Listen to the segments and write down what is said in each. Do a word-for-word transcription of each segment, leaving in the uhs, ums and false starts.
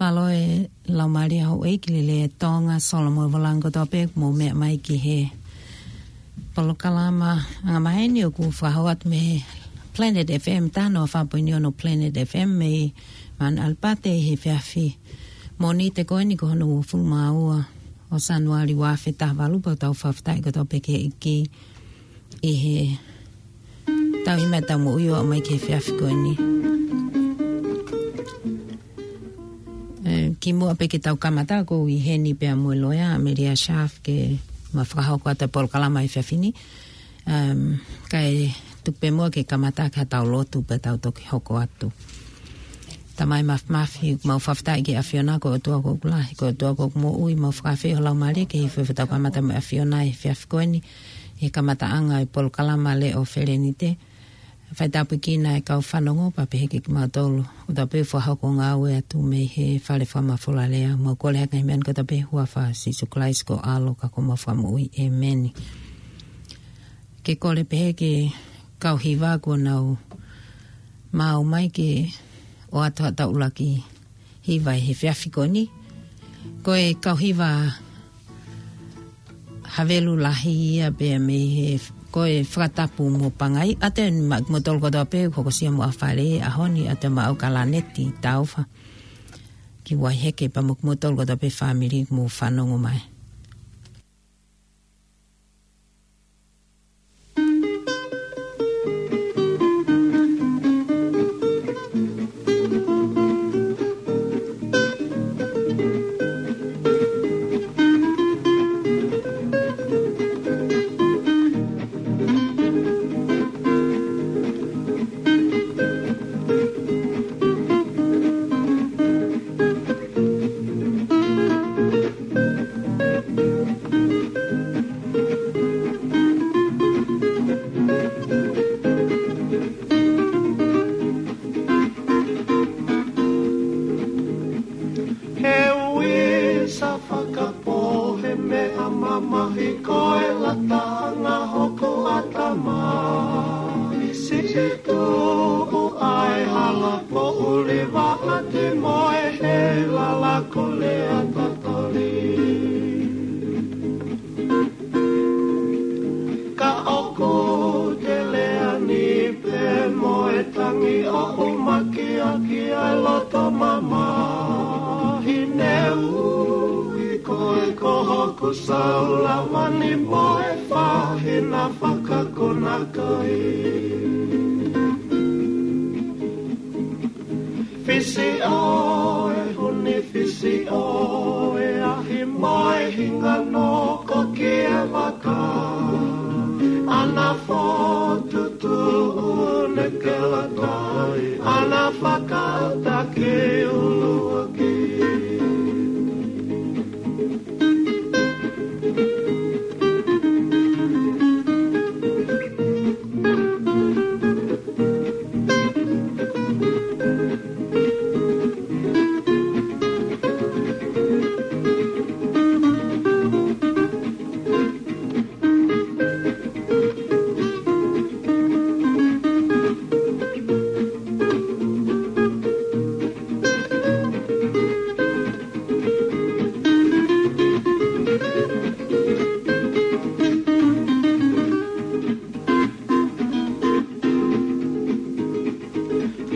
Mālō e laumālie houʻeiki lelei ʻa Tonga, Solomon Volango Tope, mou meʻa mai ki he polokalama angamaheni ʻoku fakahoko atu mei he Planet F M, taha noa fā poini ono Planet F M mei Mount Albert ʻi he efiafi Mōnite ko eni ko hono uofulu mā ua ʻo Sānuali ua afe taha valu, pea ʻoku tau fakafetaʻi kotoa pē ki he ʻEiki ʻi he tauhi mai ʻetau moʻui ʻo aʻu mai ki he efiafi ko eni. E, kimuʻa pē ke tau kamata, ʻoku ou ʻi heni pea mo e loea, ʻAmelia Sharf, ke ma fakahoko atu e polokalama ʻi he efiafi ni. Um, kae tuku pē muʻa ke kamata ki haʻatau lotu pea tau toki hoko atu. Tamai mafimafi, mau fakafetaʻi ki he ʻAfiona, ko e ʻOtua ʻoku lahi, ko e ʻOtua ʻoku moʻui, mau fakaafeʻi ho Laumālie ke hifo ʻi hotau kamata mo e ʻAfiona ʻi he efiafi ko eni, ʻi he kamataʻanga e polokalama Leʻo Felenite. Fai tāpuekina e kau fanongo pea pehē ki kimautolu ʻoku tau pē fakahoko ngāue atu mei he fale fakamafola lea. Mau kole ʻaki e ngaahi meʻa ni kotoa pē ʻi he huafa ʻo Sīsū Kalaisi ko ho ʻAlo ka ko homau Fakamoʻui. ʻĒmeni. Ke kole pehē ki he kau hiva kuo nau maʻu mai ke ʻoatu haʻatau ʻuluaki hiva ʻi he efiafi ko eni. Ko e kau hiva Havelu Lahi ia pea mei he, ko e fakatapu mo Pangai. ʻAtē maʻa kimoutolu kotoa pē ʻoku hokosia mo ʻAfale he ʻaho ni, ʻatē maʻau ka Laneti Taufa ki Waiheke pea mo kimoutolu kotoa pē fāmili mou fanongo mai. He uisa fakapō, he meʻa mamahi ko e lataʻanga hoku ʻatamai. Siʻi tuʻu ʻa e hala poʻuli vaʻati mo e heilala ko Lea Tatoli. Ka ʻoku te lea ni pē mo e tangi ʻo ʻumaki ʻaki ʻa e loto mamahi, ne ui koe ko hoku sāulava ni mo e fahina fakakonakai. Fisi ʻo e huni, fisi ʻo e ahi mo e hinga noko ki he vaka. ʻAna fotu tuʻu ne kelakai, ʻana fakaʻata ki ʻuluaki.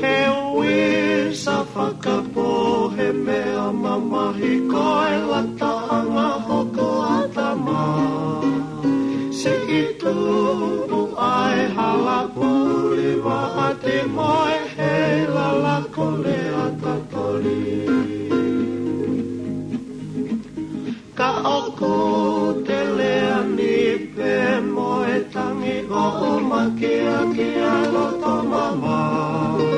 He uisa fakapō, he meʻa mamahi ko e lataʻanga hoku ʻatamai. Siʻi tuʻu ʻa e hala poʻuli vaʻati mo e heilala ko Lea Tatoli. Ka ʻoku te lea ni pē mo e tangi ʻo ʻumaki ʻaki ʻa e loto mamahi.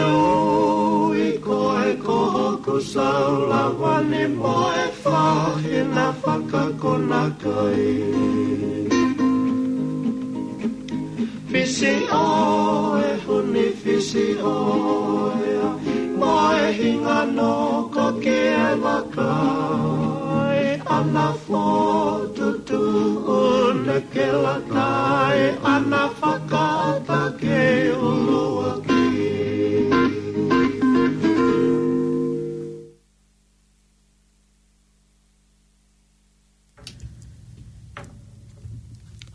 Ui koe ko hoku sāulava ni mo e fahina fakakonakai. Fisi ʻo e huni, fisi ʻo e ahi mo e hinga noko ki he vaka. ʻAna fotu tuʻu ne kelakai, ʻana fakaʻata ki ʻuluaki.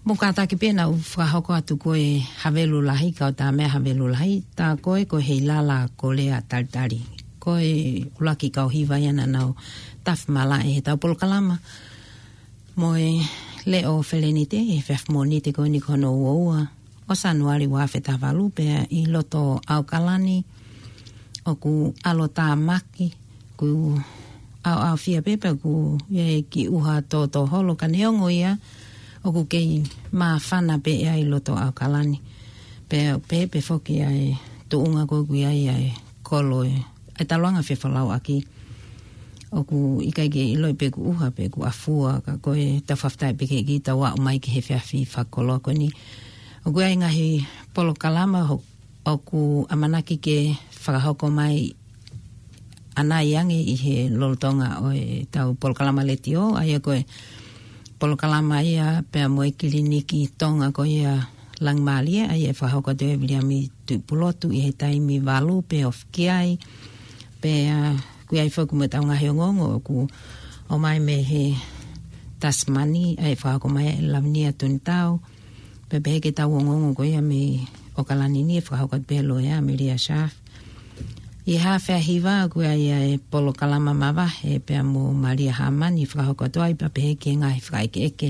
Mou kātaki pē naʻa ku fakahoko atu ko e Havelu Lahi, kau tā meʻa Havelu Lahi, tā ko ē ko e Heilala Kolea Talitali. Ko e ʻuluaki kau hiva ia naʻa nau tafi malaʻe he tau polokalama. Mo e Leʻo Felenite, he efiafi Mōnite ko eni ko hono ua ua ʻo Sānuali ua afe taha valu pea ʻi loto ʻAokalani, ʻoku ʻalotāmaki, ʻoku ʻaoʻaofia pē pea ʻoku ʻi ai e kiʻi ʻuha tōtōholo ka neongo ia, ʻoku kei māfana pē ia ʻi loto ʻAokalani. Pea pehē pē foki ʻa e tuʻunga ko ē ʻoku ʻi ai ʻa e kolo ē, ʻa e taulaʻanga fefolauʻaki. ʻOku ʻikai ke ʻiloʻi pe ʻoku ʻuha pe ʻoku ʻafua, ka ko e tau fakafetaʻi pē ki he ʻEiki ʻetau aʻu mai ki he efiafi fakakoloa ko eni. ʻOku ʻi ai e ngaahi polokalama ho-, ʻoku ʻamanaki ke fakahoko mai ʻanai ange ʻi he lolotonga ʻo e tau polokalama letiō, ʻa ia ko e polokalama ia pea mo e kiliniki Tonga ko ia Langimālie, ʻa ia ʻe fakahoko atu ʻe Viliami Tuʻipulotu ʻi he taimi valu pē ofi ki ai. Pea ʻoku ʻi ai foki mo ʻetau ngaahi ongoongo ʻoku ʻomai mei he Tasimani, ʻa ia ʻe fakahoko mai ʻe Lavinia Tunitau. Pea pehē ki he tau ongoongo ko ia mei ʻAokalani ni ʻe fakahoko atu pē ʻe he loea Amelia Schaaf. ʻI he haafe ʻaho hiva ʻoku ʻi ai ʻa e polokalama mavahe pea mo Malia Hāmani ʻe fakahoko atu ai, pea pehē ki he ngaahi fakaʻekeʻeke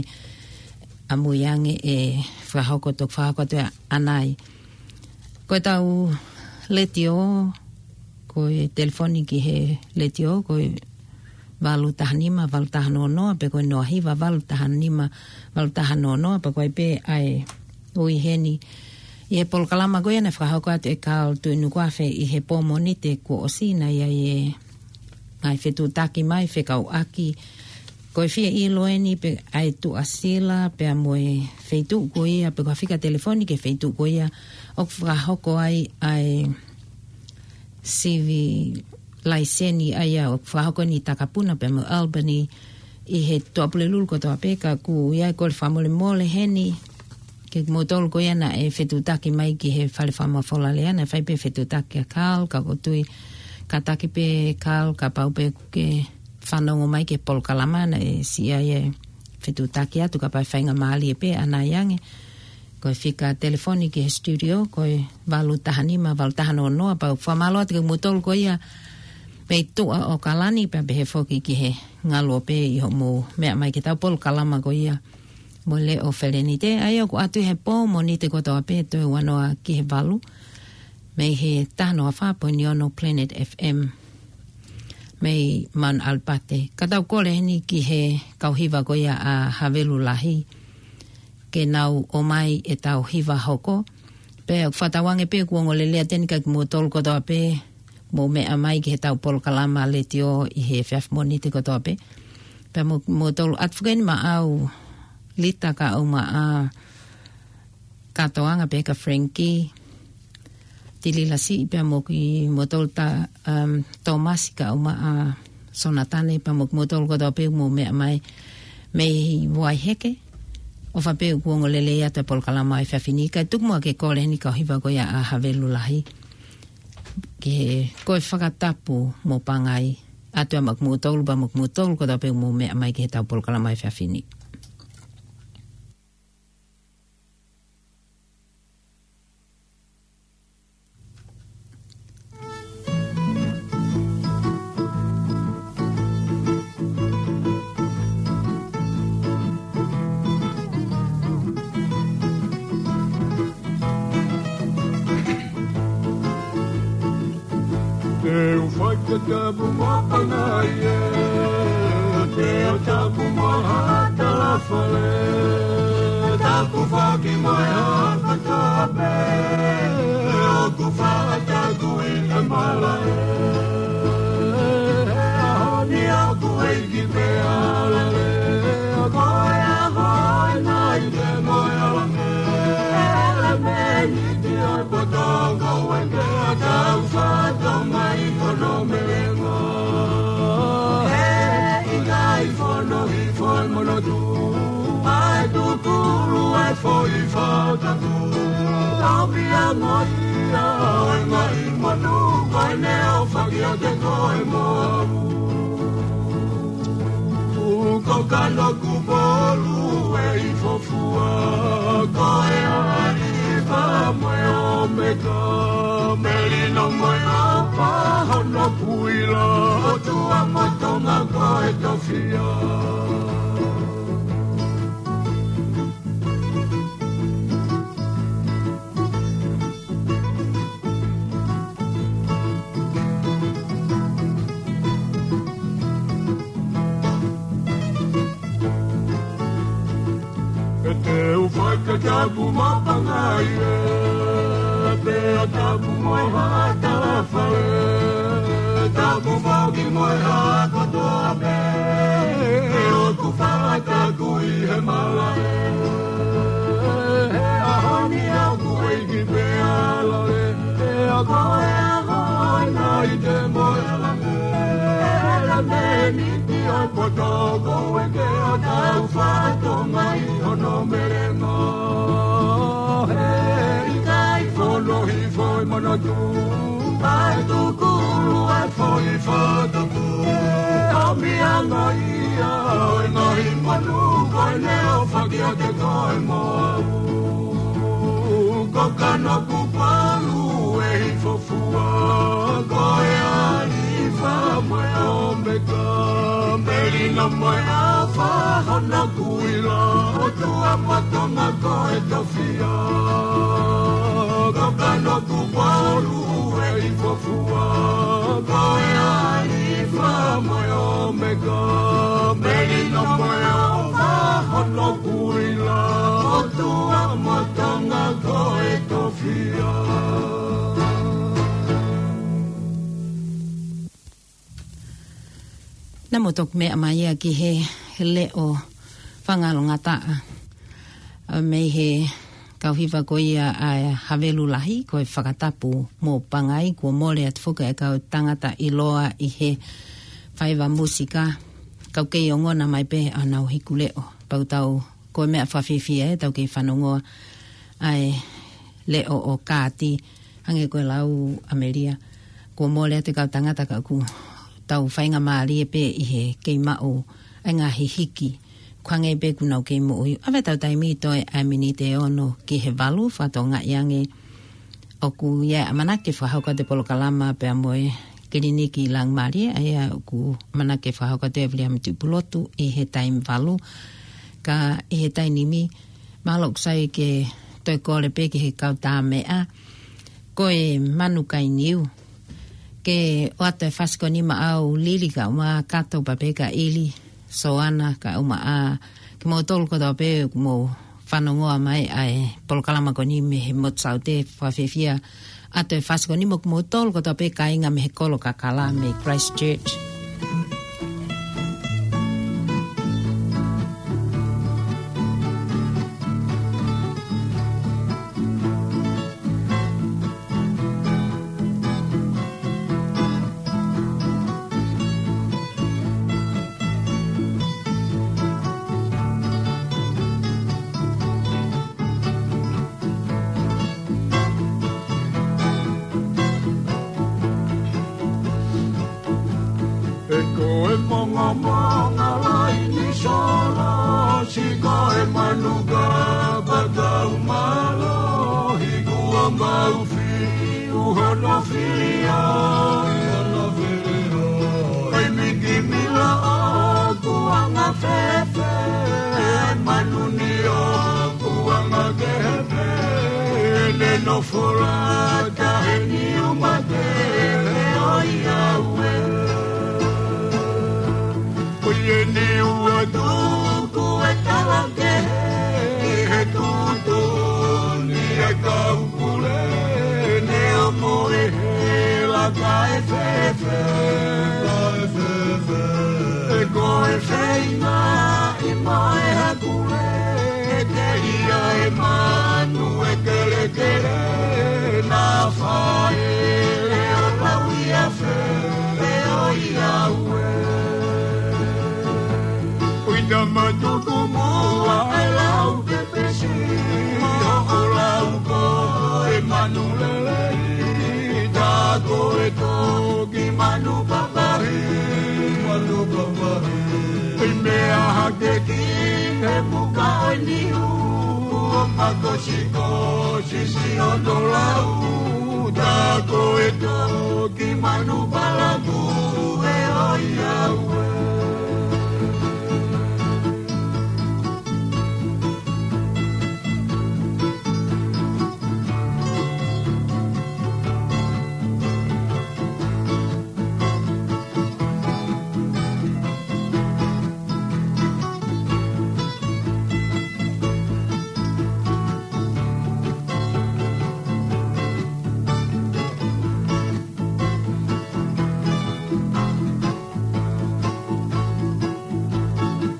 ʻamui ange ʻe fakahoko, toki fakahoko atu ʻanai. Ko e tau letiō, ko e telefoni ki he letiō, ko e valu taha nima, valu taha noa noa, pe ko e noa hiva, valu taha nima, valu taha noa noa, pea ko e pē ʻa e ui heni. ʻI he polokalama ko ia naʻe fakahoko atu ʻe Carl Tuʻinukuafe ʻi he pō Mōnite kuo ʻosi, naʻe ʻi ai e ngaahi fetuʻutaki mai, fekauʻaki. Ko e fie ʻilo eni pe ʻa e tuʻasila pea mo e feituʻu ko ia, pe ko ha fika telefoni ki he feituʻu ko ia ʻoku fakahoko ai ʻa e sivi laiseni ʻa ia ʻoku fakahoko eni ʻi Takapuna pea mo Albany ʻi he Tuʻapulelulu kotoa pē, ka ʻoku ʻi ai e kole fakamolemole heni kiate kimoutolu ko ia naʻe fetuʻutaki mai ki he Fale Fakamafola Lea, naʻe fai pē fetuʻutaki kia Carl, ka ʻoku ou tui kātaki pē Carl kapau pē ʻoku ke fanongo mai ki he polokalama, naʻe siʻi ai e fetuʻutaki atu kapau ʻe faingamālie pē ʻanai ange. Ko e fika telefoni ki he studio, ko e valu taha nima, valu taha noa noa, pea ʻoku fakamālō atu kiate kimoutolu ko ia mei tuʻa ʻAokalani, pea pehē foki ki he ngaluope ʻi hoʻomou meʻa mai ki he tau polokalama ko ia mo Leʻo Felenite, ʻa ia ʻoku ʻoatu ʻi he pō Mōnite kotoa pē, toe ua noa ki he valu, mei he taha noa fā poini ono Planet F M, mei Mount Albert. Ka tau kole heni ki he kau hiva ko ia ʻa Havelu Lahi, ke nau ō mai ʻetau hiva hoko. Pea ʻoku fakatauange pē ʻoku ongo lelei atu eni kiate kimoutolu kotoa pē, mou meʻa mai ki he tau polokalama letiō ʻi he efiafi Mōnite kotoa pē. Pea mo, moutolu atu foki eni maʻau Lita kaeʻumaʻā Katoanga pea kia Frankie Tililasi pea mo kimoutolu ta, um, Tomasi kaeʻumaʻā Sonatane pea mo kimoutolu kotoa pē mou meʻa mai mei Vaiheke. ʻOfa pē ʻoku ongo lelei atu e polokalama ʻi he efiafi ni, kae tuku muʻa ke kole heni kau hiva ko ia ʻa Havelu Lahi. Ke ko e fakatapu mo Pangai atu ia maʻa kimoutolu pea mo kimoutolu kotoa pē mou meʻa mai ki he tau polokalama ʻi he efiafi ni. Te u fai ke tapu mo Pangai ē, te u tapu mo Hatalafale, tapu foki mo e haka tape, ʻoku fakataku ʻi he malaʻe. He ʻaho ni ʻoku ʻeiki pē ʻa Lale, ko e ʻaho ʻe nai te mo e ʻalange, ʻalange ni. Tia poto kau eke a tau fato mai kono melengo. He ʻikai fono i foe mono tu. Ai tu kulu e foʻi fataku. Tau pia mo ia o e ngai manu. Koe ne o fakia te koe mo. Uko kano kupo. Olu ʻe ifo fua, ko e Alifa mo e Omeka, Melino mo e ʻafa, Honokuʻila, ʻOtua mo Tonga ko e tofiʻa. ʻE te u fai ke tapu mo Pangai ē, pea tapu mo Haʻa Talafale, tapu foki mo e haʻa kotoa pē, ʻe ʻoku fakataku ʻi he malaʻe. He ʻaho ni ʻoku ʻeiki pē ala ē, pea ko e ʻaho ʻa e nai te mo e ala ē, e ala me ni ki o poto ko e ke o tau fato mai hono melenga. He ʻikai fono hifo ʻi Manatu, ʻa e tukulu ʻa e foʻi fataku. ʻOmi anga ia ʻo e ngaahi manu ko e neʻe ʻo fakiate koe mo au. Ko Kanokupolu ʻe ifo fua, ko e Alifa mo e Omeka, Melino mo e ʻAfa, Honokuʻila, ʻOtua mo Tonga ko e tofiʻa. Ko Kanokupolu ʻe ifo fua, ko e Alifa mo e Omeka, Melino mo e ʻAfa, Honokuʻila, ʻOtua mo Tonga ko e tofiʻa. Naʻa mo toki meʻa mai ia ki he leʻo fangalongataʻa mei he kau hiva ko ia ʻa e Havelu Lahi, ko e fakatapu mo Pangai, kuo mole atu foki ʻa e kau tangata ʻiloa ʻi he faiva musika, kau kei ongona mai pē ʻa honau hiku leʻo. Pau tau, ko e meʻa fakafiefia ē, tau kei fanongoa ʻa e leʻo ʻo Kāti, hangē ko e lau ʻa Melia, kuo mole atu e kau tangata ka ʻoku tau faingamālie pē ʻi he kei maʻu ʻa e ngaahi hiki, ko e hangē pē ʻoku nau kei moʻui. ʻAve atu e taimi toe ʻa e miniti ʻe ono ki he valu, fakatokangaʻi ange ʻoku ʻi ai e ʻamanaki ke fakahoko atu e polokalama pea mo e kiliniki Laumālie, ʻa ia ʻoku ʻamanaki ke fakahoko atu ʻe Viliami Tuʻipulotu ʻi he taimi valu. Ka ʻi he taimi ni, mahalo ʻoku sai ke toe kole pē ki he kau tāmeʻa, ko e Manu Kainiu, ke ʻoatu e fasi ko eni maʻau Lili kae ʻumaʻā Kato, Papeka, ʻIli, Soana kae ʻumaʻā kimoutolu kotoa pē ʻoku mou fanongoa mai ʻa e polokalama ko eni mei he Motu Saute. Fakafiefia ʻoatu e fasi ko eni mo kimoutolu kotoa pē kāinga mei he Kolo Kakala mei Christchurch. He ko e mongomongo laini solo, siʻi ko e manu ka patau mālohi, kuo mau fiu hono fili ʻo e hono fili ʻo e mikimila ʻoku anga fēfē, manu ni ʻoku anga kehe pē, ne nofo lata he niu mate ʻo ia ue. Ko ia ni ua tuku e tala kehe he tuʻutuʻuni e kau pule, ne ʻomo e hela kae fēfē. Kae fēfē. He ko e feinga ʻi mo e hakule, ke ia e manu e kelekele, naʻa faʻele ʻo lauiafe ʻo ia ue. ʻUi tama tuku muʻa e lau pepesi, ʻo lau ko e manu lelei, tā ko e toki manu papahi, manu papahi. ʻI meʻa He muka ʻo e niu, kuo makosikosi siʻono lau, tā ko e toki manu palaku ē ʻo ia ue.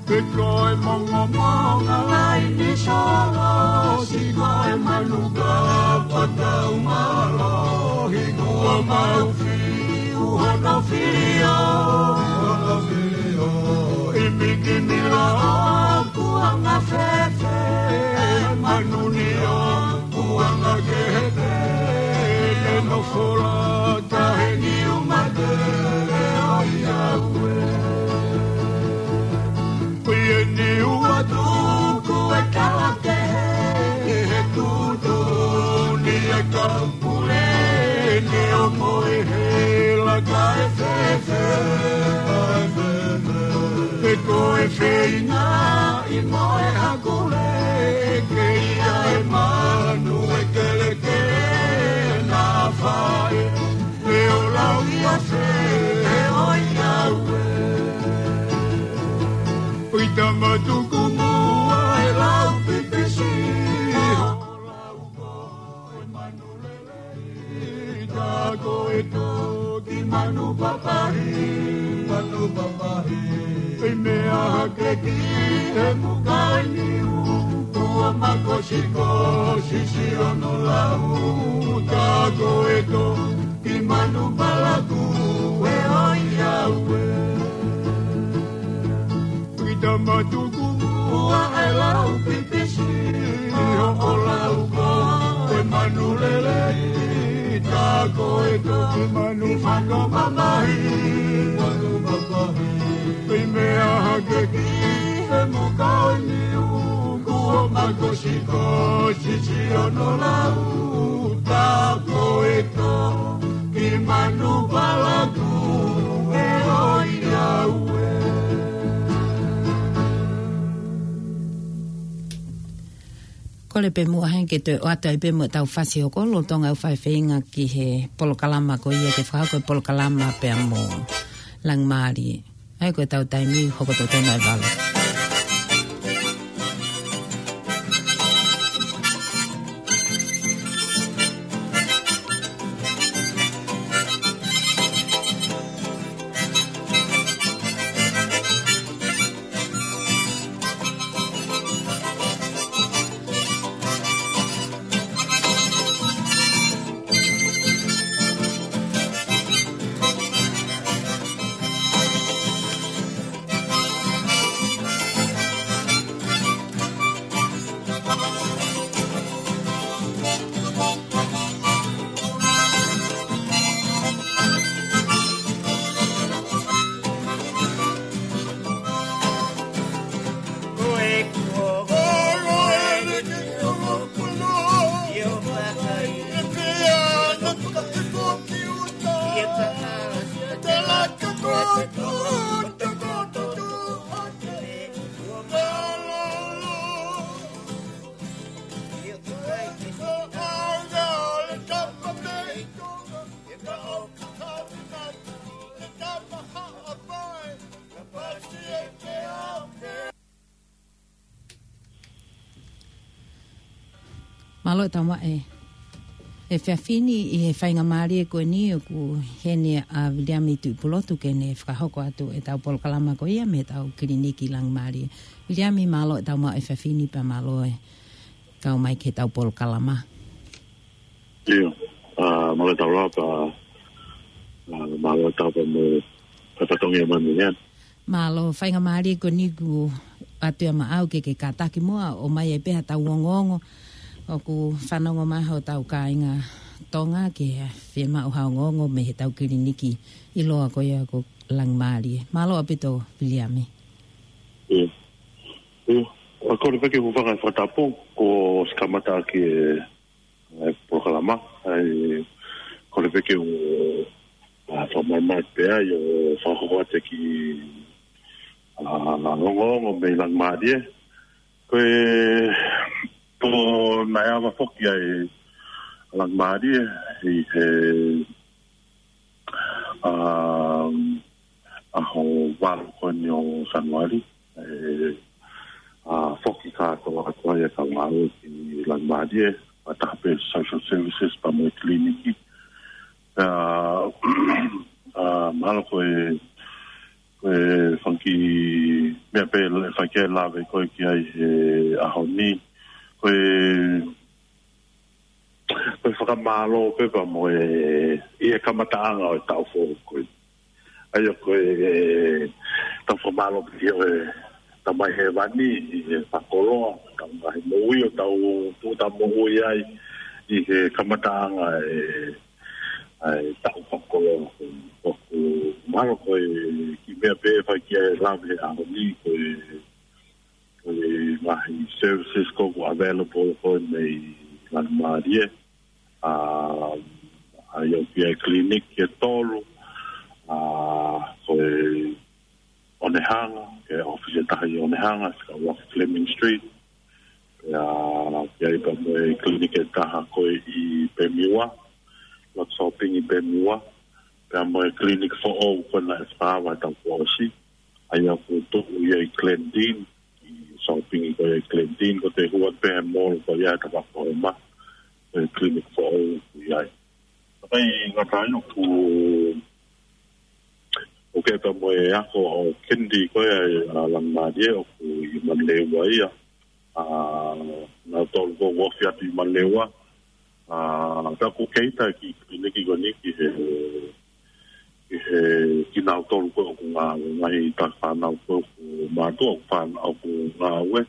Pe ko e mongomonga laini solo, si ko e manu kapa tau mālohi, kuo mau fiu hono filio, hono filio. ʻImiki mila ʻoku anga fēfē, manu ni ʻoku anga kehe pē, ʻe nofo lata he niu mate ē ʻo ia ue. Ko e niu ʻa tuku e kala kehe, he tuʻutuʻuni e kau pule, ne ʻo moe he laka ē fēfē. Pe ko e feinga ʻi moe hakule, ke ʻi ai e manu ʻe kelekele na fae, ʻe ʻo lau ia fē ʻo ia ue. ʻI tama tuku muʻa e lau pipisi, ʻo lau ko e manu lelei, tā ko e toki manu papahi, manu papahi. ʻI meʻa hake ki he muka ʻo e niu, kuo makosikosi siʻono lau, tā ko e toki manu palaku ē ʻo ia ue. ʻI tama tuku muʻa e lau pipisi, ʻo lau ko e manu lelei, tā ko e toki manu papahi, manu papahi. ʻI meʻa hake ki he muka ʻo e niu, kuo makosikosi siʻono lau, tā ko e toki manu palaku ē ʻo ia ue. Kole pē muʻa heni ke toe ʻoatu ai pē mo ʻetau fasi hoko lolotonga ʻeku fai feinga ki he polokalama ko ia ke fakahoko e polokalama pea mo Langimālie. ʻA ia ko ʻetau taimi hoko totonu ai valu. Mālō e tau maʻu e efiafi ni ʻi he faingamālie ko eni ʻoku ʻi heni ʻa Viliami Tuʻipulotu ke ne fakahoko atu ʻetau polokalama ko ia mei heʻetau kiliniki Langimālie. Viliami, mālō e tau maʻu e efiafi ni pea mālō e kau mai ki heʻetau polokalama. ʻIo, ʻa, mālō e tau lava, ʻa, mālō e tau pea mo e fatongia mai mei heni. Mālō, faingamālie ko eni kuo ʻoatu ia maʻau ke ke kātaki muʻa ʻo ʻomai ai pē haʻatau ongoongo. ʻOku fanongo mai hotau kāinga Tonga ke fiemaʻu ha ongoongo mei heʻetau kiliniki ʻiloa ko ia ko Langimālie. Mālō ʻaupito Viliami. ʻIo. ʻIo. Kole pē ke u hūfanga he fakatapu, kuo ʻosi kamata ʻaki e, e polokalama, ʻa ia kole pē ke u, a, fakamaʻamaʻa pē ai ʻo fakahoko atu e kiʻi, a, ongoongo mei Langimalie. Ko e, ko naʻe ava foki ai Langimalie, ʻi he, a, ʻaho valu ko eni ʻo Sānuali, e, a, foki kātoa atu ai e kau ngāue ki Langimalie, fakataha pē social services pea mo e kiliniki. A, a, mahalo ko e, ko e fanga kiʻi meʻa pē ʻe fai ke lave ko ē ki ai he ʻaho ni. Ko e, ko e fakamālō pē pea mo e, ʻi he kamataʻanga ʻo e taʻu foʻou ko ē. ʻA ia ko e, tau fakamālō pē ki he Tamai Hēvani, ʻi he fakakoloa, tau ngaahi moʻui ʻoku tau, tau moʻui ai, ʻi he kamataʻanga e, ʻa e taʻu fakakoloa. ʻOku mahalo ko e kiʻi meʻa pē ʻe fai ke lave he ʻaho ni, ko e, ko e ngaahi services ko ē ʻoku available ko ē mei Langimalie. A, ʻa ia ʻoku ʻi ai e kiliniki ʻe tolu, a, ko e Onehunga, ko e ʻōfisi ʻe taha ʻi Onehunga, ʻi he ʻuluaki Fleming Street. Pea, pea ʻi ai pea mo e kiliniki ʻe taha ko ē ʻi Bemiwa, ʻuluaki shopping ʻi Bemiwa. Pea mo e kiliniki foʻou ko ē naʻe fakaava he taʻu kuo ʻosi. ʻA ia ʻoku tuʻu ia ʻi Glen Dene, ʻi shopping ko ē ʻi Glen Dene, ko e hū atu pē he mall ko ia ʻe taha ko ē ma, ko e kiliniki foʻou ʻoku ʻi ai. Ka ʻikai ngata ai ʻoku, ʻoku ʻi ai pea mo e ako ʻo Kennedy ko ē ʻa Langimalie ʻoku ʻi Manurewa ia. A, nautolu ko ē ʻoku ofi atu ʻi Manurewa. A, pea ʻoku kei ʻi ai e kiʻi kiliniki ko eni ki he, ki he kinautolu ko ē ʻoku ngā-, ngaahi taki fānau ko ē ʻoku mātuʻa ʻoku fān-, ʻoku ngāue.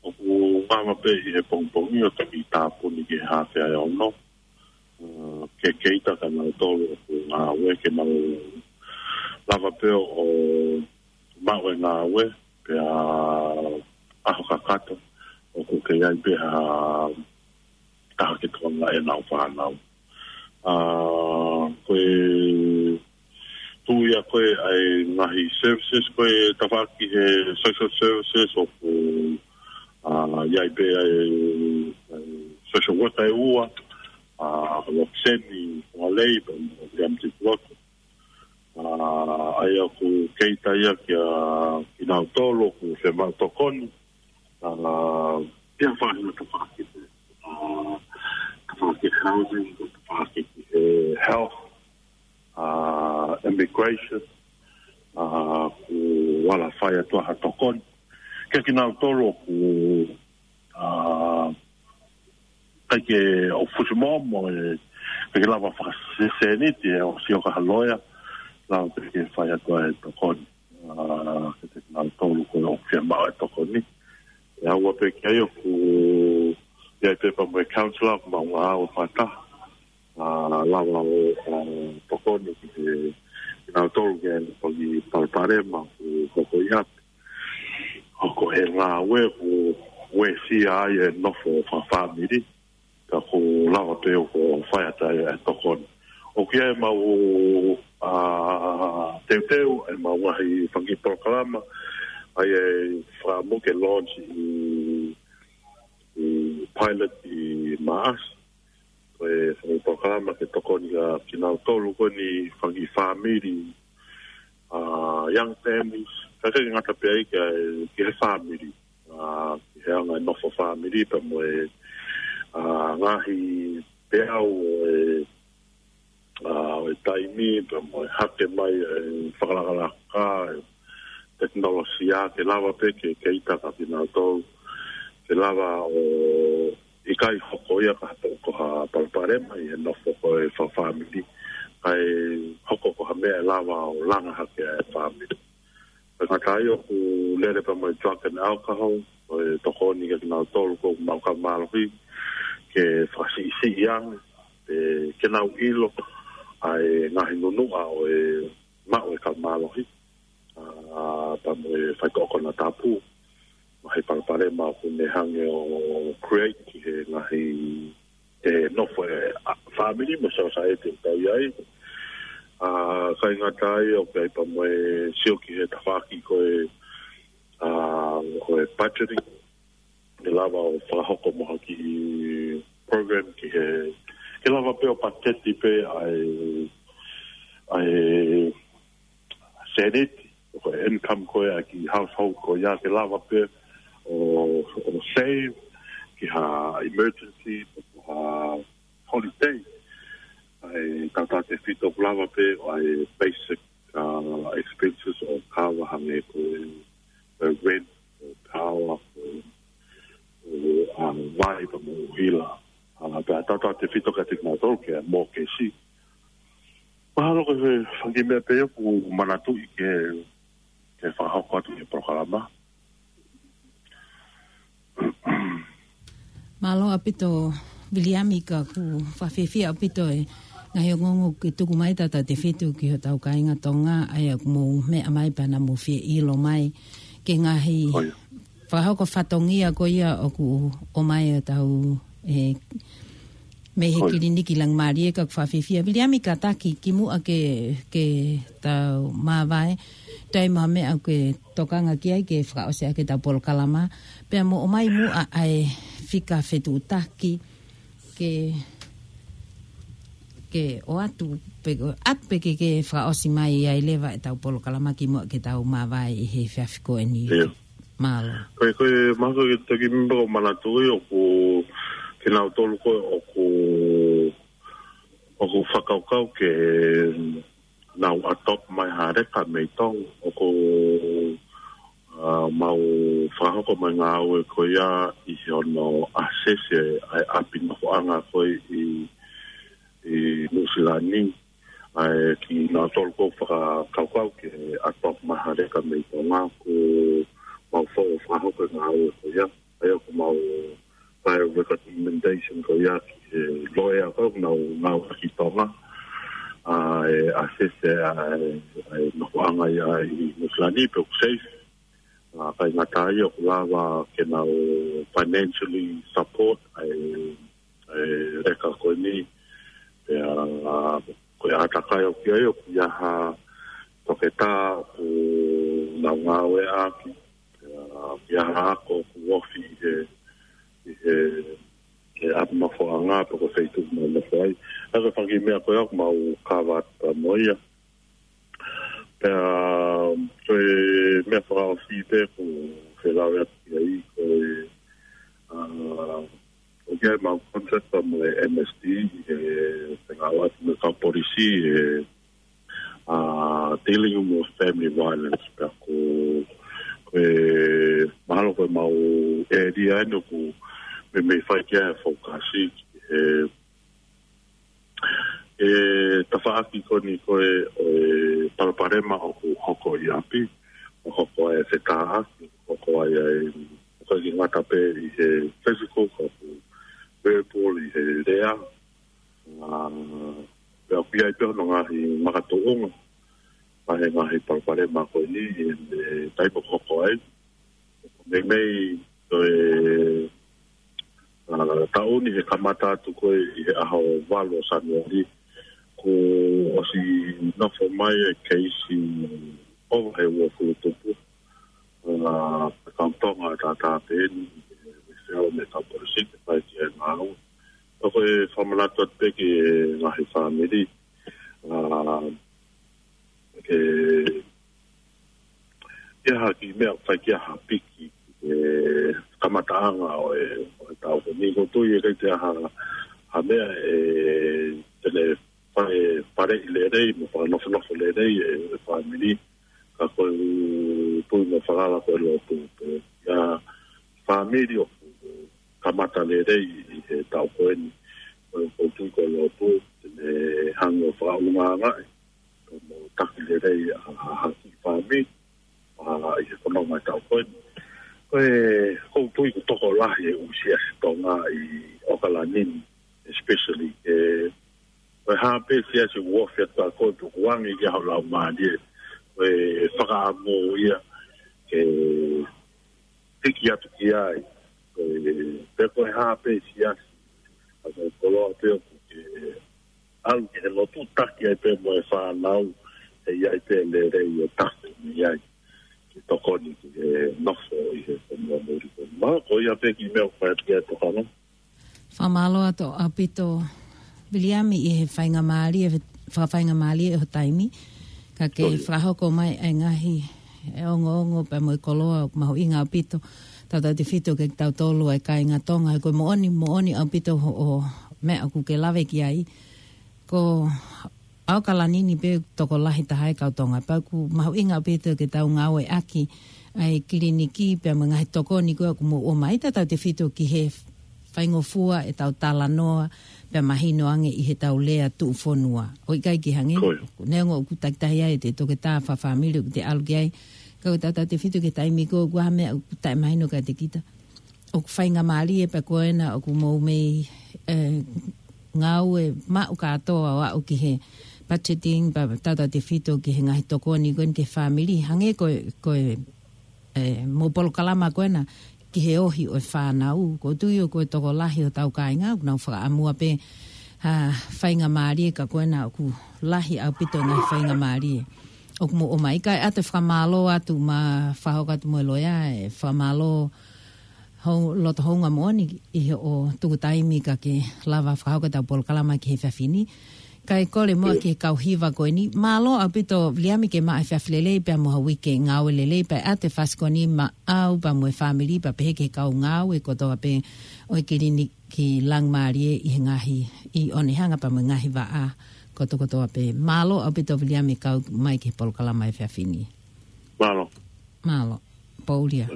ʻOku ngāue pē ʻi he pongipongi ʻo toki tāpuni ki he haafe ʻa e ono. A, ke kei ʻi ai kinautolu ʻoku ngāue ke nau lava pē ʻo maʻu e ngāue, pea ʻaho kakato, ʻoku kei ʻi ai pē ha taha ke tokangaʻi ʻenau fānau. A, ko e tuʻu ia ko ē ʻa e ngaahi services ko ē tafaʻaki he social services ʻoku, a, ʻi ai pē ʻa e, ʻa e social worker ʻe ua, a, Roxanne Fongalei, pea mo Liam Tikuloto. A, ʻa ia ʻoku kei ʻi ai ia kia kinautolu ʻoku fiemaʻu tokoni. A, ʻi he faʻahinga tafaʻaki, a, tafaʻaki housing, tafaʻaki, e, health, a, immigration, a, ʻoku ala fai atu ha tokoni. Kia kinautolu ʻoku, a, ʻikai ke ʻoku fusi momo e, ʻikai ke lava fakasēniti e ʻosi ʻo ka ha loea, lava pē ke fai atu e tokoni. A, ke te kinautolu ko ē ʻoku fiemaʻu e tokoni. ʻE ʻaua pē ki ai ʻoku ʻi ai pē pea mo e counsellor ʻoku mau ngāue fakataha. A, lava ʻo, a, tokoni ki he, kinautolu ke ʻi ai pē palopalema ʻoku hoko ʻi ʻapi. Hoko e ngāue ʻoku uesia ai e nofo fakafāmili. Ka ʻoku lava pē ʻo fai atu ai e tokoni. ʻOku ʻi ai ʻemau, a, teuteu, ʻemau ngaahi fanga kiʻi polokalama, ʻa ia ʻe fakaʻamu ke launch ʻi, ʻi pilot ʻi Maʻasi. Ko e fanga kiʻi polokalama ke tokoni kia kinautolu ko eni fanga kiʻi fāmili, a, young families, ka ʻikai ke ngata pē ai ki he, ki he fāmili. A, ki he anga e nofo fāmili pea mo e, a, ngaahi peau ʻo e, a, ʻo e taimi pea mo e hake mai e fakalakalaka, e tekinolosia ke lava pē ke, ke ʻita kia kinautolu, ke lava ʻo ʻikai hoko ia ka ha, ko ha palopalema ʻi he nofo ko ē fakafāmili, kae hoko ko ha meʻa ʻe lava ʻo langa hake ʻa e fāmili. Pea ngata ai ʻoku lele pea mo e drug and alcohol, ʻo e tokoni kia kinautolu ʻoku mau kau mālohi, ke fakasiʻisiʻi ange, ʻe, ke nau ʻilo ʻa e ngaahi nunuʻa ʻo e maʻu e kau mālohi, a, pea mo e faitoʻo konatapu. ngaahi palopalema ʻoku ne hangē ʻo create ki he ngaahi, e, nofo e, a, family mo e society ʻoku tau ʻi ai. ʻA, kae ngata ai ʻoku ʻi ai pea mo e sio ki he tafaʻaki ko e, ʻa, ko e budgeting. ʻE lava ʻo fakahoko mo ha kiʻi program ki he, ke lava pē ʻo pateti pē ʻa e, ʻa e seniti, ko e income ko ē ʻa e kiʻi household ko ia ke lava pē ʻo, ʻo save ki ha emergency, ha holiday. ʻA e tautautefito ʻoku lava pē ʻa e basic, uh, expenses ʻo cover hangē ko e, e rent, ʻo power, ʻo, ʻo, um, vai pea mo e ʻuhila. ʻA, pea tautautefito kiate kinautolu ki he mortgage. Mahalo ko e fanga kiʻi meʻa pē ʻoku manatuʻi ke, ke fakahoko atu ki he polokalama. Mālō ʻaupito, Viliami, ka ʻoku fakafiefia ʻaupito e ngaahi ongoongo kuo ke tuku mai tautautefito ki hotau kāinga Tonga, ʻa ia ʻoku mou meʻa mai pea naʻa mou fie ʻilo mai ki he ngaahi ʻOi. fakahoko fatongia ko ia ʻoku ʻomai ʻe hotau, e, mei he ʻOi. kiliniki Langimālie. Ka ʻoku fakafiefia, Viliami, kātaki kimuʻa ke, ke tau māvae, toe ʻi ai ha meʻa ʻoku ke tokanga ki ai ke fakaʻosi ʻaki ʻetau polokalama, pea mo ʻomai muʻa ʻa e fika fetuʻutaki ke, ke ʻoatu pē, ʻoatu pē ke, ke fakaʻosi mai ai leva ʻetau polokalama kimuʻa ke tau māvae ʻi he efiafi ko eni. ʻIo. Mālō. Ko e, ko e, mahalo ko e toki meʻa ʻoku manatuʻi ʻoku kinautolu ko ē ʻoku, ʻoku fakakaukau ke nau adopt mai ha leka mei Tonga, ʻoku, ʻa, mau fakahoko mai ngāue ko ia ʻi he ono asese ʻa e ʻapi nofoʻanga ko ē ʻi, ʻi Nuʻusila ni. ʻA e kinautolu ʻoku fakakaukau ke adopt mai ha leka mei Tonga, ʻoku mau fo-, fakahoko e ngāue ko ia. ʻA ia ʻoku mau fai recommendation ko ia ki he loea ko ē ʻoku nau ngāueʻaki ʻi Tonga. ʻA e asese ʻa e, ʻa e nofoʻanga ia ʻi Nuʻusila ni pe ʻoku safe. ʻA, kae ngata ai ʻoku lava ke nau financially support ʻa e, ʻa e leka ko eni. Pea, ʻa, ko e ʻātakai ʻoku ʻi ai ʻoku ʻi ai ha toketā ʻoku nau ngāueʻaki. Pea, ʻoku ʻi ai ha ako ʻoku ofi ʻi he, ʻi he, he ʻapi nofoʻanga pe ko e feituʻu ʻoku nau nofo ai. ʻA ia ko e fanga kiʻi meʻa ko ia ʻoku mau cover atu pea mo ia. Pea, ko e meʻa fakaʻosi pē ʻoku ou lave atu ki ai, ko e, ʻa, ʻoku ʻi ai ʻemau contract pea mo e M S D, ʻi he, he ngāue atu mo e kau polisi, ʻi he, ʻa, dealing with family violence. Pea ko, ko e, mahalo ko ʻemau area eni ʻoku meimei fai ki ai e focus ʻi he, e tafaʻaki ko eni ko ē ʻo e palopalema ʻoku hoko ʻi ʻapi, ʻoku hoko ai e fetāʻaki, hoko ai ʻa e, ʻoku ʻikai ke ngata pē ʻi he physical, ka ʻoku verbal, ʻi he lea. ʻA, pea ʻoku ʻi ai pē hono ngaahi makatuʻunga ʻa e ngaahi palopalema ko eni ʻi he taimi ʻoku hoko ai. Meimei ko e, ʻa, taʻu ni he kamata atu ko ē ʻi he ʻaho valu ʻo Sānuali, kuo ʻosi nofo mai e keisi ʻova he uofulu tupu. ʻA, kau Tonga tātā pē eni, ʻe, ʻe feo me kau polisi ke fai ki ai e ngāue. ʻOku ou fakamanatu atu pē ki he ngaahi fāmili, ʻa, ke ʻi ai ha kiʻi meʻa ʻoku fai ki ai ha piki, e, kamataʻanga ʻo e, ʻo e taʻu ko eni. ʻOku ou tui ʻe ʻikai te ʻi ai ha, ha meʻa ʻe, te ne fai, faleʻi lelei mo fakanofonofo lelei e, e fāmili. Ka ko e tui mo e falala ko e lotu pē. ʻA e fāmili ʻoku kamata lelei ʻi he taʻu ko eni. ʻOku ou tui ko e lotu, te ne hanga ʻo fakaʻulungaanga ʻa e mo taki lelei ʻa, ʻa, ʻa e kiʻi fāmili, ʻa, ʻi he fononga e taʻu ko eni. Ko e, ʻoku ou tui ʻoku tokolahi e ʻū siasi Tonga ʻi ʻAokalani ni, especially, e, ko e hā pē siasi ʻoku ofi atu ka ko e tukuange ki ai ho laumālie, ko e fakaʻamu ia ke hiki atu ki ai. Ko e, pe ko e hā pē siasi, ʻa e koloa pē ʻoku ke ʻalu ki he lotu taki ai pē mo e fānau, ʻe ʻi ai pē lelei ʻo tafe mei ai. Ke tokoni ki he nofo ʻi he fonua muli ko. Ma, ko ia pē kiʻi meʻa ʻoku fai atu ki ai e tokanga. Fakamālō atu ʻaupito, Viliami, ʻi he faingamālie, fakafaingamālie ʻo e taimi. Ka ke Ko ia. fakahoko mai e ngaahi, e ongoongo pea mo e koloa ʻoku mahuʻinga ʻaupito. Tautautefito kiate kitautolu ʻa e kāinga Tonga, he ko e moʻoni, moʻoni ʻaupito hoʻo meʻa ʻoku ke lave ki ai. Ko ʻAokalani ni pē tokolahi taha e kau Tonga. Pea ʻoku mahuʻinga ʻaupito ke tau ngāueʻaki ʻa e kiliniki pea mo e ngaahi tokoni ko ē ʻoku mou ʻomai, tautautefito ki he faingofua ʻetau talanoa pea mahino ange ʻi heʻetau lea tuʻufonua. ʻOku ʻikai ke hangē, Ko ia. neongo ʻoku takitaha ai e toketā fakafāmili ʻoku te ʻalu ki ai. Ka ko e tautautefito ki he taimi ko ē ʻoku ʻi ai ha meʻa ʻoku taʻemahino kiate kita. ʻOku faingamālie pē ko ena ʻoku mou mei, e, ngāue maʻu kātoa ʻo aʻu ki he budgeting pea tautautefito ki he ngaahi tokoni ko eni ki he fāmili. Hangē ko e, ko e, e, mo e polokalama ko ena ki he ohi ʻo e fānau. ʻOku ou tui ʻoku tokolahi hotau kāinga, ʻoku nau fakaʻamua pē ha faingamālie ka ko ena ʻoku lahi ʻaupito e ngaahi faingamālie ʻoku mou ʻomai. Kae ʻoatu e fakamālō atu mo e fakahoko atu mo e loea, e fakamālō hou-, loto houngaʻia moʻoni ʻi hoʻo tuku taimi kae ke lava fakahoko ʻetau polokalama ki he efiafi ni. Kae kole muʻa Ia. ki he kau hiva ko eni. Mālō ʻaupito Viliami, ke maʻu e efiafi lelei pea mo ha uike ngāue lelei, pea ʻoatu e fasi ko eni maʻau pea mo e fāmili pea pehē ki he kau ngāue kotoa pē ʻo e kiliniki Langimālie ʻi he ngaahi, ʻi ʻOnehunga pea mo e ngaahi vaʻa kotokotoa pē. Mālō ʻaupito Viliami kau mai ki he polokalama efiafi ni. Mālō. Mālō. Poulia.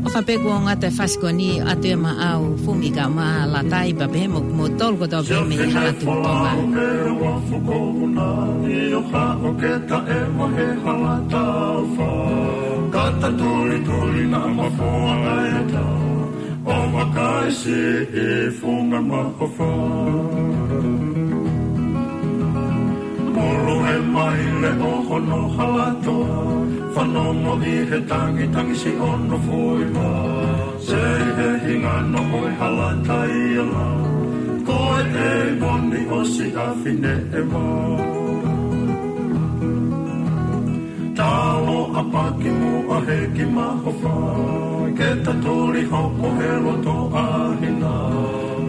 ʻOfa pē kuo ngata e fasi ko eni ʻa e maʻau fumi ka ma latai pea pehē mo, mo tolu kotoa pē mei Hala Tuʻi Tonga. Kata tuli tuli na mafoa ai ta. ʻO makaisi ʻi funga mahofa. Mulu he maile ʻo hono halatoa. Fanongo ʻi he tangi tangi si ono fui ma. Sei he hinga no ʻo e halatai ala. Ko e ʻe moni ʻo si a fine e ma. Talo a paki mu a he ki mahofa. Ke ta tuli hoko he loto a hina.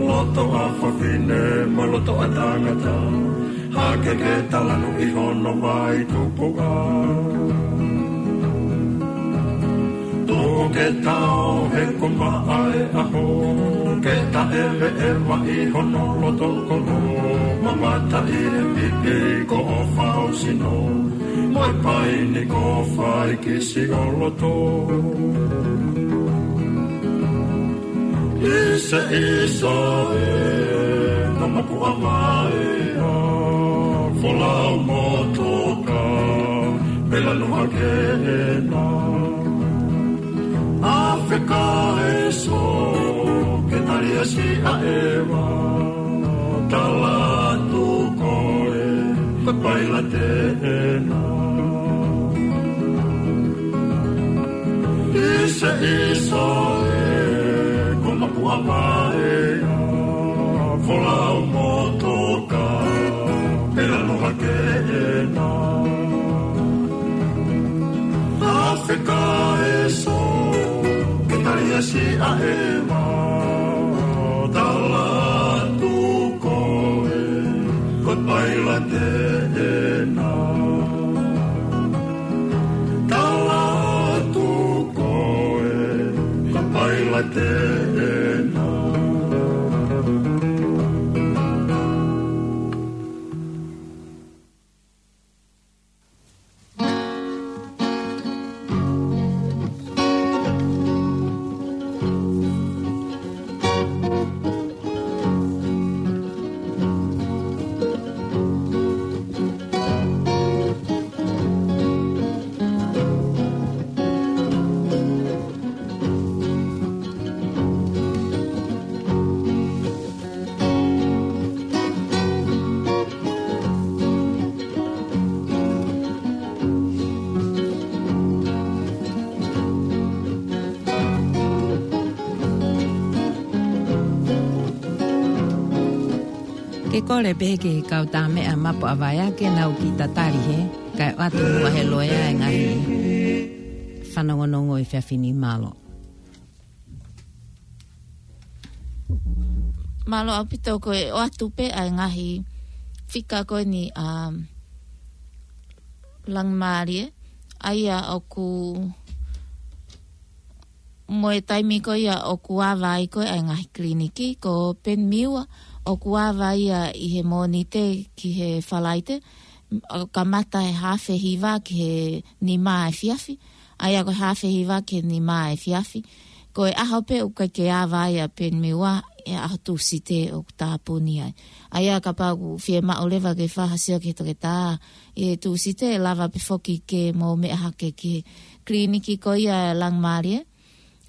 Loto a fafine mo loto a tangata. Hake ke talanu ʻi hono vai tupu a. Tu Ke tau he ko maʻa e ʻaho, ke taʻeveʻeva ʻi hono loto kolo, mamata ʻi he pipi ko ʻofa ʻo sino, mo e paini ko fai kisi ʻo loto. ʻIsa, ʻisa ē, ko mapu ʻa mai ʻa, folau mo toka, pela no hake ena. ʻAfeka ē so, ke tali ʻa si ʻa ʻeva, tala atu koe, ko pailate ena. ʻIsa, ʻisa ē, ko mapu ʻa mai ʻa, folau mo toka, pela no hake ena. ʻAfeka ē so, ke tali ʻa si ʻa ʻeva, tala atu koe, ko pailate ena. Tala atu koe, ko pailate ena. Ke kole pē ki he kau tā meʻa mapu ʻa vai ake nau ki tatali he, kae ʻoatu muʻa he loea e ngaahi fanongonongo ʻi he efiafi ni. Mālō. Mālō ʻaupito, ko e ʻoatu pē ʻa e ngaahi fika ko eni ʻa Langimālie, ʻa ia ʻoku mo e taimi ko ia ʻoku ava ai ko ē ʻa e ngaahi kiliniki, ko Peni Miua ʻoku ava ia ʻi he Mōnite ki he Falaite, ʻo kamata he haafe hiva ki he nima efiafi, ʻa ia ko e haafe hiva ki he nima efiafi. Ko e ʻaho pē ʻoku ʻikai ke ava ai ʻa Peni Miua, ʻa e ʻaho Tūsite ʻoku tāpuni ai. ʻA ia kapau ʻoku fiemaʻu leva ke fai ha sio ki he toketā ʻi he Tūsite, ʻe lava pē foki ke mou meʻa hake ki he kiliniki ko ia ʻa Langimālie,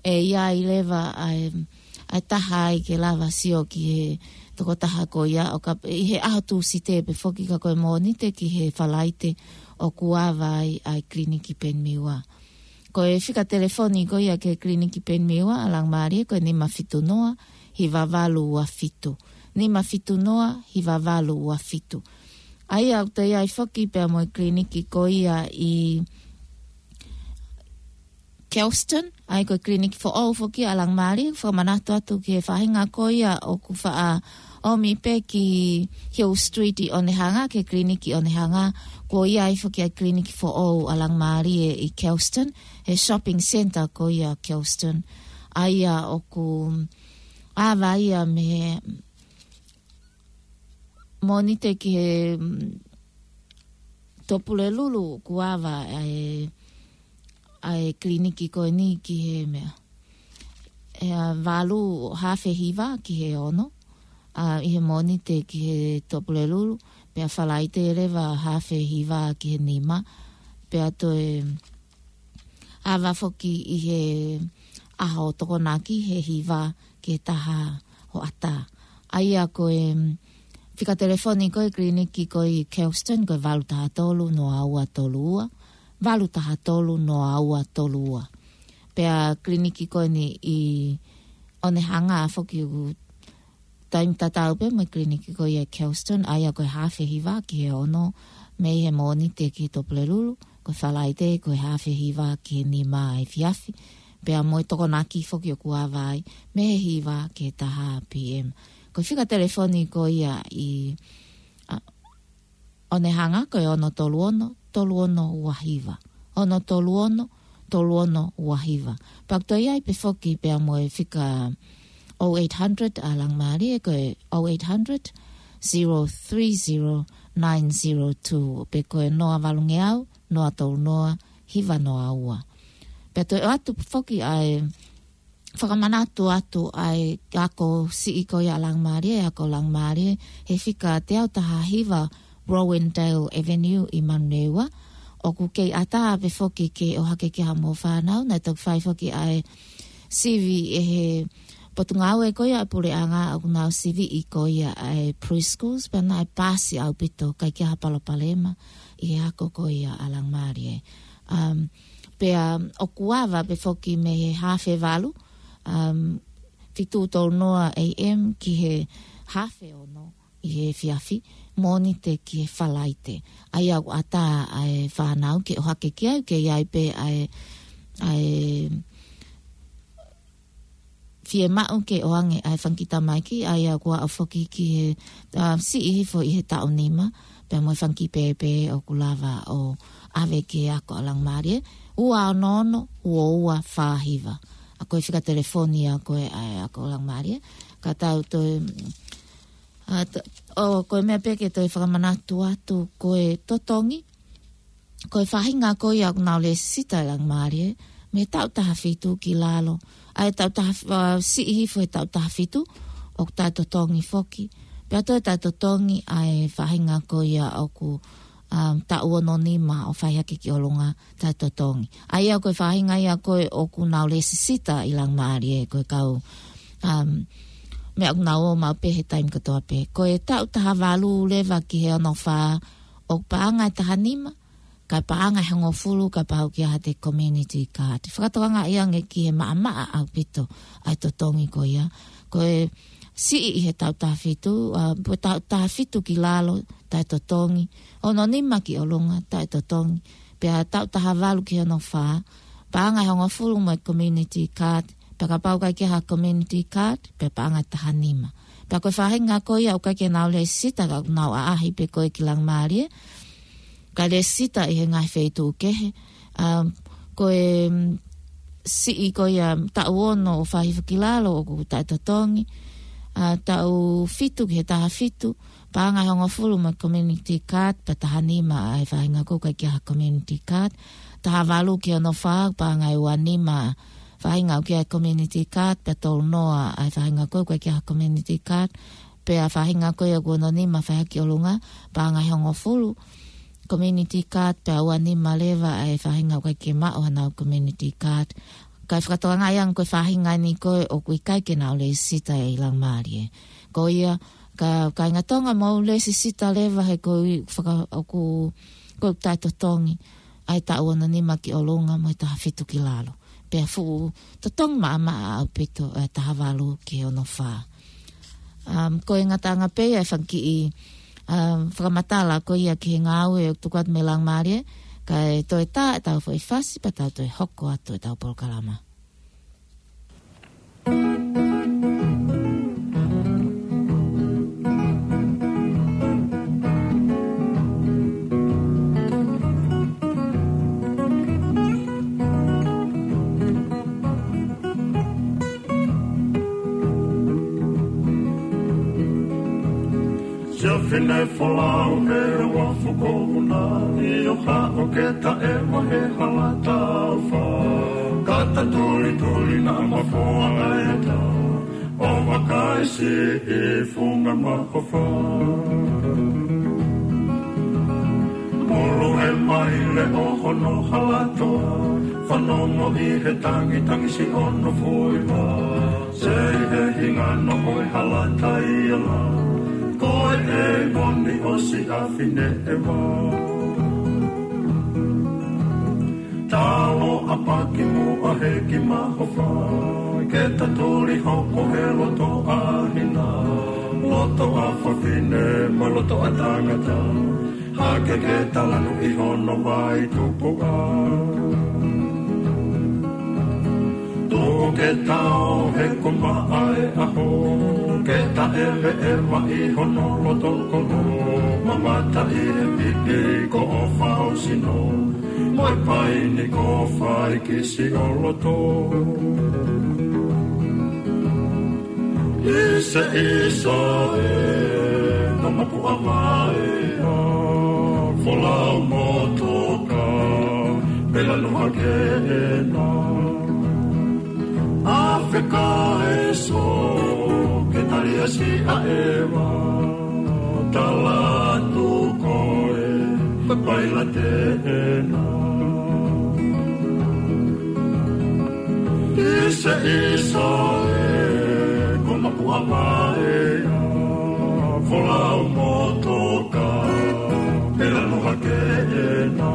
ʻe ʻi ai leva ʻa e, ʻa e taha ai ke lava sio ki he tokotaha ko ia, ʻo ka, ʻi he ʻaho Tūsite pē foki, ka ko e Mōnite ki he Falaite ʻoku ava ai ʻa e kiliniki Peni Miua. Ko e fika telefoni ko ia ki he kiliniki Peni Miua ʻa Langimālie ko e nima fitu noa, hiva valu ua fitu. Nima fitu noa, hiva valu ua fitu. ʻA ia ʻoku toe ʻi ai foki pea mo e kiliniki ko ia ʻi Kelston, ʻa ia ko e kiliniki foʻou foki ʻa Langimālie, fakamanatu atu ki he faʻahinga ko ia ʻoku faʻa ʻomi pē ki Hill Street ʻi ʻOnehunga, ki he kiliniki ʻOnehunga, kuo ʻi ai foki ʻa e kiliniki foʻou ʻa Langimālie ʻi Kelston, he shopping centre ko ia Kelston. ʻA ia ʻoku ava ia mei he Mōnite ki he, mm, Tupulelulu, kuo ava ʻa e, ʻa e kiliniki ko eni ki he meʻa. ʻE, ʻa, valu haafe hiva ki he ono, ʻa, ʻi he Mōnite ki he Tupulelulu, pea Falaite leva haafe hiva ki he nima, pea toe ava foki ʻi he ʻaho Tokonaki he hiva ki he taha hoʻatā. ʻA ia ko e, mm, fika telefoni ko e kiliniki ko ē ʻi Kelston ko e valu taha tolu noa ua tolu ua, valu taha tolu noa ua tolu ua. Pea kiliniki ko eni ʻi ʻOnehunga foki ʻoku taimi tatau pē mo e kiliniki ko ia Kelston, ʻa ia ko e haafe hiva ki he ono mei he Mōnite ki he Tupulelulu, ko e Falaite ko e haafe hiva ki he nima efiafi, pea mo e Tokonaki foki ʻoku ava ai mei he hiva ki he taha P M. Ko e fika telefoni ko ia ʻi, ʻa, ʻOnehunga ko e ono tolu ono, tolu ono ua hiva. Ono tolu ono, tolu ono ua hiva. Pea ʻoku toe ʻi ai pē foki pea mo e fika oh eight hundred ʻa Laumālie, ko e oh eight hundred, zero three zero, nine zero two, pe ko e noa valungeau, noa tolu noa, hiva noa ua. Pea toe ʻoatu foki ʻa e fakamanatu atu ʻa e ako siʻi ko ia ʻa Laumālie, ako Laumālie, he fika teau taha hiva Rowandale Avenue ʻi Manurewa. ʻOku kei ʻatā pē foki ke ʻohake ki ai haʻamou fānau, naʻe toki fai foki ʻa e sivi ʻe he potungāue ko ia ʻa e puleʻanga ʻoku nau siviʻi ko ia ʻa e preschools, pea naʻe paasi ʻaupito, ʻikai ke ʻi ai ha palopalema ʻi he ako ko ia ʻa Laumālie. Um, pea ʻoku ava pē foki mei he haafe valu, um, fitu tolu noa A M ki he haafe ono ʻi he efiafi, Mōnite ki he Falaite. ʻA ia ʻoku ʻatā ʻa e fānau ke ʻohake ki ai, ke ʻi ai pē ʻa e, ʻa e fiemaʻu ke ʻoange ʻa e fanga kiʻi tamaiki, ʻa ia ʻoku aʻu foki ki he, uh, siʻi hifo ʻi he taʻu nima, pea mo e fanga kiʻi pēpē ʻoku lava ʻo ʻave ki he ako ʻa Laumālie, ua ono ono, ua ua fā hiva. ʻA ko e fika telefoni ia ko ē ʻa e ako ʻa Laumālie. Ka tau toe, ʻa, t-, ʻo, ko e meʻa pē ke toe fakamanatu atu, ko e totongi, ko e faʻahinga ko ia ʻoku nau lēsisita ʻi Laumālie, mei he taʻu taha fitu ki lalo. ʻA e taʻu taha, ʻa, siʻi hifo he taʻu taha fitu, ʻoku taʻetotongi foki. Pea toe taʻetotongi ʻa e faʻahinga ko ia ʻoku, um, taʻu ono nima ʻo fai hake ki ʻolunga, taʻetotongi. ʻA ia ko e faʻahinga ia ko ē ʻoku nau lēsisita ʻi Laumālie, ko e kau, um, meʻa ʻoku nau ō maʻu pē he taimi kotoa pē. Ko e taʻu taha valu leva ki he ono fā, ʻoku paʻanga ʻe taha nima, kae paʻanga ʻe hongofulu kapau ʻoku ʻi ai haʻate community card. Fakatokangaʻi ange ki he maʻamaʻa ʻaupito ʻa e totongi ko ia. Ko e siʻi ʻi he taʻu taha fitu, ʻa, pe taʻu taha fitu ki lalo, taʻetotongi. Ono nima ki ʻolunga, taʻetotongi. Pea taʻu taha valu ki he ono fā, paʻanga ʻe hongofulu mo e community card, pea kapau ʻoku ʻikai ke ʻi ai ha community card, pea paʻanga ʻe taha nima. Pea ko e faʻahinga ko ia ʻoku ʻikai ke nau lēsisita ka ʻoku nau ʻaʻahi pē ko ē ki Laumālie, kae lēsisita ʻi he ngaahi feituʻu kehe. Um, ko e, um, siʻi ko ia taʻu ono ʻo fai hifo ki lalo ʻoku taʻetotongi. ʻA, taʻu fitu ki he taha fitu, paʻanga ʻe hongofulu mo e community card, pea taha nima ʻa e faʻahinga ko ē ʻoku ʻikai ke ʻi ai ha community card. Taha valu ki he ono fā, paʻanga ʻe ua nima faʻahinga ʻoku ʻi ai community card, pea tolu noa ʻa e faʻahinga ko ē ʻoku ʻikai ke ʻi ai ha community card. Pea faʻahinga ko ia ʻoku ono nima fai hake ki ʻolunga, paʻanga ʻe hongofulu community card, pea ua nima leva ʻa e faʻahinga ʻoku ʻikai ke maʻu haʻanau community card. Kae fakatokangaʻi ange ko e faʻahinga ni ko ē ʻoku ʻikai ke nau lēsisita ʻi Laumālie. Ko ia, ka, kāinga Tonga, mou lēsisita leva he ko e faka-, ʻoku, ko e taʻetotongi ʻa e taʻu ono nima ki ʻolunga mo e taha fitu ki lalo. Pea fuʻu totongi maʻamaʻa ʻaupito ʻa e taha valu ki he ono fā. Um, ko e ngataʻanga pē ia e fanga kiʻi, um, fakamatala ko ia ki he ngāue ʻoku tuku atu mei Laumālie, kae toe tā ʻetau foʻi fasi pea tau toe hoko atu ʻetau polokalama. Siʻa fine folau he uafu ko Una, ʻi ʻo haʻo ke taʻe mahe hala taufa. Kata tulituli naʻa mafoa ai ʻa e tau, ʻo vakai siʻi funga mahofa. Mulu he maile ʻo hono hala toa, fanongo ʻi he tangitangisi ʻo hono fuiva. Sei he hinga noa ʻo e hala taiala, ko e ʻeivoni ʻo Siʻa Fineʻeva. Talo ʻapaki muʻa he kiʻi mahofa, ke tatuli hoko he loto ʻa hina, loto ʻa fafine mo e loto ʻa tangata, hake ke talanu ʻi hono vai tupuʻa. Tuku ke tau he ko maʻa e ʻaho, ke taʻeveʻeva ʻi hono loto kolo, mamata ʻi he pipi ko ʻofa ho sino, mo e paini ko faikisi ʻo loto. ʻIsa, ʻisa e, ko mapu ʻa vaea, folau mo toka, pela no hake ena. Afe ka e so, ke tali ʻa si ʻa ʻeva, tala atu koe, ko pailate ena. ʻIsa, ʻisa e, ko mapu ʻa vaea, folau mo toka, pela no hake ena.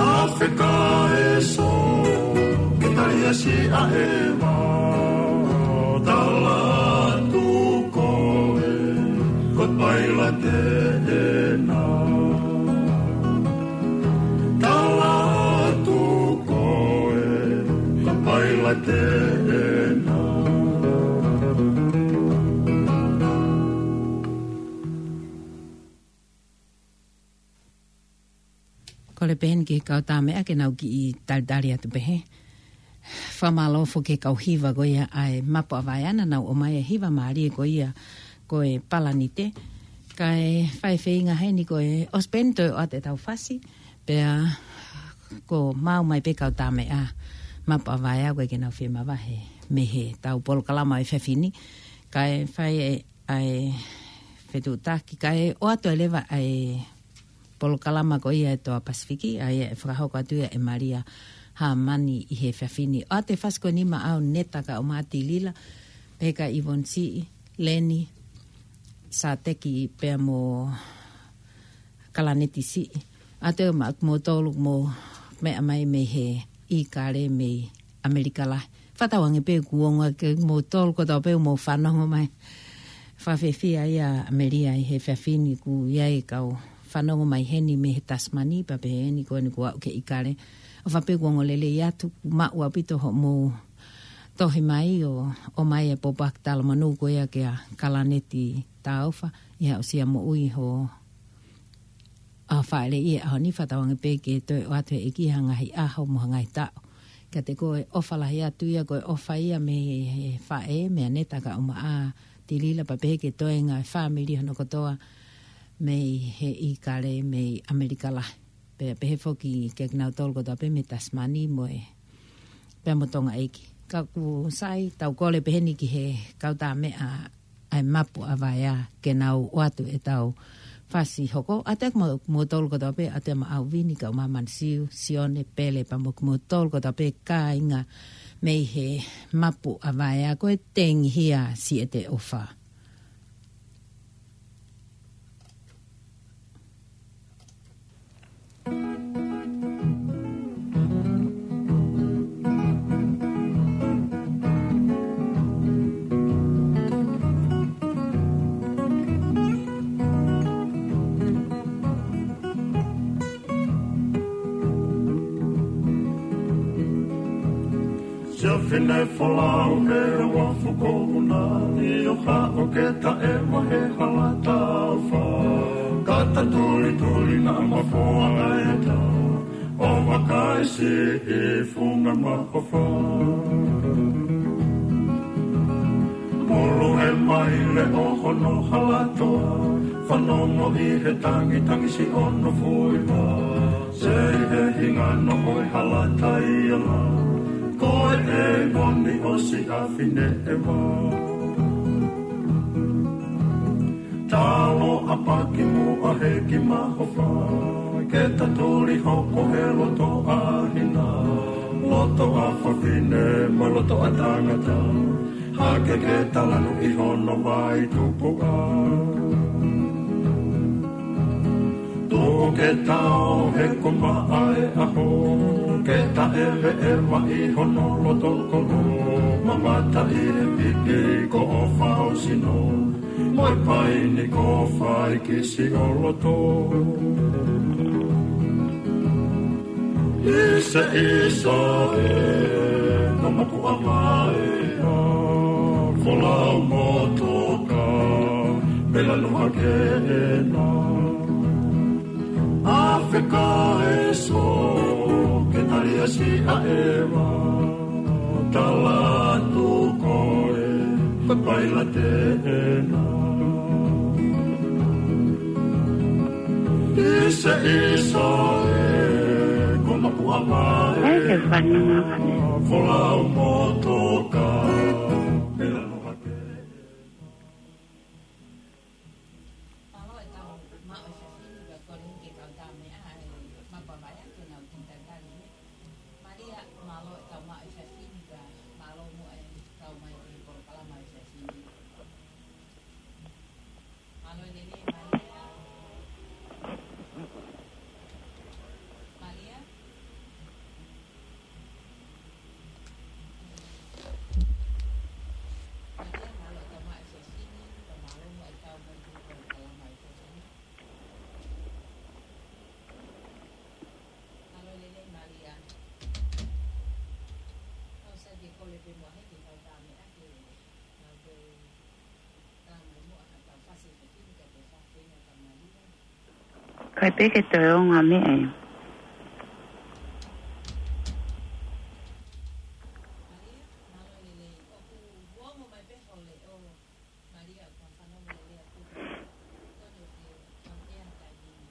Afe ka e so, ke tali ʻa si ʻa ʻeva, tala atu koe, ko pailate ena. Tala atu koe, ko pailate ena. Kole pē heni ki he kau tāmeʻa ke nau kiʻi talitali atu pē he. Fakamālō foki ki he kau hiva ko ia ʻa e mapu ʻa vaea naʻa nau ʻomai e hiva mālie ko ia ko e Palanite. Kae fai feinga heni ko e ʻosi pē eni toe ʻoatu ʻetau fasi. Pea ko e maʻu mai pē kau tāmeʻa mapu ʻa vaea ko e ke nau fie mavahe mei heʻetau polokalama ʻo e efiafi ni. Kae fai e ʻa e fetuʻutaki, kae ʻoatu ai leva ʻa e polokalama ko ia ʻa e Toa Pasifiki, ʻa ia ʻe fakahoko atu ia ʻe Malia Hamani ʻi he efiafi ni. ʻOatu e fasi ko eni maʻau Neta Kaumaʻa Tilila, pehē kia Ivon Siʻi, Leni Sateki pea mo Kalaneti Siʻi. ʻOatu e maʻa kimoutolu mo meʻa mai mei he ʻIkale mei ʻAmelika Lahi. Fakatauange pē kuo ongo ʻa kimoutolu kotoa pē ʻoku mou fanongo mai. Fakafiefia ai ʻa Amelia ʻi he efiafi ni, ʻoku ʻi ai e kau fanongo mai heni mei he Tasimani, pea pehē ni ko eni kuo aʻu ki he ʻIkale. ʻOfa pē kuo ongo lelei atu, kuo maʻu ʻaupito hoʻomou tohi mai ʻo, ʻomai e pōpoaki talamonū ko ia kia Kalaneti Taufa, ʻi he aʻusia moʻui ho ʻa faʻeleʻi he ʻaho ni. Fakatauange pē ke toe ʻoatu he ʻEiki ha ngaahi ʻaho mo ha ngaahi taʻu. Kiate koe, ʻofa lahi atu ia, ko e ʻofa ia mei he faʻē, mei Neta Kaumaʻa Tilila, pea pehē ki he toenga e fāmili hono kotoa mei he ʻIkale mei ʻAmelika Lahi. Pea pehē foki kia kinautolu kotoa pē mei Tasimani mo e pea mo Tonga ʻEiki. Ka ʻoku sai, tau kole pē heni ki he kau tāmeʻa ʻa e mapu ʻa vaea ke nau ʻoatu ʻetau fasi hoko. ʻOatu e kimoutolu kotoa pē, ʻoatu e maʻau Vini, Kaumaʻa Manisiu, Sione, Pele, pea mo kimoutolu kotoa pē kāinga mei he mapu ʻa vaea, ko e tengihia siʻete ʻofa. Siʻa fine folau he uafu ko ʻUna, ʻi ʻo haʻo ke taʻevahe hala taufa. Kata tulituli naʻa mafoa ʻa e tau, ʻo vakai siʻi funga mahofa. Mulu he maile ʻo hono hala toa, fanongo ʻi he tangitangisi ʻo hono fuiva. Sei he hingano ʻo e hala taiala, ko e ʻeivoni ʻo Siʻa Fineʻeva. Talo ʻapaki muʻa he ki mahofa, ke tatuli hoko he loto ʻa hina. Loto ʻa fafine mo loto ʻa tangata, hake ke talanu ʻi hono vai tupuʻa. Tuku ke tau he ko maʻa e ʻaho, ke taʻeveʻeva ʻi hono loto kolo, mamata ʻi he pipi ko ʻofa ho sino, mo e paini ko faikisi ʻo loto. Ise, ise, e, ko maku amae, folau mo toka, pela no hake ena. Afeka eso, ke tali asi a eva, tala tu koe, ko paila te ena. Isa, isa, e, ko maku amae. Ai, ke fanua. Folau mo toka. Pela no hake. Mālō e tau maʻu e fefine, pea kole ke kau tā meʻa, e, maʻu pea mai ake nau kiʻi tatali, e. Malia, mālō e tau maʻu e fefine, pea mālō mo e kau mai ki he polokalama e fefine. Mālō e lelei, Malia. Malia. Malia, mālō e tau maʻu e fefine, pea mālō mo e kau mai ki he polokalama e fefine. Mālō e lelei, Malia. Kau sai ke kole pē muʻa he ke kau tā meʻa ke kau pē tā mai muʻa ha tau fasi e fefine ka te fafenga ka Malia. Kai pē ke toe ongo meʻa e. Malia, mālō e lelei. ʻOku ongo mai pē ho leʻo. Malia, ʻoku fanongo lelei atu. Tonu ke kau ea taimi ni.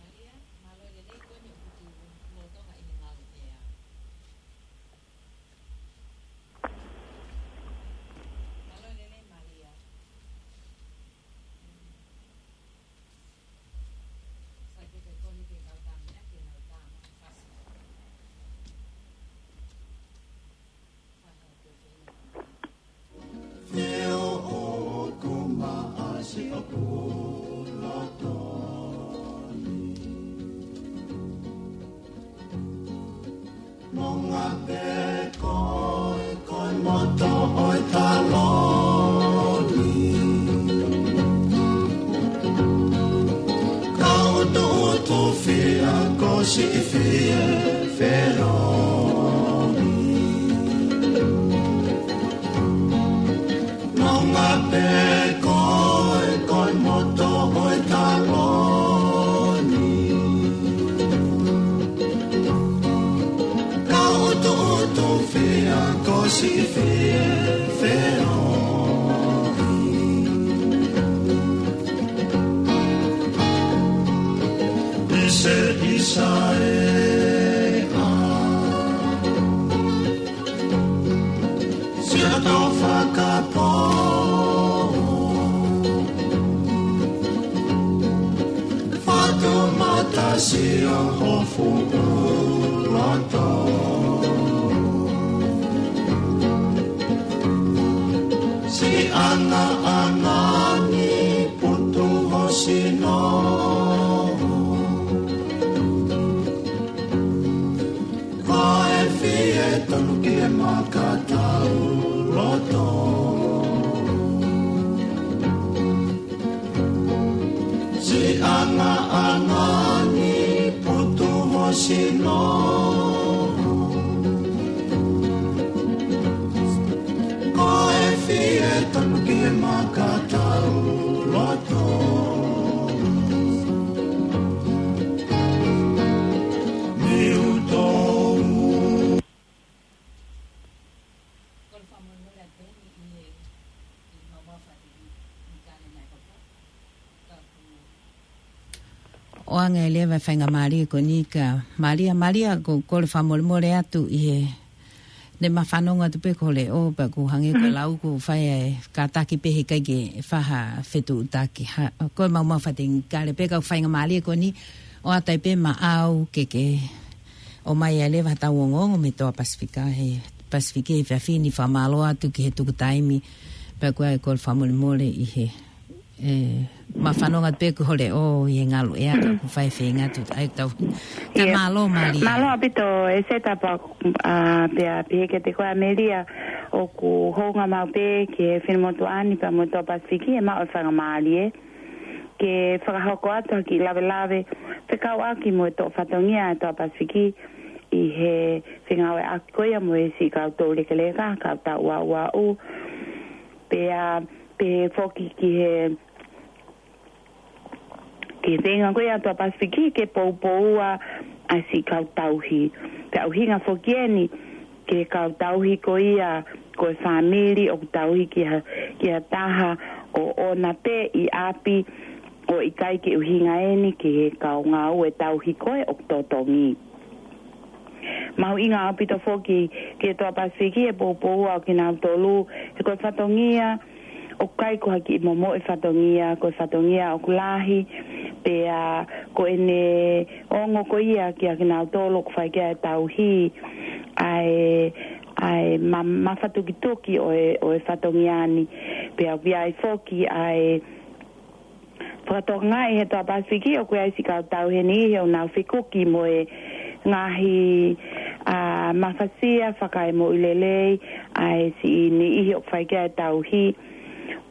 Malia, mālō e lelei, ko eni ʻoku tuʻu lolotonga ʻi he ngaluʻea. Mālō e lelei, Malia. Sai pē ke kole ke kau tā meʻa ke nau tā mai fasi. Fai ha pē feinga. Feo o ko maʻasi o pula toni. Nonga pē koe, koe moto ʻo e taloni. Ka utu utu fia ko siʻi fie feoni. Nonga pē koe, koe moto ʻo e taloni. Ka utu utu fia ko siʻi fie feoni. Ise, ise, e, a. Siʻa tau fakapō. Fatu mata siʻa hofu loto. Siʻanga anga ni putu ho sino. Ko e fie tonu ki he makatau loto. Siʻanga anga ni putu ho sino. Ko e fie tonu ki he makatau loto. Miutou. ʻOange leva e faingamālie ko eni kia Malia. Malia, ko, kole fakamolemole atu ʻi he, ne ma fanongo atu pē ko e leʻo, pea ʻoku hangē ko e lau ʻoku fai e kātaki pē he ʻikai ke fai ha fetuʻutaki. Ha, ko e maumau fatingikale pē ka ko e faingamālie ko eni, ʻoatu ai pē maʻau ke ke ʻomai ai leva ha tau ongoongo mei he toa Pasifika, he Pasifiki he efiafi ni. Fakamālō atu ki he tuku taimi, pea ko e kole fakamolemole ʻi he, e, ma fanongo atu pē ko e leʻo ʻi he ngaluʻea ka ʻoku fai feinga atu. ʻAi tau. Ka mālō, Malia. Mālō ʻaupito, e seta pa, a, pea pehē kiate koe Amelia, ʻoku hounga maʻu pē ki he finemotuʻa ni pea mo e toa Pasifiki, ʻe maʻu e faingamālie ke fakahoko atu ha kiʻi lavelave fekauʻaki mo e toʻo fatongia ʻa e Toa Pasifiki ʻi he fengāueʻaki ko ia mo e siʻi kau toulekeleka, kau taʻu uaua. Pea pehē foki ki he, ki he feinga ko ia ʻa e Toa Pasifiki ke poupoua ʻa e siʻi kau tauhi. Pea ʻuhinga foki eni ki he kau tauhi ko ia ko e fāmili ʻoku tauhi ki ha, ki ha taha ʻoʻona pē ʻi ʻapi, ʻo ʻikai ke ʻuhinga eni ki he kau ngāue tauhi ko ē ʻoku totongi. Mahuʻinga ʻaupito foki ki he Toa Pasifiki e poupoua ʻo kinautolu, he ko e fatongia ʻoku ʻikai ko ha kiʻi momoʻi fatongia, ko e fatongia ʻoku lahi, pea ko ʻene ongo ko ia kia kinautolu ʻoku fai ki ai e tauhi, ʻa e, ʻa e ma-, mafatukituki ʻo e, ʻo e fatongia ni. Pea ʻoku ʻi ai foki ʻa e fakatokangaʻi he Toa Pasifiki ʻoku ʻi ai siʻi kau tauhi ʻe niʻihi ʻoku nau fekuki mo e ngaahi, ʻa, mafasia fakaemoʻui lelei ʻa e siʻi niʻihi ʻoku fai ki ai e tauhi,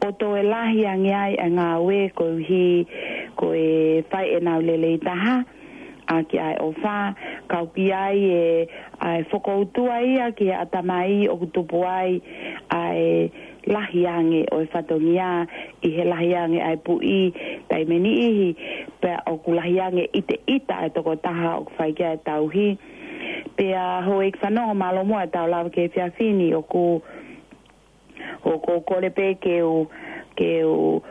ʻo toe lahi ange ai ʻa e ngāue koeʻuhi ko e fai ʻenau lelei taha ʻaki ʻa e ʻofa, ka ʻoku ʻi ai e, ʻa e fokoutua ia ki he ʻatamai ʻoku tupu ai ʻa e lahi ange ʻo e fatongia ʻi he lahi ange ʻa e puʻi taimi ʻe niʻihi, pea ʻoku lahi ange ʻiteʻita ʻa e tokotaha ʻoku fai ki ai e tauhi. Pea houʻeiki fanongo, mālō muʻa ʻetau lava ki he efiafi ni, ʻoku, ʻoku ou kole pē ke u, ke u,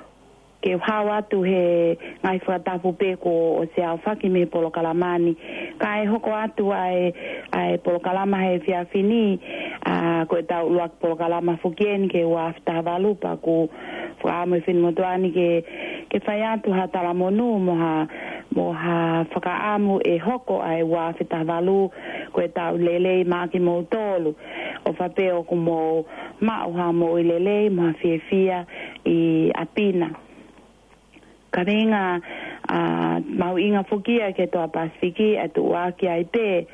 ke u hao atu he ngaahi fakatapu pē kuo ʻosi aofaki mei he polokalama ni. Kae hoko atu ʻa e, ʻa e polokalama he efiafi ni, ʻa, ko ʻetau ʻuluaki polokalama foki eni ki he ua afe taha valu, pea ʻoku fakaʻamu e finemotuʻa ni ke, ke fai atu ha talamonū mo ha, mo ha fakaʻamu ʻe hoko ʻa e ua afe taha valu ko e taʻu lelei maʻa kimoutolu. ʻOfa pē ʻoku mou maʻu ha moʻui lelei mo ha fiefia ʻi ʻapi na. Ka feinga, ʻa, mahuʻinga foki ia ki he Toa Pasifiki ʻa e tuʻuaki ai pē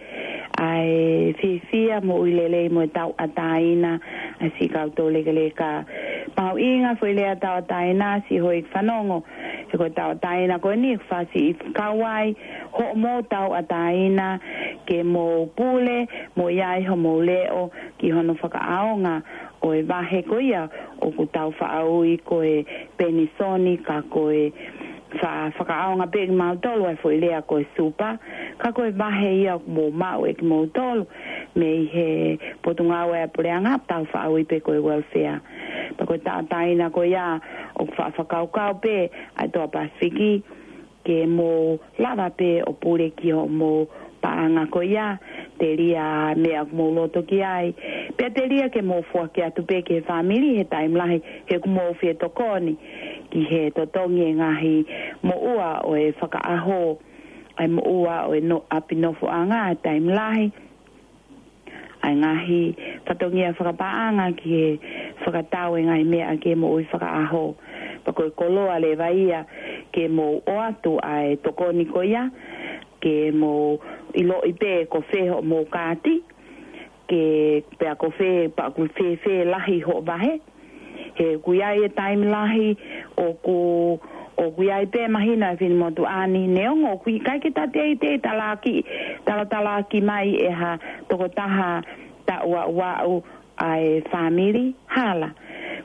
ʻa e fiefia, moʻui lelei mo e tauʻatāina ʻa e siʻi kau toulekeleka. Mahuʻinga foʻi lea tauʻatāina, siʻi houʻeiki fanongo, he ko e tauʻatāina ko eni ʻoku fasi ʻi kau ai hoʻomou tauʻatāina ke mou pule mo ʻi ai homou leʻo ki hono fakaʻaonga ʻo e vahe ko ia ʻoku tau faʻa ui ko e penisoni, ka ko e fa-, fakaʻaonga pē kimautolu ʻa e foʻi lea ko e supa, ka ko e vahe ia ʻoku mou maʻu ʻe kimoutolu mei he Potungāue ʻa e Puleʻanga, tau faʻa ui pē ko e welfare. Pea ko e tauʻatāina ko ia ʻoku faʻa fakakaukau pē ʻa e Toa Pasifiki ke mou lava pē ʻo pule ki hoʻomou paʻanga ko ia, telia meʻa ʻoku mou loto ki ai. Pea telia ke mou foaki atu pē ki he fāmili he taimi lahi he ʻoku mou fie tokoni ki he totongi e ngaahi moʻua ʻo e fakaʻaho, ʻa e moʻua ʻo e no-, ʻapi nofoʻanga he taimi lahi, ʻa e ngaahi fatongia fakapaʻanga ki he fakatau e ngaahi meʻa ki he moʻui fakaʻaho. Pea ko e koloa leva ia ke mou ʻoatu ʻa e tokoni ko ia, ke mou ʻiloʻi pē ko fē hoʻomou kaati, ke pea ko fē, pea ko fēfē lahi hoʻo vahe. He ʻoku ʻi ai e taimi lahi ʻoku, ʻoku ʻi ai pē mahino ʻa e finemotuʻa ni, neongo ʻoku ʻikai ke ta teitei talaaki, talatalaaki mai ʻe ha tokotaha taʻu uaua ʻa e fāmili hala.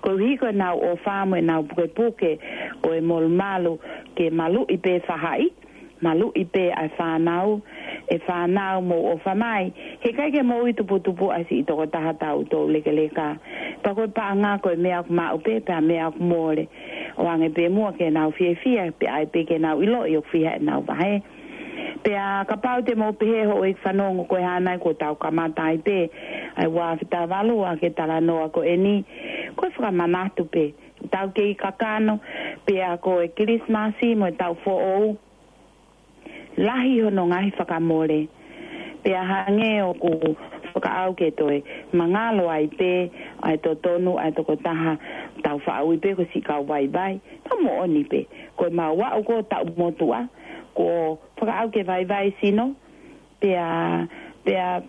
Koeʻuhi ko ʻenau ʻofa mo ʻenau pukepuke ʻo e molumalu ke maluʻi pē faʻahi, maluʻi pē ʻa e fānau, ʻe fānau mou ʻofa mai, he ʻikai ke mou ʻi tuputupu ʻa e siʻi tokotaha taʻu toulekeleka. Pea ko e paʻanga ko e meʻa ʻoku maʻu pē, pea meʻa ʻoku mole. ʻOange pē muʻa ke nau fiefia, pea ʻai pē ke nau ʻiloʻi ʻoku fiha ʻenau vahe. Pea kapau te mou pehē houʻeiki fanongo ko e hā nai kuo tau kamata ai pē ʻa e ua afe taha valu ʻa e talanoa ko eni, ko e fakamanatu pē. Tau kei kakano, pea ko e Kilisimasi mo e taʻu foʻou, lahi hono ngaahi fakamole. Pea hangē ʻoku fakaʻau ke toe mangalo ai pē ʻa e totonu ʻa e tokotaha, tau faʻa ui pē ko e siʻi kau vaivai. Ka moʻoni pē, ko e mau aʻu ko e taʻu motuʻa, kuo fakaʻau ke vaivai sino, pea, pea,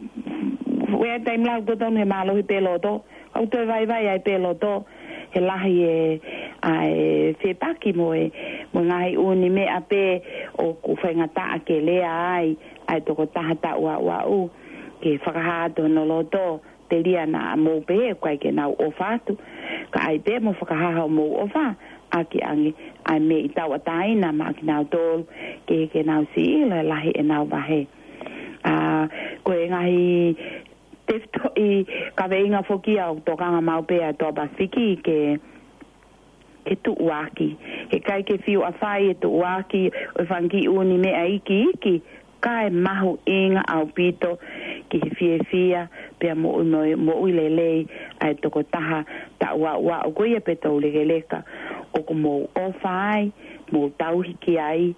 ʻi he taimi lahi ʻoku totonu he mālohi pē loto, ʻoku toe vaivai ai pē loto, he lahi e, ʻa e fepaki mo e, mo Ngaahi ʻū meʻa pē ʻoku faingataʻa ke lea ai ʻa e tokotaha taʻu aʻu aʻu, ke fakahā atu hono loto, telia naʻa mou pehē ʻoku ʻikai ke nau ʻofa atu. Ka ʻai pē mo fakahā hoʻomou ʻofa, ʻaki ange ʻa e meʻi tauʻatāina maʻa kinautolu, ke ke nau siʻi ʻilo e lahi ʻenau vahe. ʻA, ko e ngaahi tefitoʻi kaveinga foki ia ʻoku tokanga maʻu pē ʻa e Toa Pasifiki ke, ke tuʻuaki. He ʻikai ke fiu ʻafai e tuʻuaki ʻo e fanga kiʻi ʻū meʻa iiki iiki, ka ʻe mahuʻinga ʻaupito ki he fiefia pea moʻui, moʻui, moʻui lelei ʻa e tokotaha taʻu aʻu aʻu ko ia pe toulekeleka ʻoku mou ʻofa ai, mou tauhi ki ai,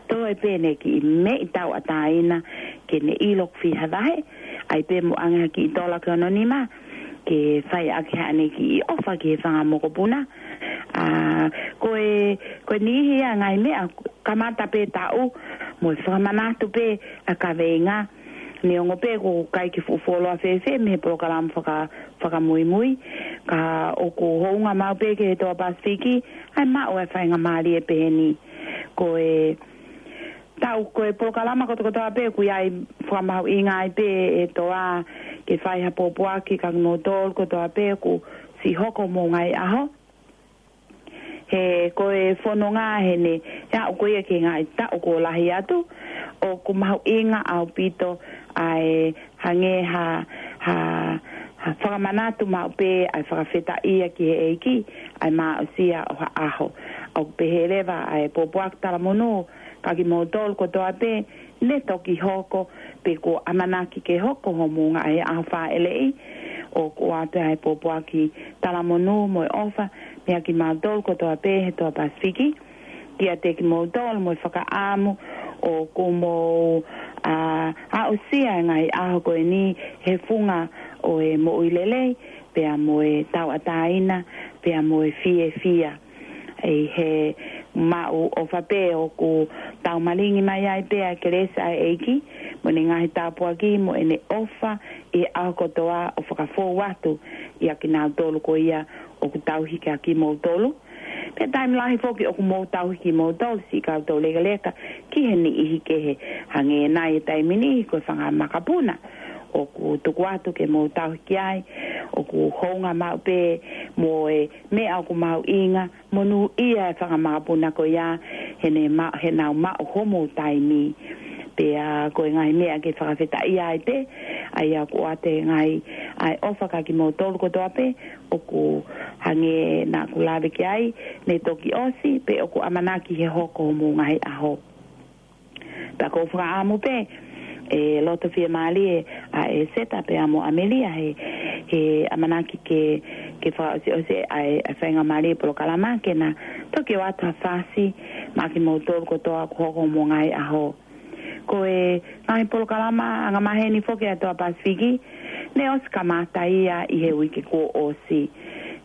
toe pē ʻene kiʻi meʻi tauʻatāina ke ne ʻilo ʻoku fiha vahe, ʻai pē mo ʻange ha kiʻi tola ki hono nima, ke fai ʻaki haʻane kiʻi ʻofa ki he fanga mokopuna. ʻA, ko e, ko e niʻihi ia ngaahi meʻa, kamata pē taʻu, mo e fakamanatu pē ʻa e kaveinga, neongo pē ʻoku ʻikai ke fuʻu fuoloa fēfē mei he polokalama faka-, fakamuimui, ka ʻoku hounga maʻu pē ki he Toa Pasifiki ʻa e maʻu ʻa e faingamālie pehē ni. Ko e taʻu, ko e polokalama kotokotoa pē ʻoku ʻi ai fakamahuʻinga ai pē e Toa ke fai ha pōpoaki kia kimoutolu kotoa pē ʻoku siʻi hoko homou ngaahi ʻaho. He ko e fononga heni, he aʻu ko ia ki he ngaahi taʻu kuo lahi atu, ʻoku mahuʻinga ʻaupito ʻa e hangē ha, ha, ha fakamanatu maʻu pē ʻa e fakafetaʻia ki he ʻEiki, ʻa e maʻusia ʻo ha ʻaho. ʻOku pehē leva ʻa e pōpoaki talamonū kia kimoutolu kotoa pē, ne toki hoko, pe kuo ʻamanaki ke hoko homou ngaahi ʻaho fāʻeleʻi, ʻoku ʻoatu ʻa e pōpoaki talamonū mo e ʻofa, meia kimautolu kotoa pē he Toa Pasifiki, kiate kimoutolu mo e fakaʻamu ʻoku mou, ʻa, aʻusia e ngaahi ʻaho ko eni he funga ʻo e moʻui lelei, pea mo e tauʻatāina, pea mo e fiefia. ʻI he maʻu ʻofa pē ʻoku tau malingi mai ai pē ʻa e kelesi ʻa e ʻEiki, mo ʻene ngaahi tāpuaki, mo ʻene ʻofa ʻi he ʻaho kotoa ʻo fakafou atu ʻia kinautolu ko ia ʻoku tauhi kia kimoutolu. Pea taimi lahi foki ʻoku mou tauhi kimoutolu siʻi kau toulekeleka ki he niʻihi kehe, hangē nai he taimi ni ko e fanga makapuna ʻoku tuku atu ke mou tauhi ki ai, ʻoku hounga maʻu pē mo e meʻa ʻoku mahuʻinga, monūʻia e fanga makapuna ko ia, he ne ma-, he nau maʻu homou taimi. Pea ko e ngaahi meʻa ke fakafetaʻia ai pē, ʻa ia ʻoku ʻoatu e ngaahi, ʻa e ʻofa kia kimoutolu kotoa pē, ʻoku hangē naʻa ku lave ki ai, ne toki ʻosi, pe ʻoku ʻamanaki he hoko homou ngaahi ʻaho. Pea ʻoku ou fakaʻamu pē, ʻe loto fiemālie ʻa ʻEseta pea mo ʻAmelia he, he ʻamanaki ke, ke fakaʻosiʻosi ʻa e, ʻa e faingamālie polokalama ke na toki ʻoatu ha fasi maʻa kimoutolu kotoa ʻoku hoko homou ngaahi ʻaho. Ko e ngaahi polokalama angamaheni foki ʻa e Toa Pasifiki, ne ʻosi kamata ia ʻi he uike kuo ʻosi.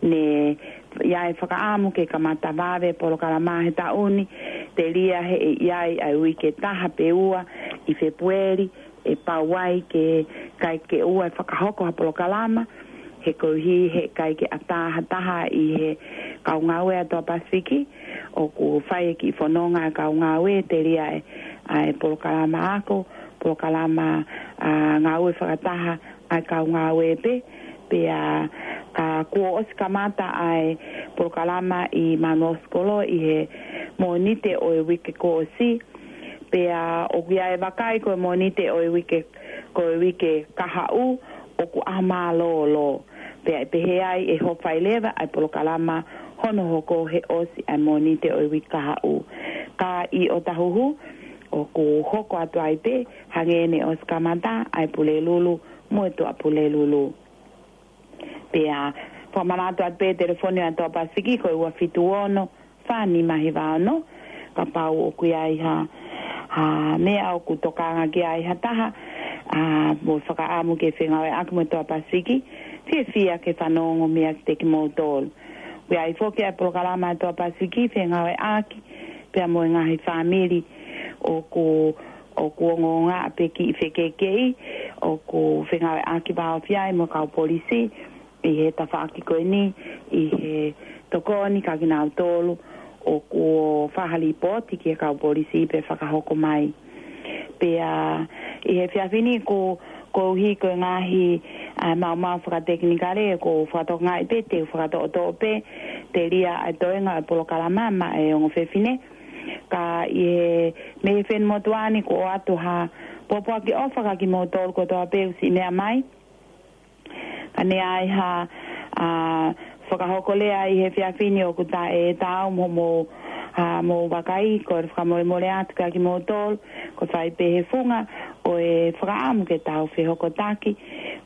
Ne ʻi ai e fakaʻamu ke kamata vave polokalama he taʻu ni, telia he ʻe ʻi ai ʻa e uike ʻe taha pe ua ʻi Fēpueli, ʻe pau ai ke ʻikai ke ʻoua ʻe fakahoko ha polokalama, he koeʻuhi he ʻikai ke ʻatā ha taha ʻi he kau ngāue ʻa e Toa Pasifiki, ʻoku fai e kiʻi fononga ʻa e kau ngāue, telia e, ʻa e polokalama ako, polokalama, ʻa, ngāue fakataha ʻa e kau ngāue pē, pea, ʻa, kuo ʻosi kamata ʻa e polokalama ʻi Manuʻa Sikolo ʻi he Mōnite ʻo e uike kuo ʻosi, pea ʻoku ʻi ai e vakai ko e Mōnite ʻo e uike, ko e uike kahaʻu, ʻoku ʻaho mālōlō. Pea ʻe pehē ai ʻe hoko ai leva ʻa e polokalama hono hoko he ʻosi ʻa e Mōnite ʻo e uike kahaʻu. Ka ʻi ʻOtahuhu, ʻoku hoko atu ai pē, hangē ne ʻosi kamata ʻa e Pulelulu mo e Tuʻapulelulu. Pea fakamanatu atu pē telefoni ʻa e Toa Pasifiki ko e ua fitu ono, fā nima hiva ono, kapau ʻoku ʻi ai ha, ha meʻa ʻoku tokanga ki ai ha taha, ʻa, mo fakaʻamu ke fengāueʻaki mo e Toa Pasifiki, fiefia ke fanongo meia kimoutolu. ʻOku ʻi ai foki ʻa e polokalama ʻa e Toa Pasifiki, fengāueʻaki pea mo e ngaahi fāmili ʻoku, ʻoku ongoongo ʻa e kiʻi fekeʻikeʻi, ʻoku fengāueʻaki vāofi ai mo e kau polisi, ʻi he tafaʻaki ko eni, ʻi he tokoni kia kinautolu ʻoku fai ha lipooti ki he kau polisi pea fakahoko mai. Pea ʻi he efiafi ni ko, koeʻuhi ko e ngaahi, ʻa, maumau fakatekinikale kuo fakatokangaʻi pē te u fakatoʻotoʻo pē, telia ʻa e toenga ʻo e polokalama maʻa e ongo fefine. Ka ʻi he, mei he fenimotuʻa ni kuo ʻoatu ha pōpoaki ʻofa kiate kimoutolu kotoa pē ʻoku siʻi meʻa mai. Ka ne ʻi ai ha, ʻa, fakahoko lea ʻi he efiafi ni ʻoku ta e tau mo, mo, ʻa, mo vakai, ko e fakamolemole atu kiate kimoutolu, ko e fai pē he funga ʻo e fakaʻamu ke tau fehokotaki,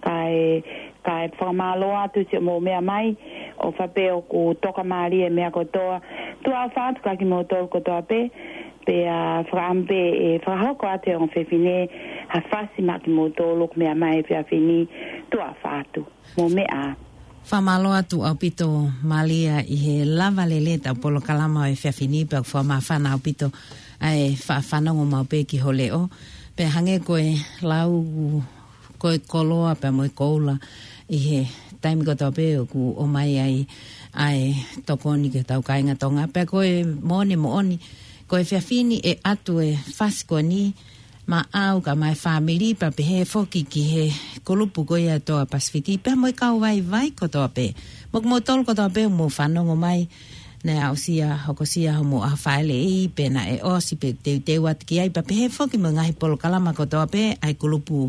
kae, kae fakamālō atu siʻomou meʻa mai, ʻofa pē ʻoku tokamālie e meʻa kotoa, tuʻa ʻofa atu kiate kimoutolu kotoa pē, pea fakaʻamu pē ʻe fakahoko atu ʻe he ongo fefine ha fasi maʻa kimoutolu ʻoku meʻa mai he efiafi ni, tuʻa ʻofa atu. Mou meʻa ā. Fakamālō atu ʻaupito Malia ʻi he lava lelei ʻetau polokalama ʻo e efiafi ni pea ʻoku fakamāfana ʻaupito ʻa e fa-, fanongo maʻu pē ki ho leʻo. Pea hangē ko e lau ko e koloa pea mo e koula ʻi he taimi kotoa pē ʻoku ʻomai ai ʻa e tokoni ki hotau kāinga Tonga. Pea ko e moʻoni moʻoni, ko e efiafi ni ʻe ʻoatu e fasi ko eni maʻau kae ʻumaʻā e fāmili pea pehē foki ki he kulupu ko ia ʻa e Toa Pasifiki pea mo e kau vaivai kotoa pē. Mo kimoutolu kotoa pē ʻoku mou fanongo mai, naʻe aʻusia, hokosia homou ʻaho fāʻeleʻi, pe naʻe ʻosi pe teuteu atu ki ai, pea pehē foki mo e ngaahi polokalama kotoa pē ʻa e kulupu,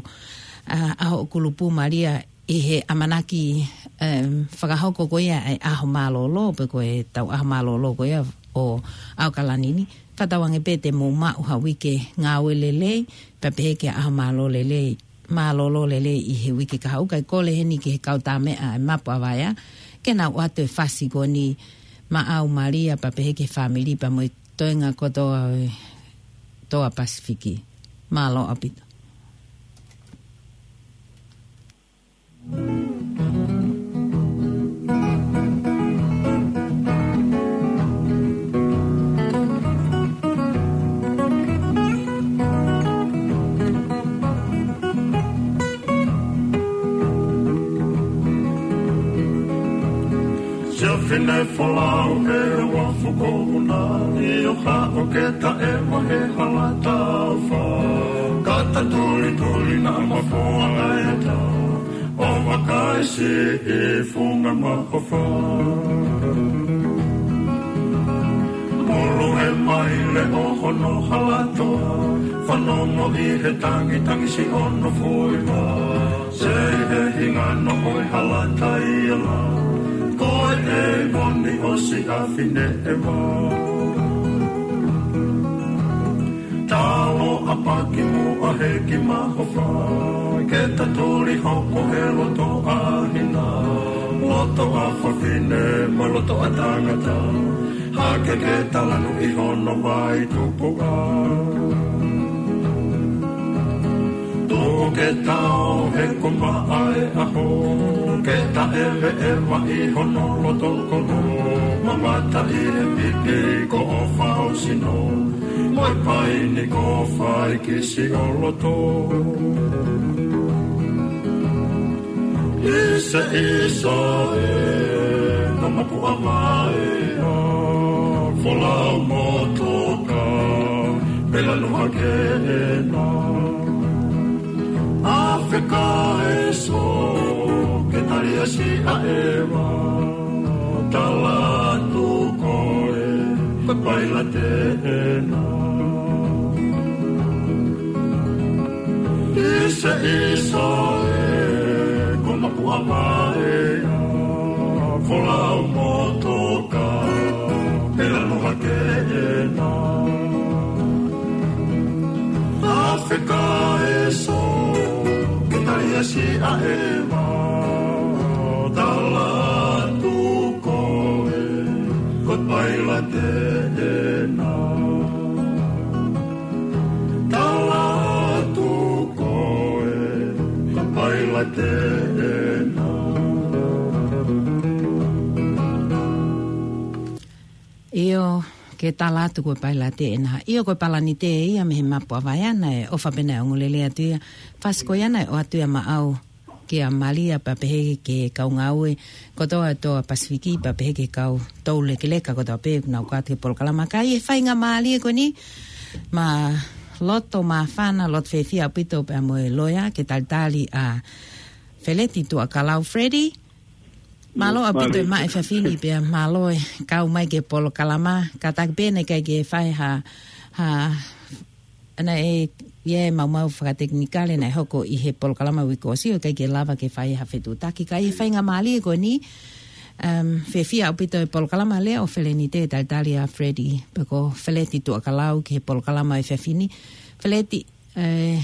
ʻa, ʻa hoʻo kulupu Malia ʻi he ʻamanaki, em, fakahoko ko ia ʻa e ʻaho mālōlō, pe ko ʻetau ʻaho mālōlō ko ia ʻo ʻAokalani ni. Fakatauange pē te mou maʻu ha uike ngāue lelei, pea pehē ki ha ʻaho mālō lelei, mālōlō lelei ʻi he uike kahaʻu. Kae kole heni ki he kau tā meʻa ʻa e Mapu ʻa Vaea, ke nau ʻoatu e fasi ko eni maʻau Malia pea pehē ki he fāmili pea mo e toenga kotoa ʻo e Toa Pasifiki. Mālō ʻaupito. Siʻa fine folau ʻe ua fuko una, ʻio haʻo ke taʻe mahe hala taufa. Kata tulituli naʻa mafoa ʻa e ata, ʻo vakai siʻi funga mahofa. Mulu e maile ʻo hono hala toa, fanongo ʻi he tangitangi siʻono foʻi vā. Sei he hingano ʻo e hala taiala, ko e ʻeivoni ʻo siʻa fine ʻe ua. Talo ʻapaki muʻa he kiʻi mahofa, ke ta tuli hoko he loto ʻa hina, loto ʻa fafine mo loto ʻa tangata, hake ke ta lanu ʻi hono vai tupuʻa. Tuku ke ta ō he ko maʻa e ʻaho, ke ta ʻeveʻeva ʻi hono loto kono, mamata ʻi he pipi ko ʻofa ʻo sino, mo e paini ko fai ki siʻo loto. ʻIsa, ʻisa ē, ko Mapu ʻa Vaea, folau mo toka, pea lanu hake ena. Afe ka e so, ke tali ʻa siʻa ʻeva, tala atu koe, ko e pailate ena. ʻIsa, ʻisa ē, ko Mapu ʻa Vaea, folau mo toka, pea lanu hake ena. Afe ka e so, ke tali ʻa siʻa ʻeva, tala atu koe, ko e pailate ena. Tala atu koe, ko e pailate ena. ʻIo, ke tala atu ko e pailate ena. ʻIo, ko e palanite ia mei he Mapu ʻa Vaea naʻe ʻofa pē naʻe ongoongolelei atu ia. Fasi ko ia naʻe ʻoatu ia maʻau kia Malia pea pehē ki he kau ngāue kotoa ʻa Pasifiki pea pehē ki he kau toulekeleka kotoa pē ʻoku nau kau atu ki he polokalama. Ka ʻi he faingamālie ko eni, mālō, māfana, loto fiefia ʻaupito pea mo e loea ke talitali ʻa Feleti Tuʻakalau. Feleti, mālō ʻaupito e maʻu e efiafi ni pea mālō e kau mai ki he polokalama. Kātaki pē naʻe ʻikai ke fai ha, ha, naʻe ʻi ai e maumau fakatekinikale naʻe hoko ʻi he polokalama uike kuo ʻosi, ʻikai ke lava ke fai ha fetuʻutaki. Ka ʻi he faingamālie ko eni, um, fiefia ʻaupito e polokalama lea ʻo Felenite talitali ʻa Feleti, pe ko Feleti Tuʻakalau ki he polokalama efiafi ni. Feleti, ē,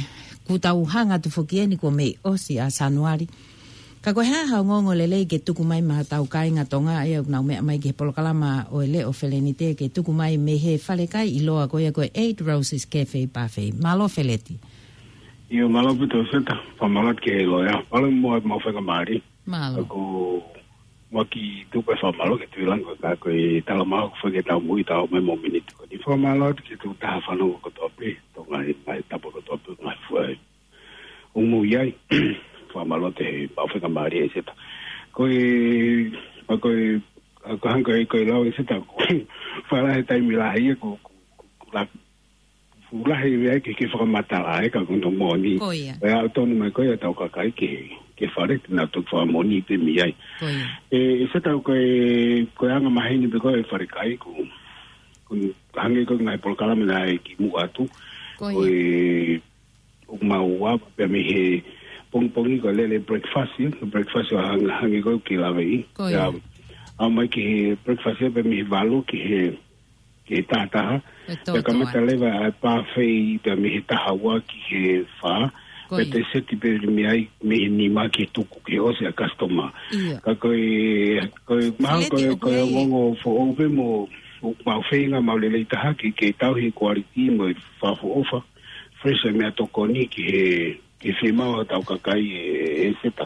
kuo tau hanga atu foki eni kuo mei ʻosi ʻa Sānuali. Ka ko e hā haʻo ongoongo lelei ke tuku mai maʻa hotau kāinga Tonga ʻa ia ʻoku nau meʻa mai ki he polokalama ʻo e Leʻo Felenite ke tuku mai mei he falekai ʻiloa ko ia ko e Eight Roses Cafe Buffet. Mālō Feleti. ʻIo, mālō ʻaupito Seta, fakamālō atu ki he loea. Mālō mo e maʻu faingamālie. Mālō. Ko e kiʻi tuku e fakamālō ki he Tuʻi Langi ko e ka ko e tala mau ko e fai ke tau mui tau mai mo miniti ko eni. Fakamālō atu ki he tokotaha fanongo kotoa pē, Tonga ʻi he ngaahi tapa kotoa pē, ngaahi fuai. ʻO mui ai, fakamālō atu he maʻu faingamālie Seta. Ko e, ʻa ko e, ʻa ko hangē ko e lau Seta, ko e fala he taimi lahi ia ko, ko, ko, ko la, fuʻu lahi ia ke, ke fakamatala ai ka ko hono moʻoni. Ko ia. ʻE aʻu tonu mai ko ia ʻetau kakai ke, ke fale, te nau toki fakamoʻoni pē mei ai. Ko ia. ʻE, ʻe Seta ko e, ko e anga maheni pē ko e falekai ko, ko hangē ko e ngaahi polokalama naʻe kimuʻa atu. Ko ia. Ko e, ʻoku mau ava pea mei he pongipongi ko e lele breakfast, ē, ko e breakfast ʻo hangē, hangē ko e ke laveʻi. Ko ia. Pea aʻu mai ki he breakfast ia pea mei he valu ki he, ki he taha taha. E tō Pea kamata tō. Leva ʻa e buffet pea mei he taha ua ki he fā. Ko Pea ia. Te seti pē mei ai, mei he nima ki he tuku ki he ʻosi ʻa e customer. Ia. Ka ko e, ko e, mahalo ko e, Feleti, ko e ʻoku ʻi ai ongoongo foʻou pē mo, ʻoku mau feinga mau lelei taha ke, ke tauhi e quality mo e fakaʻofoʻofa fresh e meʻatokoni ki he, ki he fiemaʻu ʻa hotau kakai ē, ē Seta.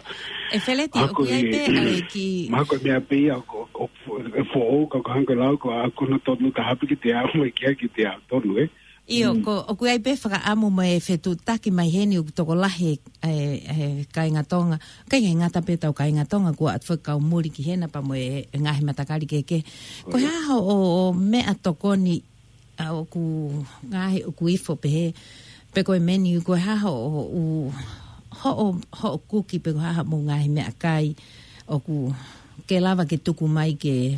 ʻE Feleti, Mahalo ʻoku ʻi ai ko e, pē ʻa e kiʻi mahalo ko e meʻa pē ia ʻoku, ʻoku, ʻoku foʻou ka ko hangē ko e lau ko ʻa ko hono tonu taha pē ke te aʻu mai ki ai ke te aʻu tonu, ē? ʻIo, Mm. ko, ʻoku ʻi ai pē fakaʻamu mo e fetuʻutaki mai heni ʻoku tokolahi e, e, e kāinga Tonga. ʻIkai ke ngata pē ʻetau kāinga Tonga, kuo ʻatu foki kau muli ki hena pea mo e, e ngaahi matakali kehekehe. Ko e Ko ia. hā hoʻo, ʻo meʻatokoni ʻa ʻoku ngaahi ʻoku ifo pehē, pe ko e menu, ko e hā hoʻo, ʻo, hoʻo, hoʻo kuki pe ko e hā hoʻomou ngaahi meʻakai ʻoku ke lava ke tuku mai ke,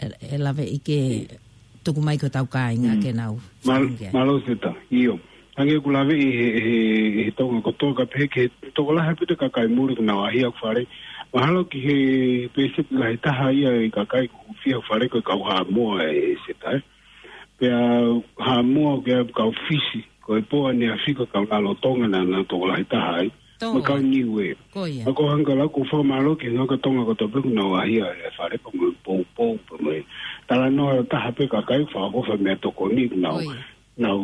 ʻe, ʻe laveʻi ke tuku mai ki hotau kāinga Mm. ke nau Mal-, fakamuʻa. Mālō Seta, ʻio. Hangē ʻoku laveʻi he, he, he Tonga kotoa ka pehē ke tokolahi pē ʻa e kakai muli ʻoku nau ʻaʻahi ʻo fale. Mahalo ki he pēseti lahi taha ia ʻo e kakai ʻoku hūfia ʻo fale ko e kau Haʻamoa ē Seta, ē. Pea Haʻamoa ʻoku ʻi ai e kau Fisi, ko e pō ʻaneafi ko e kau lalo Tonga naʻa nau tokolahi taha ai. Tō. Mo e kau Niuē. Ko ia. ʻA ko hangē ko e lau ko e fakamālō ki he ngaahi kau Tonga kotoa pē ʻoku nau ʻaʻahi ʻo fale pea mo e poupou pea mo e talanoa taha pē kakai fakaʻofoʻofa meʻatokoni ʻoku nau, Ko ia. nau,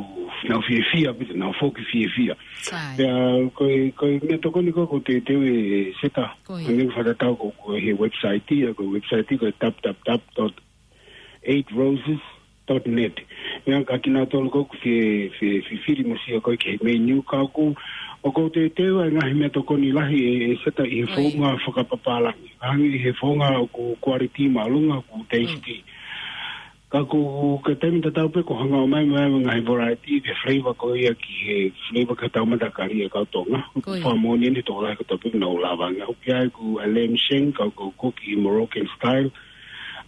nau fiefia pē, nau foki fiefia. Sai. Pea ko e, ko e meʻatokoni ko ē ʻoku ou teuteu ē Seta. Ko ia. Hangē ko e fakatatau ko, ko e he website ia, ko e website ko e www dot eight roses dot net. ʻIo ka kinautolu ko ē ʻoku fie, fie, fie fili mo sio ko ē ki he menu ka ʻoku, ʻoku ou teuteu ʻa e ngaahi meʻatokoni lahi ʻe, ʻe Seta ʻi he Ko ia. founga fakapapālangi. Hangē ʻi he founga ʻoku quality māʻolunga ʻoku tasty. Mm. Ka ko e taimi tatau pē ʻoku hanga ʻo ʻomai mai e ngaahi variety pe flavor ko ia ki he flavor ki hotau matakali ʻa e kau Tonga. Ko ia. Fakamoʻoni eni tokolahi kotoa pē ʻoku nau lava ange. ʻOku ʻi ai ko e lamb shank, ka ko e kuki Moroccan style.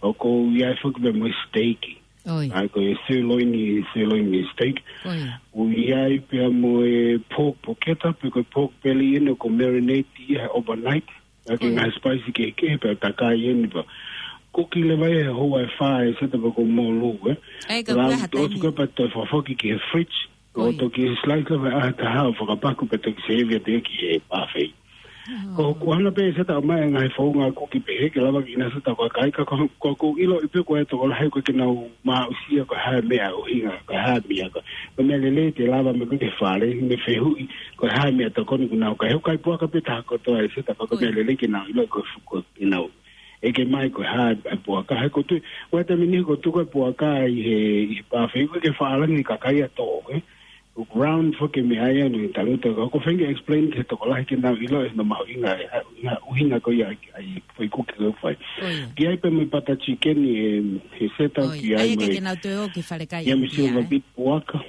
ʻOku ʻi ai foki pē mo e steak. ʻOi. ʻA ia ko e sirloin, sirloin steak. Ko ia. ʻOku ʻi ai pē mo e pork porchetta, pe ko e pork belly ʻeni ʻoku marinate ia he overnight. ʻA ia ko e Ko ia. ngaahi spice kehekehe pea takai ʻeni pea. Kuki leva ia he houa ʻe fā ʻe Seta pea ʻoku mōlū, ē. ʻAi ka Lau kuaha ʻosi taimi. ko ē pea toe fakafoki ki he fridge. Ko ʻOku ia. toki slice leva ʻe he taha ʻo fakapaku pea toki serve atu ia ki he buffet. ʻO. Ko, ko hangē pē Seta ʻomai e ngaahi founga kuki pehē ke lava ke ʻinasi ʻetau kakai ka ko, ko, ʻoku ou ʻiloʻi pē ko e tokolahi ʻoku ʻikai ke nau maʻusia ko e hā e meʻa ʻuhinga, ko e hā e meʻa ko, ko e meʻa lelei te lava mai ko ē ki he fale, mei he fehuʻi, ko e hā e meʻatokoni ʻoku nau kai. ʻOku ʻikai puaka pē taha kotoa ʻe Seta ka ko e Ko ia. meʻa lelei ke nau ʻilo ko e fu-, ko e ke nau ʻeke mai ko e hā e puaka. He ʻoku ou tui, ʻoku ʻi ai e taimi ʻe niʻihi ʻoku tuku e puaka ʻi he, ʻi he buffet, ʻoku ʻikai ke fakaʻalangi e kakai ʻo tō, ē. round foki e meʻa ia, no, talu atu, ko e feinga explain ki he tokolahi ke nau ʻilo ʻe hono mahuʻinga e, ʻa, ʻuhinga ko ia ʻa e, ʻa e foʻi kuki ko ē ʻoku fai. Ko ia. Ki ai pē mo e butter chicken, e, he seta, Ko ia. ki ai Ai mo ke e, ke nau toe ō ki fale kai ia mo e ia, silver ē? beet puaka.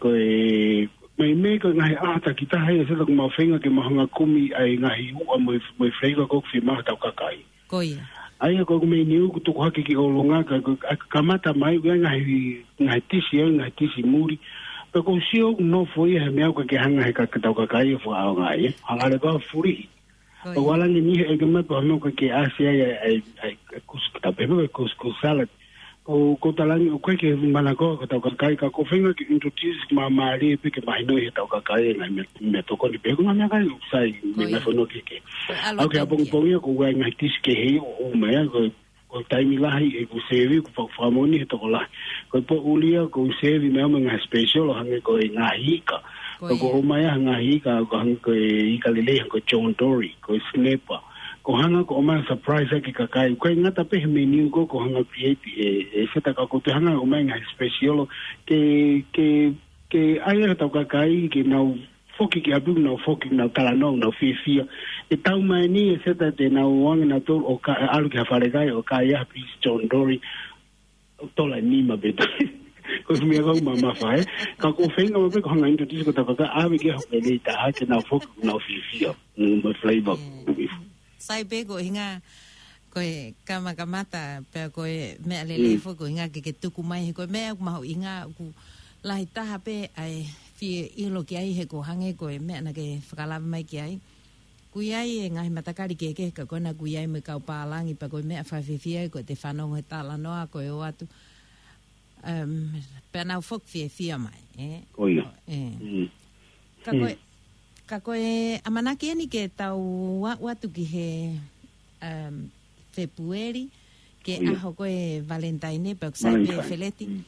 Ko e, meimei ko e ngaahi ʻaho takitaha ia, seta, ʻoku mau feinga ke mau hanga kumi ʻa e ngaahi uʻa mo e, mo e flavor ko ē ʻoku fiemaʻu ʻe hotau kakai. Ko ia. ʻA ia ko ʻeku menu ʻoku tuku hake ki ʻolunga ka, ka, ka kamata mai, ʻoku ʻi ai e ngaahi, ngaahi tisi, ʻa e ngaahi tisi muli. Pea ʻoku ou sio ʻoku nofo ia he meʻa ʻoku ʻikai ke hanga ʻe he ka, hotau kakai ʻo fakaʻaongaʻi, ē. Hanga leva ʻo fulihi. Ko ia. ʻOku ʻalu ange ʻo niʻihi ʻeke mai pe ko e hā e meʻa ʻoku ʻikai ke ʻasi ai ʻa e, ʻa e, ʻa e, ʻa e kus-, ka pehē ko e couscous salad. ʻOku, ʻoku ou talaange ʻoku ʻikai ke manako ko hotau kakai ka ʻoku ou feinga ke introduce maʻamālie pē ke mahinoʻi ʻe hotau kakai e ngaahi meʻa, meʻatokoni pē ko e ngaahi meʻakai ʻoku sai Ko mei ia. ngaahi fonua kehekehe. Ko e ʻalu ʻAu ki he ʻapongipongi ia ʻoku ʻi ai e ngaahi tisi kehe ʻoku ʻomai ai ko e, ko e taimi lahi ʻeku sevi ʻoku fa-, fakamoʻoni he tokolahi. Ko e poʻuli ia ʻoku ou sevi mai ʻa e ngaahi special ʻo hangē ko e ngaahi ika. Ko ʻOku ia. ʻomai ʻa e ngaahi ika, ʻoku hangē ko e ika lelei hangē ko e John Dory, ko e snapper. ʻOku hanga ʻo ʻomai e surprise ʻaki e kakai. ʻOku ʻikai ngata pē he menu ko ē, ʻoku hanga ʻo create ʻe, ʻe seta ka ʻoku toe hanga ʻo ʻomai e ngaahi special ke, ke, ke ʻai ʻe hotau kakai ke nau foki ki ʻapi ʻoku nau foki, nau talanoa, nau fiefia. ʻE tau mai ni ʻe seta te nau ō ange nautolu ʻo ka-, ʻalu ki ha fale kai ʻo kai ha piece John Dory, tola ʻe nima pē taha. Ko e meʻa ʻoku mamafa, ē. Ka ʻoku ou feinga mai pē ke u hanga ʻo introduce ki hotau kakai, ʻave ki ai ha lelei taha ke nau foki, nau fiefia. Mm, mo e flavor. Mm. Sai pē ko e ʻuhinga, ko e kamakamata, pea ko e meʻa lelei Mm. foki ko e ʻuhinga ke ke tuku mai he ko e meʻa ʻoku mahuʻinga ʻoku lahi taha pē ʻa e fie ʻilo ki ai he ko e hangē ko e meʻa naʻa ke fakalave mai ki ai. ʻOku ʻi ai e ngaahi matakali kehekehe ka ko ena ʻoku ʻi ai mo e kau pālangi pea ko e meʻa fakafiefia ko ʻete fanongo he talanoa ko e ō atu. Um, pea nau foki fiefia mai, ē? Ko ia. Ē. Mm. Ka ko e, Mm. ka ko e ʻamanaki eni ke tau aʻu atu ki he, um, Fēpueli, ke Ko ia. ʻaho ko e Valentine, pea ʻoku sai pē Valentine. Feleti. Mm.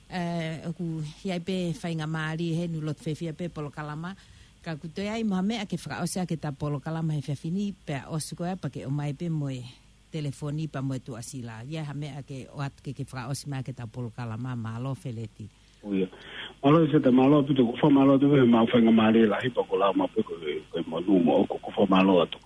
Eh, ʻoku ʻi ai pē faingamālie heni ʻoku loto fiefia pē polokalama. Ka ʻoku toe ʻi ai mo ha meʻa ke fakaʻosi ʻaki ʻeta polokalama he efiafi ni, pea ʻosi ko ia pea ke ʻomai pē mo e telefoni pea mo e tuʻasila. ʻI ai ha meʻa ke ʻoatu ke, ke fakaʻosi mai ʻaki ʻeta polokalama, mālō Feleti. Ko ia. Mālō ʻe seta, mālō ʻaupito, ʻoku ou fakamālō atu he maʻu faingamālie lahi pea ʻoku ou lau mai pē ko e, ko e monū moʻoku, ʻoku ou fakamālō atu.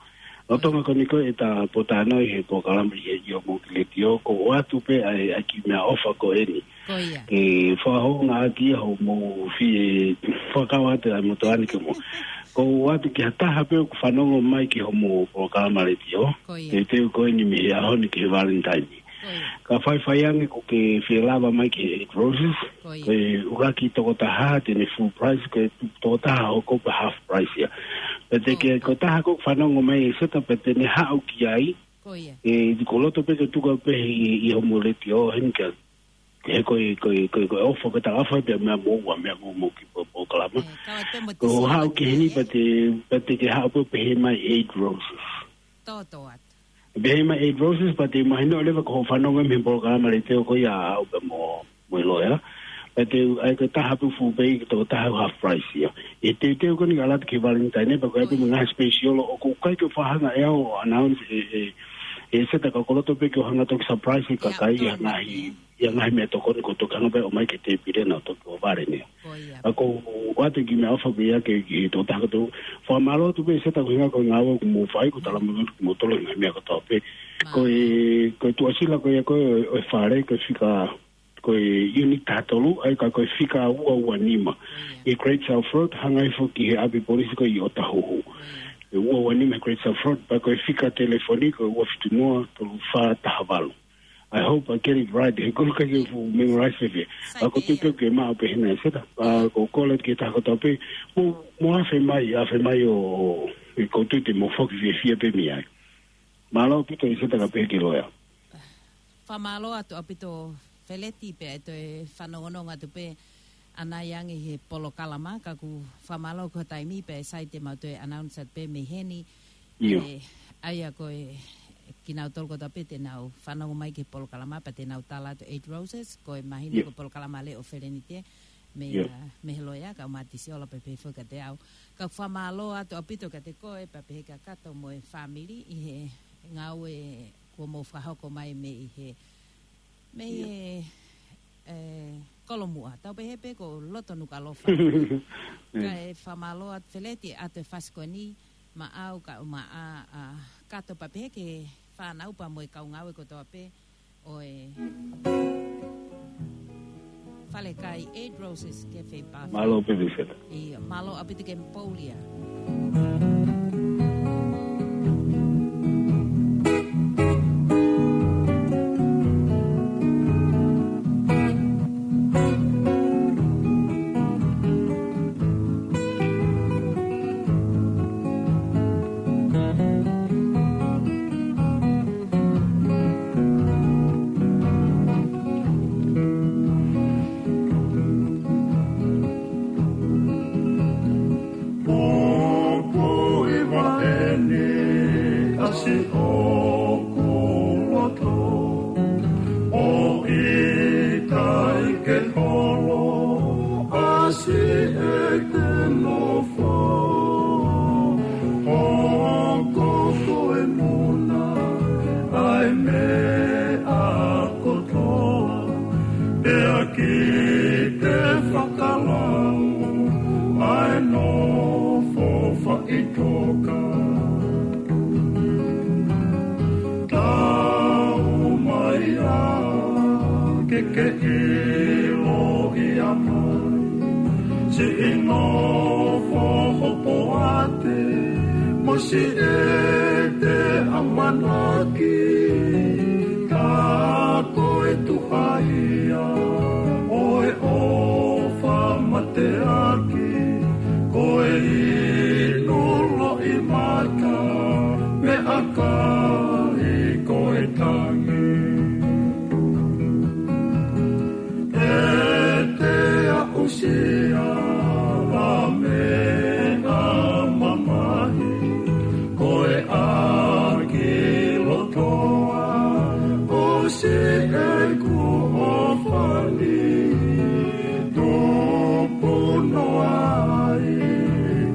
Lolotonga ko eni ko e ʻeta pōtalanoa ʻi he polokalama ʻi he ʻio mo ki leti ʻo, ʻoku ou ʻoatu pē ʻa e, ʻa e kiʻi meʻaʻofa ko eni. Ko ia. Ke fakahoungaʻaki ia hoʻomou fie fakakau atu ʻa e motuʻa ni ke mo. ʻOku ou ʻoatu ki ha taha pē ʻoku fanongo mai ki hoʻomou polokalama leti ʻo. Ko ia. Teuteu ko eni mei he ʻaho ni ki he Valentine. Ko ia. Ka faifai ange ʻoku ke fie lava mai ki he Eight Roses. Ko ia. Ko e ʻuluaki tokotaha te ne full price, ko e tokotaha hoko pē half price ia. Pea te Ko ke ia. ko e taha ʻoku fanongo mai ʻe seta pea te ne haʻu ki ai. Ko ia. ʻE, ʻoku ou loto pē ke tuku pē ʻi, ʻi hoʻomou leti ʻo heni kia. He ko e, ko e, ko e, ko e ʻofa, ko e talaʻofa pē meʻa mo ua, meʻa mo, mo ki po, polokalama. Ē, kau atu pē mo e Ko e tisi haʻu ki heni ē. pea te, pea te ke haʻu pē ʻo pehē mai Eight Roses. Tō, tō atu. Pehē mai Eight Roses, pea te mahino leva ko hoʻo fanongo mei he polokalama leti ʻo ko ia ʻaʻau pea mo, mo e loea. Pea te, ʻa ia ko e taha pē full pay, ko e tokotaha half price ia. ʻE teuteu ko eni ka ʻalu atu ki he Valentine, pea ko e ʻai pē Ko ia. mo e ngaahi special ʻoku ʻikai ke u fakahanga ʻe au ʻo announce ʻe, ʻe, ʻe seta ka ʻoku ou loto pē ke u hanga ʻo toki surprise e Ia, kakai tō, ʻa e ngaahi, ē. ʻa e ngaahi meʻatokoni ʻoku ou toki hanga pē ʻo ʻomai ki he tēpile naʻa ku toki ʻohovale ni. Ko ia. ʻA ia ʻoku ou ʻoatu e kiʻi meʻaʻofa ko ia ki he, ki he tokotaha kotoa. Fakamālō atu pē seta ko e ʻuhinga ko e ngāue ʻoku mou fai, ʻoku ou tala mai kiate kimoutolu e ngaahi meʻa kotoa pē. Mālō. Ko e, ko e tuʻasila ko ia ko ē ʻo e, ʻo e fale, ko e fika, ko e unit taha tolu, ʻa ia ka ko e fika ua ua nima. Ko ia. ʻI Great South Road, hangē foki he ʻapi polisi ko ē ʻi ʻOtahuhu. Ko ia. ʻE ua ua nima he Great South Road, pea ko e fika telefoni ko e ua fitu noa tolu fā taha valu. I hope I get it right. He ʻoku ou ʻikai ke fuʻu memorize fēfē. Sai ʻA ia ko e tuʻu pē ke maʻu pē hena ʻe seta. ʻA ko e kole ki he taha kotoa pē. Mo, mo afe mai, afe mai ʻo, ʻe ko e tuʻu te mo foki fiefia pē mei ai. Mālō ʻaupito ʻe seta ka pehē ki he loea. Fakamālō atu ʻaupito Feleti pea ʻe toe fanongonongo atu pē ʻanai ange he polokalama, ka ʻoku fakamālō ko e taimi pea ʻe sai te mau toe announce atu pē mei heni. ʻIo. ʻE, ʻa ia ko e kinautolu kotoa pē te nau fanongo mai ki he polokalama pea te nau tala atu Eight Roses, ko e mahino ʻIo. ko e polokalama leva ʻo Felenite, mei, ʻIo. ʻa, mei he loea, kau Mātisi Ola pea pehē foki kiate au. Ka ʻoku fakamālō atu ʻaupito kiate koe pea pehē kia Kato mo e fāmili ʻi he ngāue kuo mou fakahoko mai mei he, mei ʻIo. he, ʻe, Kolomuʻa, tau pehē pē ko Loto Nukuʻalofa. Kae fakamālō atu Feleti ʻa e fasi ko eni, maʻau kae ʻumaʻā ʻa Kato pea pehē ki he fānau pea mo e kau ngāue kotoa pē ʻo e falekai Eight Roses Cafe Bar. Mālō pē Feleti. ʻIo, mālō ʻaupito ki he pouli ā. Pupuʻi vaʻe ni ʻa siʻoku loto, ʻo ʻikai ke holo ʻa siʻeku nofo. Hoko ko e muna ʻa e meʻa kotoa, pea ki te fakalau ʻa e nofo faʻitoka. Tau mai ā ke ke ʻilo ia mai siʻi nofo hopoate mo siʻete ʻamanaki. Ka ko e tuhaia ʻo e ʻofa mateaki, ko e inu loʻimata, meʻakai ko e tangi. ʻEte aʻusia ʻa e meʻa mamahi, ko e ʻaki lotoa ʻo siʻeku ʻofa ni. Tupu noa ai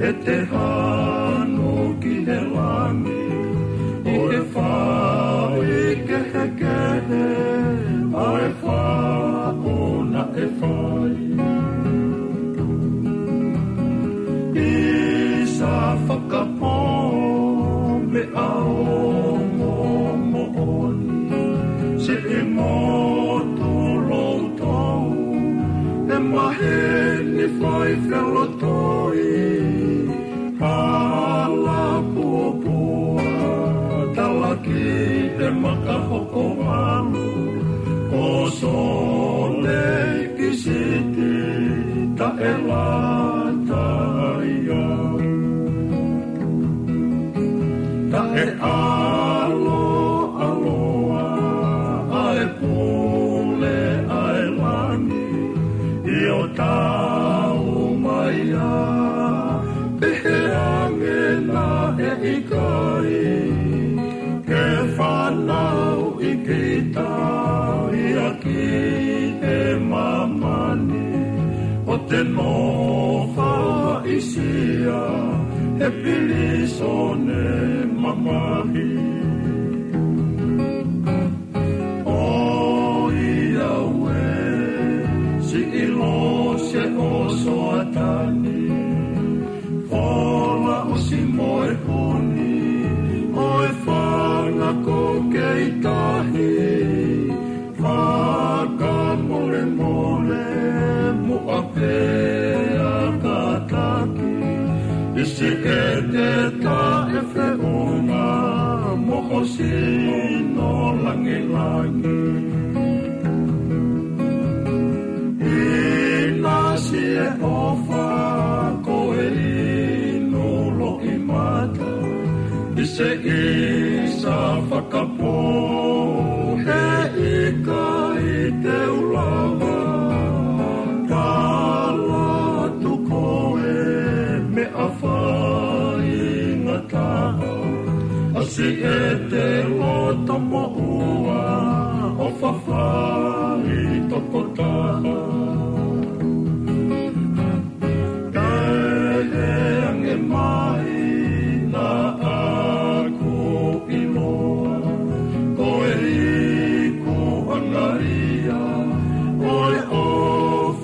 ʻete hanu ki he langi, ʻi he fai kehekehe ʻa e faʻu naʻe fai. ʻI sa fakapō meʻa ongo moʻoni, siʻi motu loutou, ʻe maheni fai felotoi. Hala puapua, talaki e maka hoko valu, ko Sole Siti taʻelata ia. Taʻeʻaloʻaloa ʻa e pule ʻa e langi, ʻio tau mai ā, pehē ange naʻe ʻikai ke fanauʻi kita ia ki he māmani, ʻo te nofo haʻisia he pilīsone mamahi. ʻOiauē, siʻi lose ʻo Soatani, fola ʻosi mo e huni ʻo e fanga ko Keitahi. Fakamolemole muʻa pea kātaki, ʻi siʻete taʻefeʻunga mo ho sino langilangi. ʻInasi e ʻofa ko e inu loʻimata, ʻi se ʻi sa fakapō, he ʻikai te u lava tala atu ko e meʻa faingataʻa, ʻa siʻete loto moʻua ʻo fafai tokotaha. Pehē ange mai naʻa ku ʻiloa, ko e ikuʻanga ia ʻo e ʻofa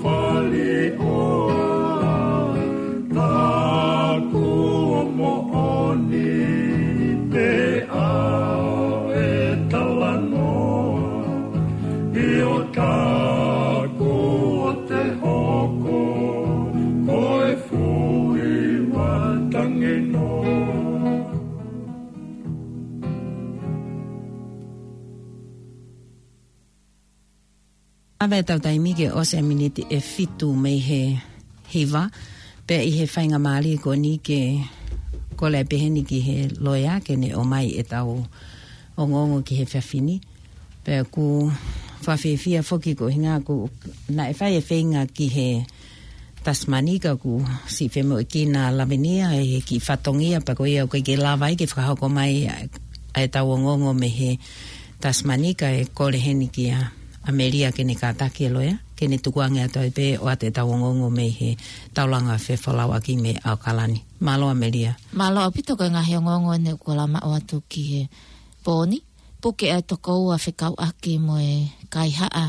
ʻIo taku o te hoko, ko e fui matangeno. ʻAve ʻetau taimi ke ʻosi e miniti ʻe fitu mei he hiva, pea ʻi he faingamālie ko eni ke kole pehē ni ki he loea ke ne ʻomai ʻetau ongoongo ki he efiafi ni. Pea ʻoku fakafiefia foki ko e ʻuhinga ʻoku naʻe fai e feinga ki he Tasmanika ʻoku siʻi femoʻuekina Lavinia ʻi he kiʻi fatongia pea ko ia ʻoku ʻikai ke lava ai ke fakahoko mai ʻa, ʻa ʻetau ongoongo mei he Tasmanika ʻe kole heni kia ʻAmelia ke ne kātaki e loea, ke ne tukuange atu ai pē ʻo ʻoatu ʻetau ongoongo mei he taulanga fefolauʻaki mei ʻAokalani. Mālō ʻAmelia. Mālō ʻaupito ko e ngaahi ongoongo eni ʻoku lava ʻo ʻoatu ki he pō ni. Puke ʻa e toko ua fekauʻaki mo e kaihaʻa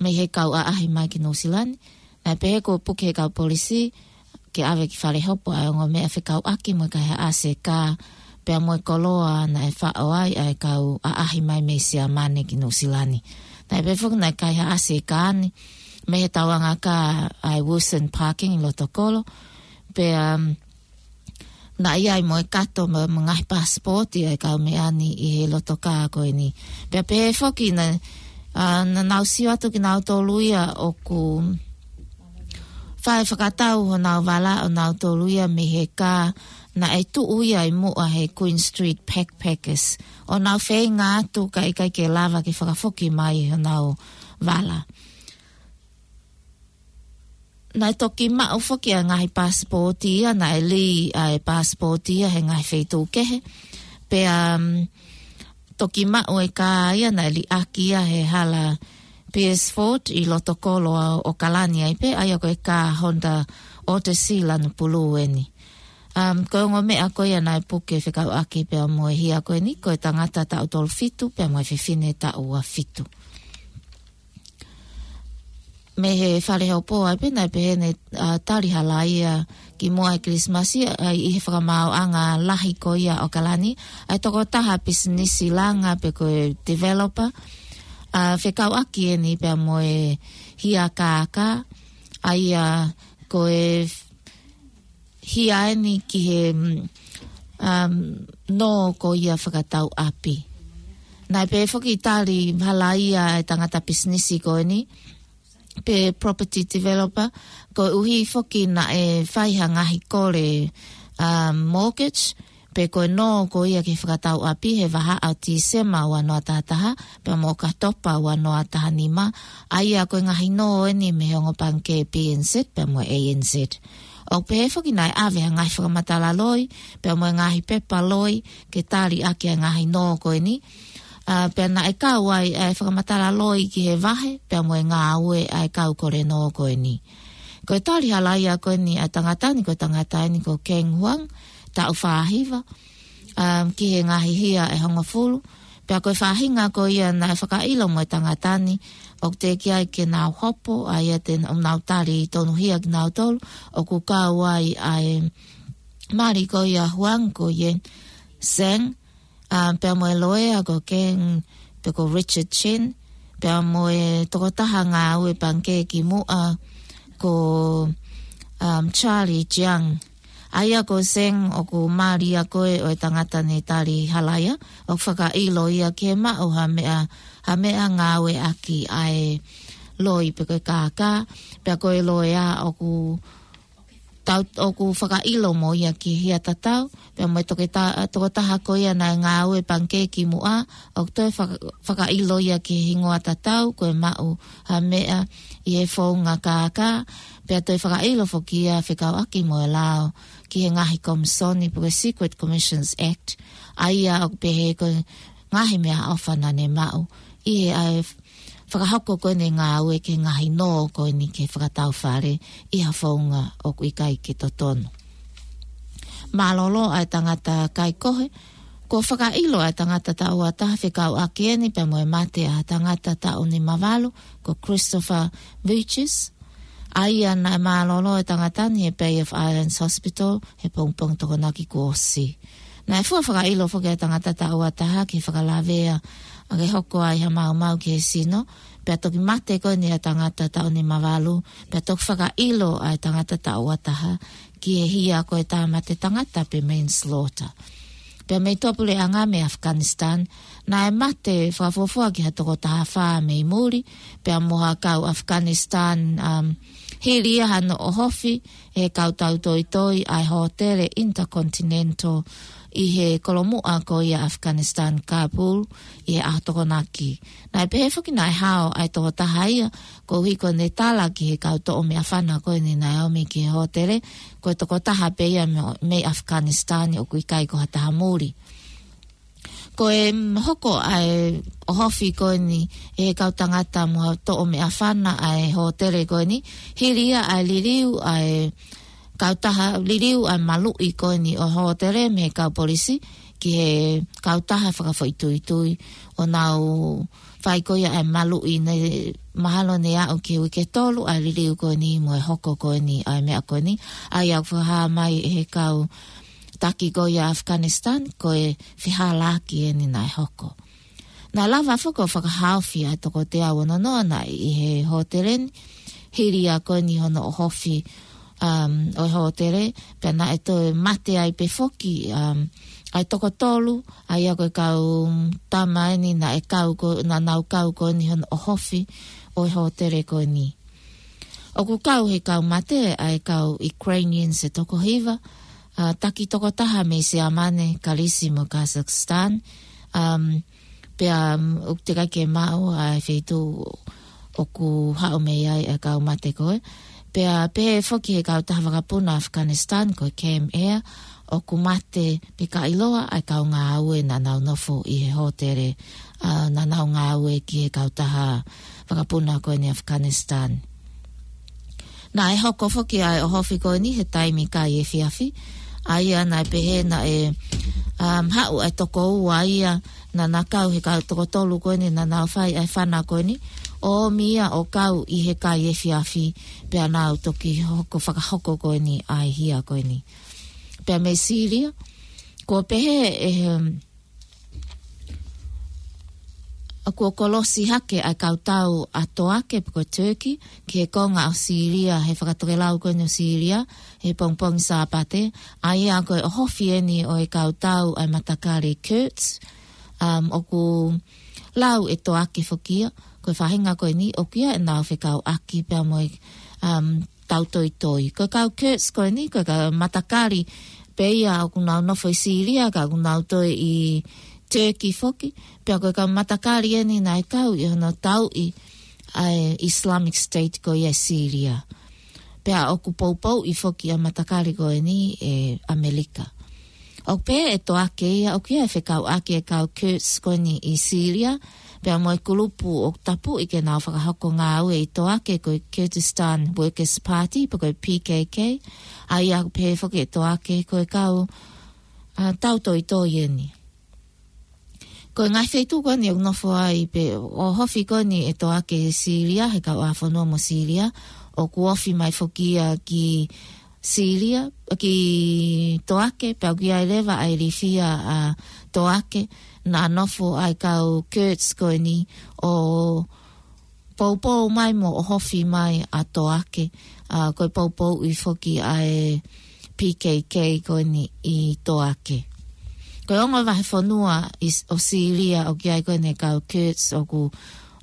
mei he kau ʻaʻahi mai ki Nuʻusila ni. Naʻe pehē kuo puke he kau polisi ke ʻave ki fale hopo ʻa e ongo meʻa fekauʻaki mo e kaihaʻasi e kā pea mo e koloa naʻe faʻo ai ʻa e kau ʻaʻahi mai mei Siamane ki Nuʻusila ni. Naʻe pehē foki naʻe kaihaʻasi e kā ni mei he tauanga kā ʻa e Wilson Parking ʻi loto kolo. Pea, um, naʻe ʻi ai mo e kato mo, mo e ngaahi paasipooti ʻa e kau meʻa ni ʻi he loto kā ko eni. Pea pehē foki naʻe, ʻa, naʻa nau sio atu kinautolu ia ʻoku fai fakatau honau vala ʻonautolu ia mei he kā naʻe tuʻu ia ʻi muʻa he Queen Street Backpackers. ʻO nau feinga atu ka ʻikai ke lava ke fakafoki mai honau vala. Naʻe toki maʻu foki ʻa e ngaahi paasipooti ia, naʻe lī ʻa e paasipooti ia he ngaahi feituʻu kehe. Pea, um, toki maʻu e kā ia naʻe liʻaki ia he hala Beresford ʻi loto kolo ʻo ʻAokalani ai pē, ʻa ia ko e kā Honda Odyssey lanu pulū eni. Um, ko e ongo meʻa ko ia naʻe puke fekauʻaki pea mo e hia ko eni, ko e tangata taʻu tolu fitu pea mo e fefine taʻu ua fitu. Mei he fale hopo ai pē naʻe pehē ne, ʻa, tali halaia ki muʻa he Kilisimasi, ʻa, ʻi he fakamaauʻanga lahi ko ia ʻo ʻAokalani, ʻa e tokotaha pisinisi langa pe ko e developer, ʻa, fekauʻaki eni pea mo e hia kākā, ʻa ia ko e hia eni ki he, mm, um, nō ko ia fakatau ʻapi. Naʻe pehē foki tali halaia e tangata pisinisi ko eni, pe property developer, koeʻuhi foki naʻe fai ha ngaahi kole, um, mortgage, pe ko e nō ko ia ki he fakatau ʻapi he vahaʻa ʻo Tīsema ua noa taha taha, pea mo ʻOkatopa ua noa taha nima, ʻa ia ko e ngaahi nō eni mei he ongo pangikē P N Z pea mo e A N Z. ʻOku pehē foki naʻe ʻave ha ngaahi fakamatala loi, pea mo e ngaahi pepa loi, ke tali ʻaki ʻa e ngaahi nō ko eni. ʻA, pea naʻe kau ai ʻa e fakamatala loi ki he vahe, pea mo e ngāue ʻa e kau kole nō ko eni. Ko e tali halaia ko eni ʻa e tangata ni, ko e tangata eni ko Keng Huang, taʻu fā hiva, um, ki he ngaahi hia ʻe hongofulu. Pea ko e faʻahinga ko ia naʻe fakaʻilo mo e tangata ni, ʻoku teʻeki ai ke nau hopo, ʻa ia te nau tali tonuhia kinautolu, ʻoku kau ai ʻa e mali ko ia Huang ko ia Zhang, um, pea mo e loea ko Keng, pe ko Richard Chin, pea mo e tokotaha ngāue pangikē ki muʻa ko, um, Charlie Jiang. ʻA ia ko Zhang ʻoku mali ia ko ē ʻo e tangata ne tali halaia, ʻoku fakaʻilo ia ke maʻu ha meʻa, ha meʻa ngāueʻaki ʻa e loi pe ko e kākā, pea ko e loea ʻoku tau, ʻoku fakaʻilo mo ia ki hia tatau, pea mo e toketa-, tokotaha ko ia naʻe ngāue pangikē ki muʻa, ʻoku toe faka-, fakaʻilo ia ki he hingoa tatau, ko e maʻu ha meʻa ʻi he founga kākā, pea toe fakaʻilo foki ia fekauʻaki mo e lao ki he ngaahi komisoni pe ko e Secret Commissions Act, ʻa ia ʻoku pehē ko e ngaahi meʻaʻofa naʻa ne maʻu ʻi he ʻa e fakahoko ko eni e ngāue ki he ngaahi nō ko eni ki he fakatau fale ʻi ha founga ʻoku ʻikai ke totonu. Mālōlō ʻa e tangata kai kohe, kuo fakaʻilo ʻa e tangata taʻu ua taha fekauʻaki eni pea mo e mate ʻa e tangata taʻu nima valu, ko Christopher Vuicis. ʻA ia naʻe mālōlō e tangata ni he Bay of Islands Hospital he pongipongi Tokonaki kuo ʻosi. Naʻe fua fakaʻilo foki ʻa e tangata taʻu ua taha ki he fakalavea ʻa ke hoko ai ha maumau ki he sino, pea toki mate ko eni ʻa e tangata taʻu nimavalu, pea toki fakaʻilo ʻa e tangata taʻu uataha ki he hia ko e tāmate tangata pe manslaughter. Pea mei tuʻapuleʻanga mei Afghanistan, naʻe mate fakafuofua ki ha toko taha fā mei muli, pea mo ha kau Afghanistan, um, hili ia hano ʻohofi ʻe he kau tautoitoi ʻa e hōtele Intercontinental ʻi he kolomuʻa ko ia Afghanistan Kabul ʻi he ʻaho Tokonaki. Naʻe pehē foki naʻe hao ʻa e toko taha ia, koeʻuhi ko ʻene tala ki he kau toʻo meʻafana ko eni naʻe ō mai ki he hōtele, ko e toko taha pē ia mei, mei Afghanistan ʻoku ʻikai ko ha taha muli. Ko e, mm, hoko ʻa e ʻohofi ko eni ʻe he kau tangata mo ha toʻo meʻafana ʻa e hōtele ko eni, hili ia ʻa e liliu ʻa e kau taha, liliu ʻa e maluʻi ko eni ʻo e hōtele mei he kau polisi ki he kau taha fakafoʻituitui ʻo nau fai ko ia ʻa e maluʻi. Ne mahalo ne aʻu ki he uike tolu ʻa e liliu ko eni mo e hoko ko eni ʻa e meʻa ko eni. ʻA ia ʻoku fakahā mai ʻe he kau taki ko ia Afghanistan, ko e fehālaaki eni naʻe hoko. Naʻe lava foki ʻo fakahaofi ʻa e toko teau ono noa naʻe ʻi he hōtele ni, hili ia ko eni hono ʻohofi, um, ʻo e hōtele, pea naʻe toe mate ai pē foki, um, ʻa e toko tolu, ʻa ia ko e kau tama eni naʻe kau ko, naʻa nau kau ko eni hono ʻohofi ʻo e hōtele ko eni. ʻOku kau he kau mate ʻa e kau Ukrainians ʻe toko hiva, ʻa, taki toko taha mei Siamane, Kalisi mo Kazakhstan. Um, pea, um, ʻoku teʻeki ke maʻu ʻa e feituʻu ʻoku haʻu mei ai ʻa e kau mate ko ē. Pea pehē foki he kau taha vakapuna Afghanistan ko e Cam Air, ʻoku mate pea ʻikai ʻiloa ʻa e kau ngāue naʻa nau nofo ʻi he hōtele, ʻa, naʻa nau ngāue ki he kau taha vakapuna ko eni Afghanistan. Naʻe hoko foki ʻa e ʻohofi ko eni he taimi kai efiafi, ʻa ia naʻe pehē naʻe, um, haʻu ʻa e toko ua ia naʻa na kau he kau toko tolu ko eni naʻa nau fai ʻa e fana ko eni, ʻo ʻomi ia ʻo kau ʻi he kai efiafi, pea nau toki hoko fakahoko ko eni ʻa e hia ko eni. Pea mei Sīlia, ko e pehē ʻe he, um, ʻa kuo kolosi hake ʻa e kau tau ʻa Toake pe ko Turkey, ki he konga ʻo Sīlia, he fakatokelau ko eni ʻo Sīlia, he pongipongi Sāpate, ʻa ia ko e ʻohofi eni ʻo e kau tau ʻa e matakali Kurds, um, ʻoku lau ʻe Toake foki ia, ko e faʻahinga ko eni, ʻoku ʻi ai ʻenau fekauʻaki pea mo e, um, tautoitoi. Ko e kau Kurds ko eni, ko e kau matakali pē ia ʻoku nau nofo ʻi Sīlia, ka ʻoku nau toe ʻi Turkey foki, pea ko e kau matakali eni naʻe kau ʻi hono tauʻi ʻa e Islamic State ko ia ʻi Sīlia. Pea ʻoku poupouʻi foki ʻa e matakali ko eni ʻe ʻAmelika. ʻOku pehē ʻe Toake ia, ʻoku ʻi ai e fekauʻaki ʻa e kau Kurds ko eni ʻi Sīlia, pea mo e kulupu ʻoku tapuʻi ke nau fakahoko ngāue ʻi Toake ko e Kurdistan Workers Party, pe ko e P K K, ʻa ia ʻoku pehē foki ʻe Toake ko e kau, ʻa, tautoitoi eni. Ko e ngaahi feituʻu ko eni ʻoku nofo ai pe ʻohofi ko eni ʻe Toake ʻi Sīlia, he kauʻāfonua mo Sīlia, ʻoku ofi mai foki ia ki Sīlia, ki Toake, pea ʻoku ʻi ai leva ʻa e ilifia ʻa Toake, naʻa nofo ai kau Kurds ko eni ʻo poupou mai mo ʻohofi mai ʻa Toake, ʻa, ko e poupouʻi foki ʻa e P K K ko eni ʻi Toake. Ko e ongo vahefonua ʻi S-, ʻo Sīlia ʻoku ʻi ai ko eni e kau Kurds ʻoku,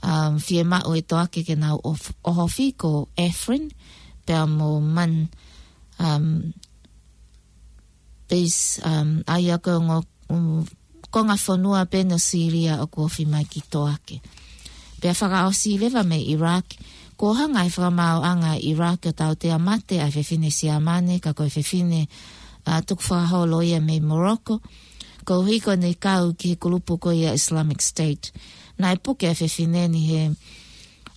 um, fiemaʻu ʻe Toake ke nau ʻof-, ʻohofi ko Afrin, pea mo Man, um, Base, um, ʻa ia ko e ongo, um, konga fonua pē ʻo Sīlia ʻoku ofi mai ki Toake. Pea fakaʻosi leva mei Iraq, kuo hanga ʻe he fakamaauʻanga ʻa Iraq ʻo tautea mate ʻa e fefine Siamane, ka ko e fefine, ʻa, tukufakaholo ia mei Morocco, koeʻuhi ko ʻene kau ki he kulupu ko ia Islamic State. Naʻe puke ʻa e fefine ni he,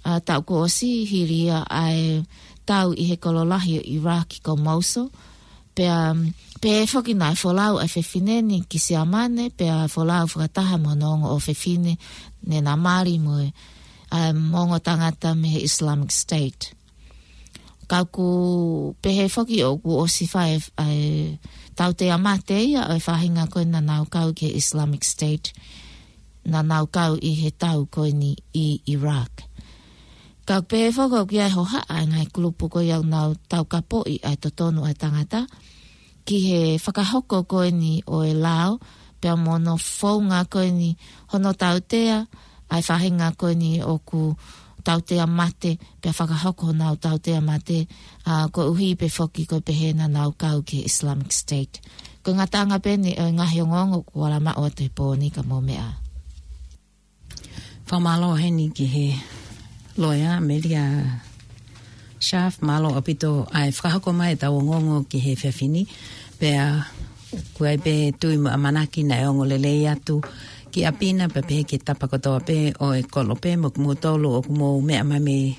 ʻa, taʻu kuo ʻosi hili ia ʻa e tau ʻi he kolo lahi ʻo Iraq ko Mosul, pea, um, pehē foki naʻe folau ʻa e fefine ni ki Siamane, pea folau fakataha mo hono ongo ʻofefine ne na mali mo e, um, ongo tangata mei he Islamic State. Ka ʻoku pehē foki ʻoku ʻosi fai ʻa e tautea mate ia ʻo e faʻahinga ko ē naʻa nau kau ki he Islamic State. naʻa nau kau ʻi he tau ko eni ʻi Iraq. Ka ʻoku pehē foki ʻoku ʻi ai e hohaʻa ʻa e ngaahi kulupu ko ia ʻoku nau taukapoʻi ʻa e totonu ʻa e tangata ki he fakahoko ko eni ʻo e lao, pea mo hono founga ko eni hono tautea ʻa e faʻahinga ko eni ʻoku tautea mate, pea fakahoko honau tautea mate, ʻa, koeʻuhi pē foki ko e pehē naʻa nau kau ki he Islamic State. Ko e ngataʻanga pē eni ʻo e ngaahi ongoongo kuo lava maʻu atu he pō ni ka mou meʻa. Fakamālō heni ki he loea, Melia Sharf, mālō ʻaupito ʻa e fakahoko mai ʻetau ongoongo ki he efiafi ni, pea ʻoku ʻi ai pē tui mo e ʻamanaki naʻe ongo lelei atu ki ʻapi na, pea pehē ki he tapa kotoa pē ʻo e kolope, mo kimoutolu ʻoku mou meʻa mai mei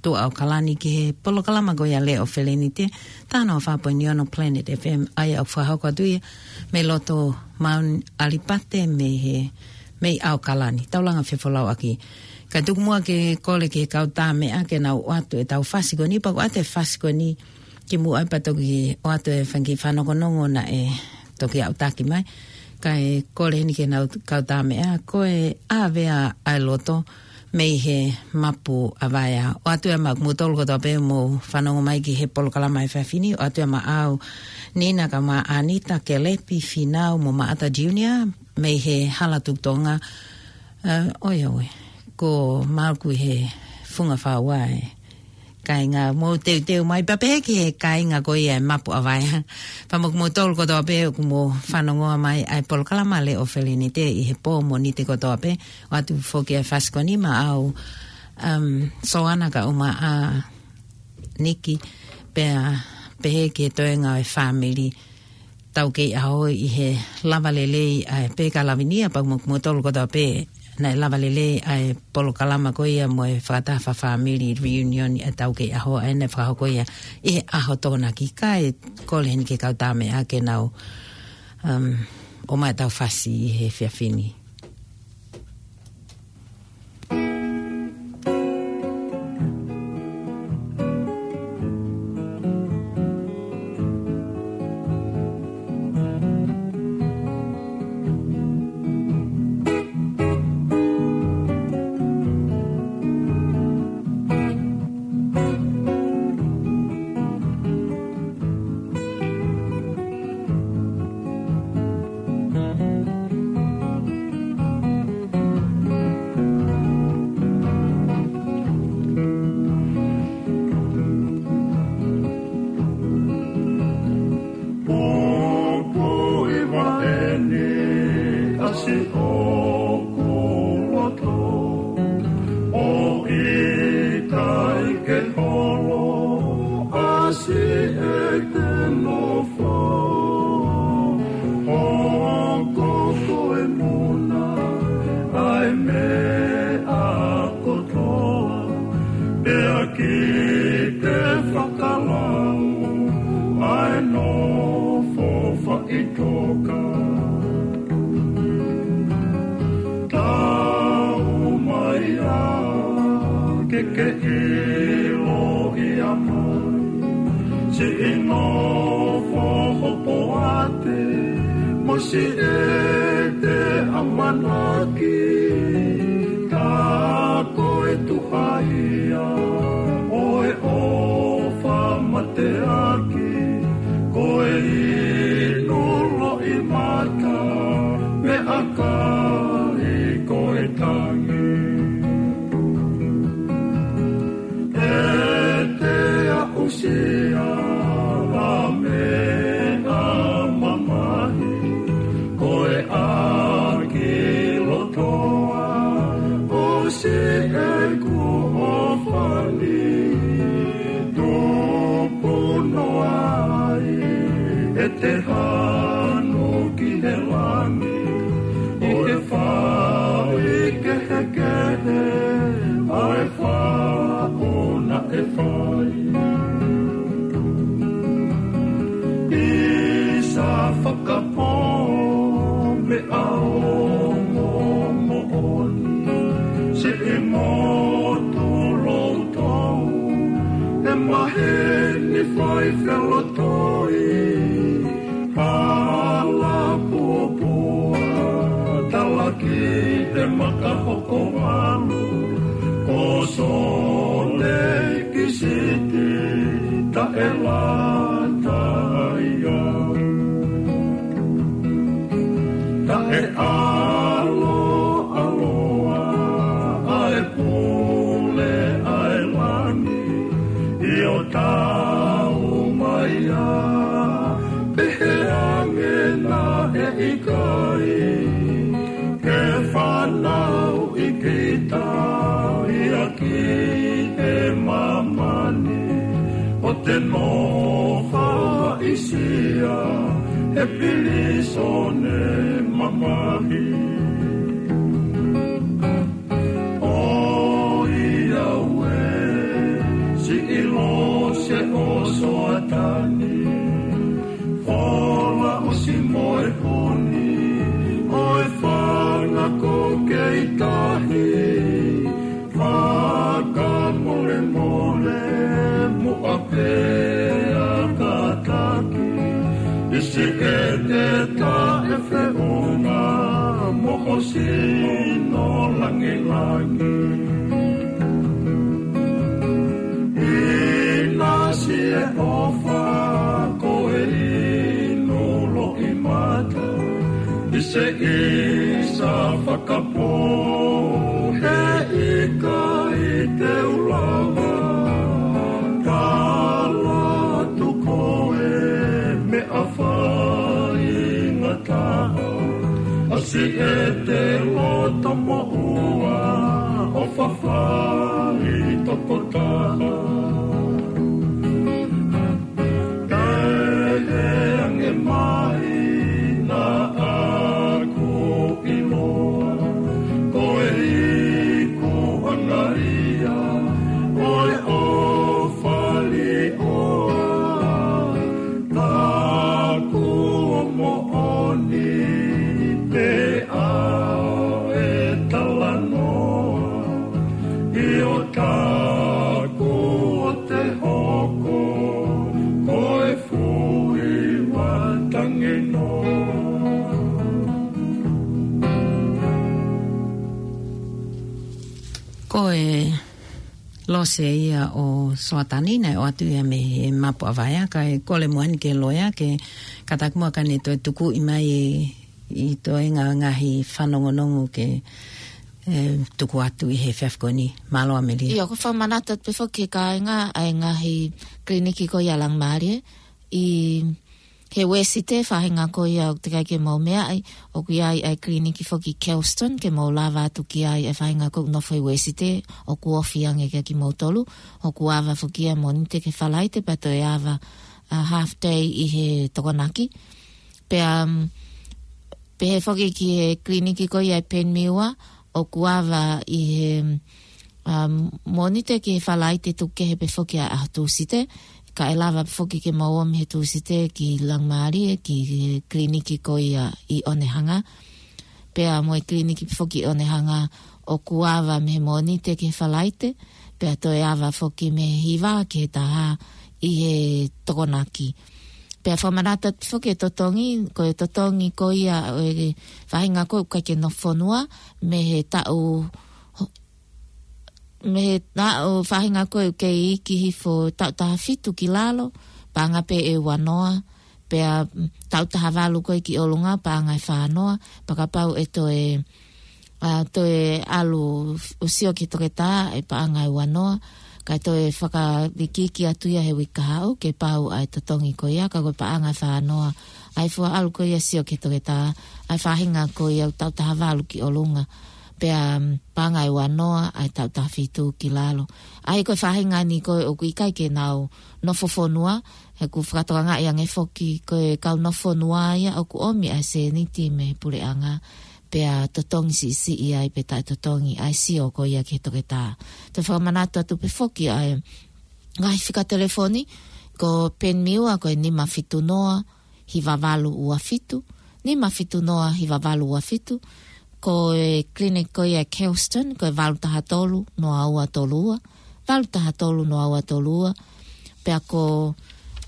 tuʻa ʻAokalani ki he polokalama ko ia Lea ʻo Felenite, taha noa fā poini ono Planet F M, ʻa ia ʻoku fakahoko atu ia mei loto Mount Alipate mei he, mei ʻAokalani. Tau langa fefolauʻaki. Ka tuku muʻa ke kole ki he kau tā meʻa ke nau ʻoatu ʻetau fasi ko eni, pea ʻoku ʻoatu e fasi ko eni kimuʻa pea toki ʻoatu e fanga kiʻi fanokonongo naʻe toki aʻutaki mai. Kae kole heni ki he kau tā meʻa, ko e ʻAvea ʻa e Loto mei he Mapu ʻa Vaea. ʻOatu ia maʻa kimoutolu kotoa pē mou fanongo mai ki he polokalama he efiafi ni, ʻoatu ia maʻau Nina kae ʻumaʻā ʻAnita, Kelepi, Finau mo Maʻata Junior mei he Hala Tuʻi Tonga. ʻA, ʻoiauē, ko Malku he funga fāua e kāinga, mou teuteu mai pea pehē ki he kāinga ko ia e Mapu ʻa Vaea. Pea mo kimoutolu kotoa pē ʻoku mou fanongoa mai ʻa e polokalama Lea ʻo Felenite ʻi he pō Mōnite kotoa pē, ʻoatu foki e fasi ko eni maʻau, um, Soana kae ʻumaʻā Niki, pea pehē ki he toenga ʻo e fāmili Taukeiʻaho ʻi he lava lelei ʻa e peka lavinia, pea mo kimoutolu kotoa pē naʻe lava lelei ʻa e polokalama ko ia mo e fakataha fakafāmili reunion ʻa e Taukeiʻaho, ʻa ia naʻe fakahoko ia ʻi he ʻaho Tokonaki. Kae kole heni ki he kau tā meʻa ke nau, um, ʻomai ʻetau fasi ʻi he efiafi ni. Pupuʻi vaʻe ni ʻasi ʻoku loto, ʻo ʻikai ke holo ʻasi ʻete nofo. Hoko ko e muna ʻa e meʻa kotoa, pea ki te fakalau ʻa e nofo faʻitoka. Tau mai ā ke ke ʻiloʻi ʻa mai siʻi nofo hopoate mo siʻete ʻamanaki. Ka ko e tuʻa ia ʻo e ʻofa mateaki, ko e inu loʻimata, meʻakai ko e tangi. ʻE te aʻusia ʻa meʻa mamahi, ko e ʻaki lotoa ʻo siʻeku ʻofa ni. Tupu noa ai ʻete hanu ki he langi, ʻo e fai kehekehe ʻa e faʻo naʻe fai. ʻIsa fakapō meʻa ongo moʻoni, siʻi motu loutolu, ʻe maheni fai felotoi, hala puapua, talaki Sōleki Siti taʻe lata ia, taʻe ʻaloʻaloa ʻa e pule ʻa e langi, ʻio tau mai ia, pehē ange naʻe ʻikai ke fanauʻi kita ia ki he māmani, ʻo te nofo ʻi Sīsū he pilīsone mamahi. ʻOiauē, siʻi lose ʻo Soatani, fola ʻosi mo e honi ʻo e fanga ko kei tahi, fakamolemole muʻa pea kātaki, ʻi siʻete taʻefeʻunga mo ho sino langilangi. ʻInasi e ʻofa ko e inu loʻimata, ʻi se ʻisa fakapō, he ʻikai te u lava, tala atu ko e meʻa faingataʻa, ʻa siʻete loto moʻua ʻo fafai tokotaha. Pehē ange mai naʻa ku ʻiloa, ko e ikuʻanga ia ʻo e ʻofa lī ʻoa, taku moʻoni pē ʻa e talanoa, ʻio taku ʻo te hoko ko e fui matangeno. Ko e lose ia ʻo Soatani naʻe ʻoatu ia mei he mapu ʻa Vaea, kae kole muʻa eni ki he loea ke kātaki muʻa ka ne toe tukuʻi mai e, ʻi toenga ngaahi fanongonongo ke, e, tuku atu ʻi he efiafi ko eni. Mālō Amelia. ʻIo, ʻoku ou fakamanatu atu pē foki ki he kāinga ʻa e ngaahi kiliniki ko ia Langimālie, ʻi he Uēsite, faʻahinga ko ia ʻoku teʻeki ai ke mou meaʻi, ʻoku ʻi ai ʻa e kiliniki foki Kelston, ke mou lava atu ki ai, ʻa e faʻahinga ko ē ʻoku nofo ʻi Uēsite, ʻoku ofi ange kia kimoutolu, ʻoku ava foki ia Mōnite ki he Falaite, pea toe ava, a, half day ʻi he Tokonaki. Pea, um, pehē foki ki he kiliniki ko ia ʻi Penmiua, ʻoku ava ʻi he, um, Mōnite ki he Falaite, tuku kehe pē foki ʻa e ʻaho Tūsite, kae lava pē foki ke mou ō mei he Tūsite ki Langimālie, ki he kiliniki ko ia ʻi ʻOnehanga. Pea mo e kiliniki pē foki ʻi ʻOnehanga ʻoku ava mei he Mōnite ki he Falaite, pea toe ava foki mei he hiva ki he taha ʻi he Tokonaki. Pea fakamanatu atu foki e totongi, ko e totongi ko ia ʻo e faʻahinga ko ē ʻoku ʻikai ke nofo fonua, mei he taʻu, mei he taʻu faʻahinga ko ē ʻoku kei iiki hifo taʻu taha fitu ki lalo, paʻanga pē ʻe ua noa, pea, mm, taʻu taha valu ko ē ki ʻolunga, paʻanga ʻe fā noa, pea kapau ʻe toe, a, toe ʻalu ʻo sio ki he toketā, ʻe paʻanga ʻe ua noa, kae toe fakaikiiki atu ia he uike kahaʻu, ke pau ʻa e totongi ko ia, ka ko e paʻanga ʻe fā noa ʻa e fua ʻalu ko ia ʻo sio ki he toketā, ʻa e faʻahinga ko ia ʻoku taʻu taha valu ki ʻolunga, pea, mm, paʻanga ʻe ua noa ʻa e taʻu taha fitu ki lalo. ʻA ia ko e faʻahinga ni ko ē ʻoku ʻikai ke nau nofo fonua, he ʻoku fakatokangaʻi ange foki ko e kau nofo fonua ia ʻoku ʻomi ʻa e sēniti mei he puleʻanga, pea totongi siʻisiʻi ai pe taʻetotongi ʻa e sio ko ia ki he toketā. Te u fakamanatu atu pē foki ʻa e ngaahi fika telefoni, ko Penmiua ko e nima fitu noa, hiva valu ua fitu, nima fitu noa, hiva valu ua fitu, ko e kiliniki ko ia Kelston, ko e valu taha tolu, noa ua tolu ua, valu taha tolu, noa ua tolu ua, pea ko,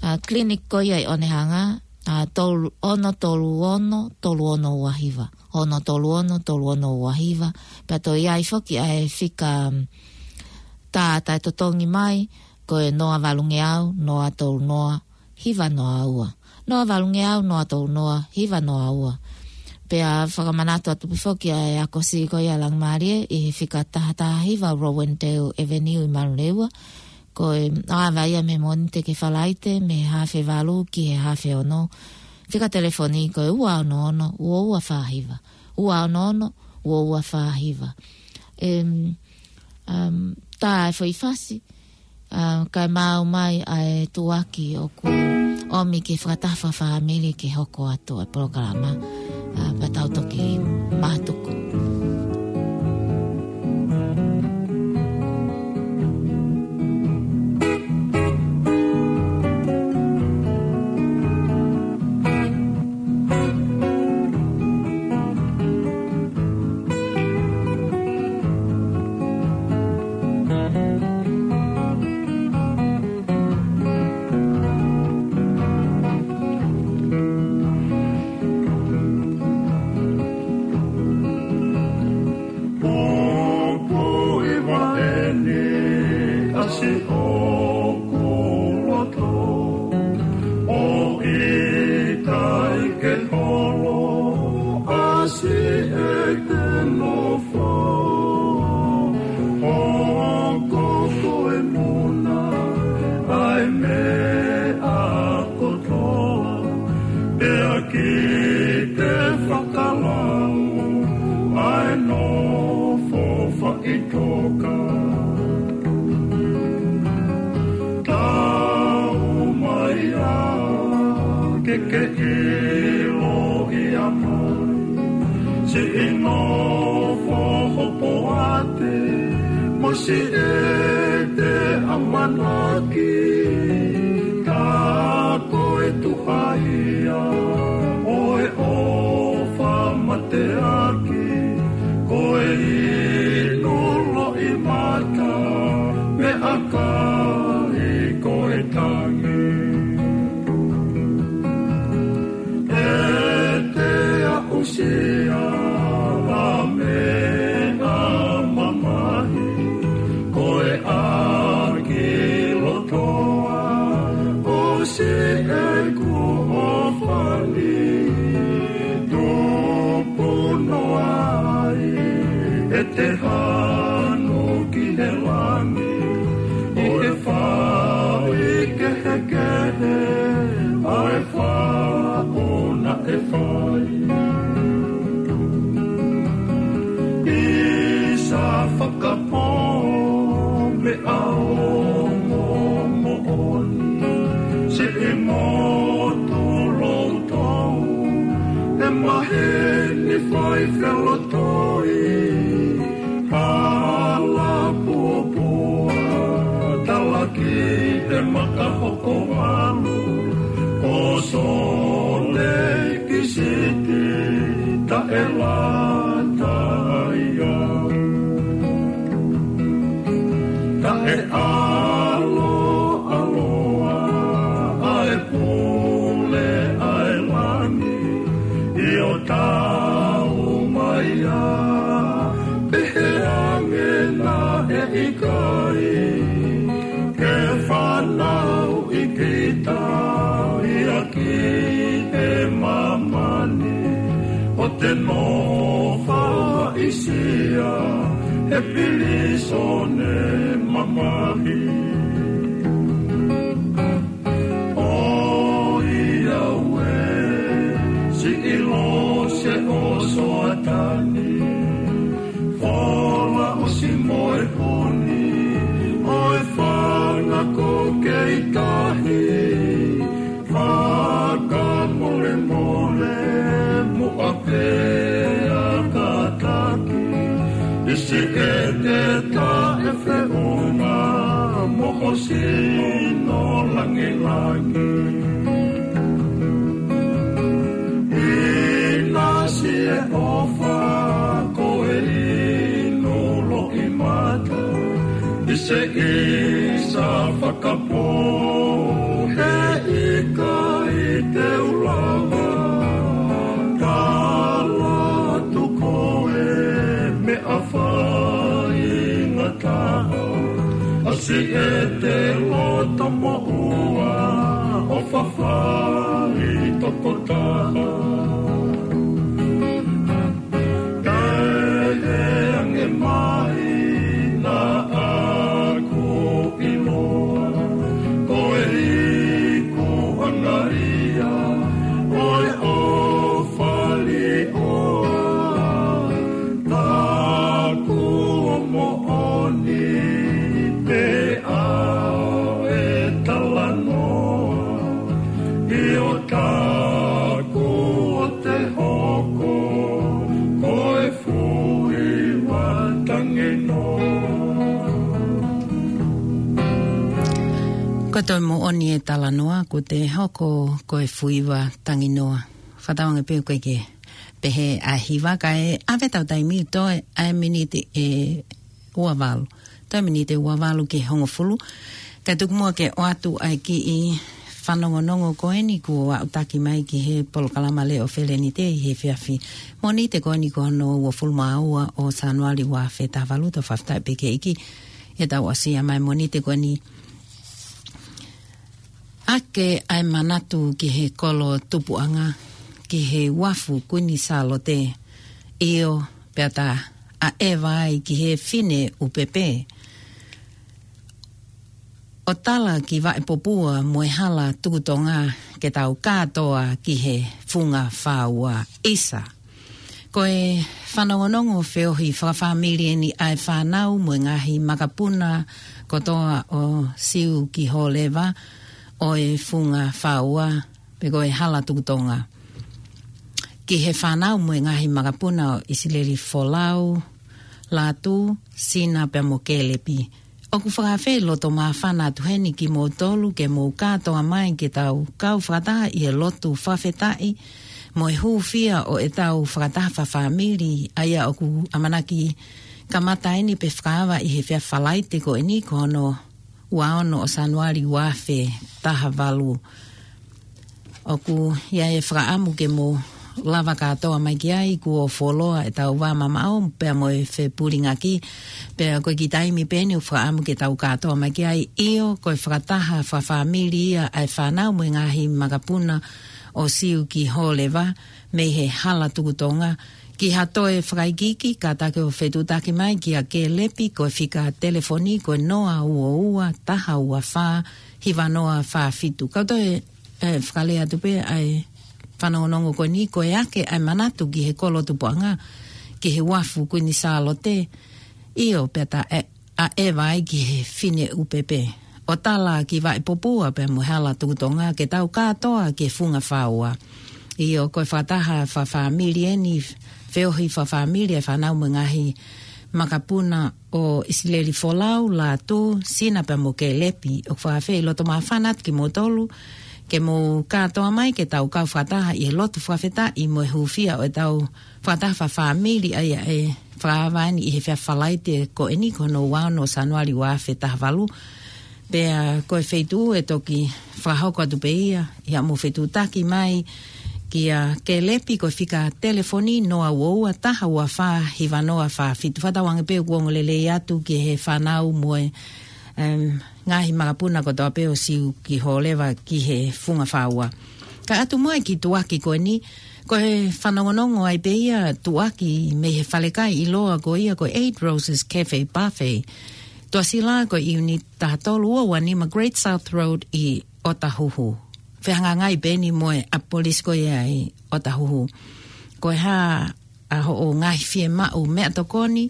a, kiliniki ko ia ʻi ʻOnehanga, a, tolu, ono tolu ono, tolu ono ua hiva, ono tolu ono, tolu ono ua hiva, pea toe ʻi ai foki ʻa e fika, mm, Ka taʻetotongi mai, ko e noa valungeau, noa tolu noa, hiva noa ua. Noa valungeau, noa tolu noa, hiva noa ua. Pea fakamanatu atu pē foki ʻa e ako siʻi ko ia Langimālie ʻi he fika taha taha hiva Rowendale Avenue ʻi Manurewa. Ko e ʻave ia mei he Mōnite ki he Falaite, mei he haafe valu ki he haafe ono. Fika telefoni ko e ua ono ono, ua ua fā hiva. Ua ono ono, ua ua fā hiva. Em, um, tā e foʻi fasi, um, kae maʻu mai ʻa e tuʻuaki ʻoku ʻomi ki he fakataha fakafāmili ke hoko atu ʻa e polokalama, uh, pea tau toki mātuku. Pupuʻi vaʻe ni ʻa siʻoku loto, ʻo ʻikai ke holo ʻa siʻeku nofo. Hoko ko e muna ʻa e meʻa kotoa, pea ke te fakalau ʻa e nofo faʻitoka. Tau mai ā ke ke ʻiloʻi ʻa mai siʻi nofo hopoate mo siʻete ʻamanaki. Ka ko e tuʻu ia ʻo e ʻofa mateaki, ko e inu loʻimata, meʻakai ko e tangi. ʻE te aʻusia ʻa e meʻa mamahi, ko e ʻaki lotoa ʻo siʻeku ʻofa ni. Tupu noa ai ʻete hanu ki he langi, ʻi he fai kehekehe ʻa e faʻu naʻe fai. ʻI sa fakapō meʻa ongo moʻoni, siʻi motu loutou, ʻe maheni fai felotoi. Hala puapua, talaki e maka hoko valu, ko Sōleki Siti taʻelata ia. Taʻeʻaloʻaloa ʻa e pule ʻa e langi, ʻio tau mai ā, pehē ange naʻe ʻikai ke fanauʻi kita ia ki he māmani, ʻo te nofo aʻisia he pilīsone mamahi. ʻOiauē, siʻi lose ʻo Soatani, fola ʻosi mo e honi ʻo e fanga ko Keitahi, fakamolemole muʻa pea kātaki, ʻi siʻete taʻefeʻunga mo ho sino langilangi. ʻInasi e ʻofa ko e inu loʻimata, ʻi se ʻi sa fakapō, he ʻikai te u lava tala atu ko e meʻa faingataʻa. Siʻete loto moʻua ʻo fafai tokotaha. Kae he ange mai naʻa ku ʻiloa, ko e iku ʻa Maria, ʻo e ʻofa liʻoa, taku moʻoni pē ʻa e talanoa, ʻio taku ʻo te hoko ko e fuiva tanginoa. Ko e toe moʻoni e talanoa, ko te hoko ko e fuiva tanginoa. Fakatauange pē ʻoku ʻikai ke pehē ʻa e hiva kae ʻave ʻetau taimi toe ʻa e miniti ʻe ua valu. Toe miniti ʻe ua valu ki he hongofulu. Kae tuku muʻa ke ʻoatu ʻa e kiʻi fanongonongo ko eni kuo aʻutaki mai ki he polokalama Leʻo Felenite ʻi he efiafi Mōnite ko eni ko hono uofulu mā ua ʻo Sānuali ua afe taha valu. Tau fakafetaʻi pē ki he ʻEiki ʻi heʻetau ʻosi ʻa e Mōnite ko eni. ʻAke ʻa e manatu ki he kolo tupuʻanga, ki he uafu Kuini Sālote, ʻio, pea ta ʻaʻeva ai ki he fine ʻupepe. ʻO tala ki Vaʻepopua mo e hala tukutonga ke tau kātoa ki he funga fāua ʻisa. Ko e fanongonongo feohi fakafāmili eni ʻa e fānau mo e ngaahi makapuna kotoa ʻo Siu ki Hōleva ʻo e funga fāua, pe ko e hala tukutonga. Ki he fānau mo e ngaahi makapuna ʻo ʻIsileli Folau, Lātū, Sina pea mo Kēlepi. ʻOku fakaafeʻi loto māfana atu heni kimoutolu ke mou kātoa mai ke tau kau fakataha ʻi he lotu fakafetaʻi mo e hūfia ʻo ʻetau fakataha fakafāmili, ʻa ia ʻoku ʻamanaki kamata eni pe fakaava ʻi he efiafi Falaite ko eni ko hono ua ono ʻo Sānuali ua afe taha valu. ʻOku ʻi ai e fakaʻamu ke mou lava kātoa mai ki ai, kuo fuoloa ʻetau vā mamaʻo pea mo e fepulingaki, pea ko e kiʻi taimi pē eni ʻoku fakaʻamu ke tau kātoa mai ki ai, ʻio, ko e fakataha fakafāmili ia ʻa e fānau mo e ngaahi makapuna ʻo Siu ki Hōleva mei he hala tukutonga, ki ha toe fakaikiiki, kātaki ʻo fetuʻutaki mai kia Kēlepi, ko e fika telefoni ko e noa ua ua, taha ua fā, hiva noa fā fitu. Kau toe ʻe fakalea atu pē ʻa e fanongonongo ko eni, ko e ʻake ʻa e manatu ki he kolo tupuʻanga, ki he uafu Kuini Sālote, ʻio, pea ta ʻaʻeva ai ki he fine ʻupepe. ʻO tala ki Vaʻepopua pea mo e hala tukutonga ke tau kātoa ki he funga fāua. ʻIo, ko e fakataha fakafāmili eni, feohi fakafāmili ʻa e fānau mo e ngaahi makapuna ʻo ʻIsileli Folau, Lātū, Sina pea mo Kēlepi. ʻOku fakaafeʻi loto māfana atu kimoutolu ke mou kātoa mai ke tau kau fakataha ʻi he lotu fakafetaʻi mo e hūfia ʻo ʻetau fakataha fakafāmili, ʻa ia ʻe fakaava eni ʻi he efiafi Falaite ko eni ko hono ua ono ʻo Sānuali ua afe taha valu. Pea ko e feituʻu ʻe toki fakahoko atu pē ia, ʻi haʻamou fetuʻutaki mai kia Kēlepi, ko e fika telefoni noa ua ua, taha ua fā, hiva noa fā fitu. Fakatauange pē ʻoku ongo lelei atu ki he fānau mo e, em, ngaahi makapuna kotoa pē ʻo Siu ki Hōleva ki he funga fāua. Kae ʻatu muʻa e kiʻi tuʻaki ko eni, ko e fanongonongo ai pē ia, tuʻaki mei he falekai ʻiloa ko ia ko e Eight Roses Cafe Buffet. Tuʻasila ko e ʻiuniti taha tolu ua ua nima Great South Road ʻi ʻOtahuhu. Fehangahangai pē eni mo e ʻapi polisi ko ia ʻi ʻOtahuhu. Ko e hā ʻa hoʻo ngaahi fiemaʻu meʻatokoni,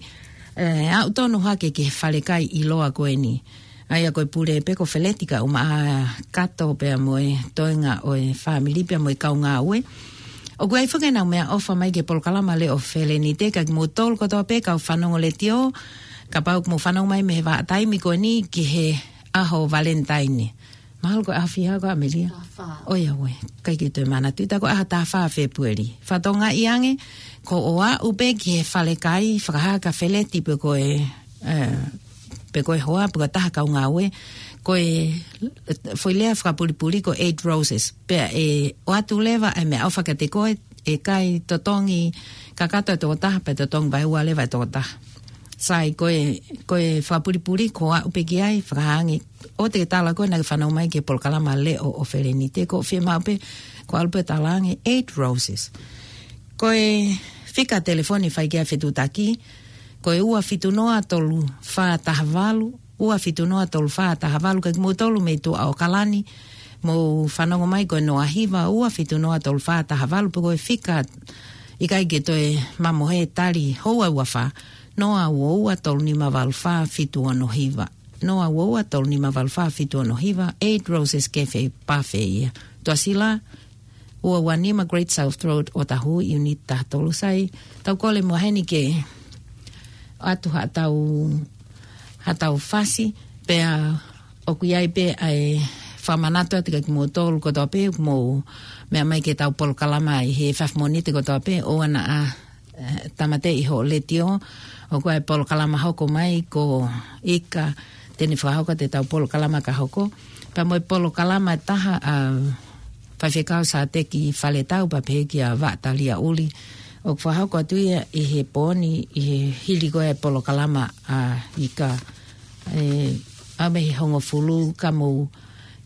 ʻe, aʻu tonu hake ki he falekai ʻiloa ko eni. ʻA ia ko e pule pē ko Feleti Kaumaʻa Kato pea mo e toenga ʻo e fāmili pea mo e kau ngāue. ʻOku ʻi ai foki ʻenau meʻaʻofa mai ki he polokalama Leʻo Felenite, ka kimoutolu kotoa pē kau fanongo letiō, kapau ʻoku mou fanongo mai mei he vahaʻa taimi ko eni ki he ʻaho Valentine. Mahalo ko e ʻaho fiha ko ʻAmelia. Taha fā. ʻOiauē, ʻikai ke toe manatuʻi, tā ko e ʻaho taha fā Fēpueli. Fakatokangaʻi ange, ko hoʻo aʻu pē ki he falekai, fakahā kia Feleti pe ko e, ē, pe ko e hoa, pe ko e taha kau ngāue, ko e foʻi lea fakapulipuli ko e Eight Roses. Pea ʻe ʻoatu leva e meʻaʻofa kiate koe, ʻe ʻikai totongi kakato e tokotaha, pea totongi vaeua leva e tokotaha. Sai, ko e, ko e fakapulipuli, ko au pē ki ai, fakahā ange, ʻoua te ke tala ko ē naʻa ke fanongo mai ki he polokalama Leʻo ʻo Felenite, ko e fiemaʻu pē, ko au pē tala ange, Eight Roses. Ko e fika telefoni fai ki ai e fetuʻutaki, ko e ua fitu noa tolu fā taha valu, ua fitu noa tolu fā taha valu, ka kimoutolu mei tuʻa ʻAokalani, mou fanongo mai ko e noa hiva, ua fitu noa tolu fā taha valu, pe ko e fika ʻikai ke toe mamohe, tali houa ua fā, noa ua ua tolu nima valu fā fitu ono hiva. Noa ua ua tolu nima valu fā fitu ono hiva, Eight Roses Cafe Buffet ia. Tuʻasila, ua ua nima Great South Road, Otahuhu, Unit taha tolu. Sai, tau kole muʻa heni ke ʻoatu haʻatau, haʻatau fasi, pea ʻoku ʻi ai pē ʻa e fakamanatu atu kiate kimoutolu kotoa pē, ʻoku mou meʻa mai ki heʻetau polokalama ʻi he efiafi Mōnite kotoa pē, ʻoua naʻa, eh, tāmateʻi hoʻo letiō, ʻoku ʻi ai e polokalama hoko mai ko Ika, te ne fakahoko atu ʻetau polokalama ka hoko. Pea mo e polokalama ʻe taha ʻa Faifekau Sāteki Faletau pea pehē kia Vaʻa Talia ʻUli. ʻOku fakahoko atu ia ʻi he pō ni, ʻi he hili ko ē e polokalama ʻa Ika. ʻE, ʻa mei he hongofulu ka mou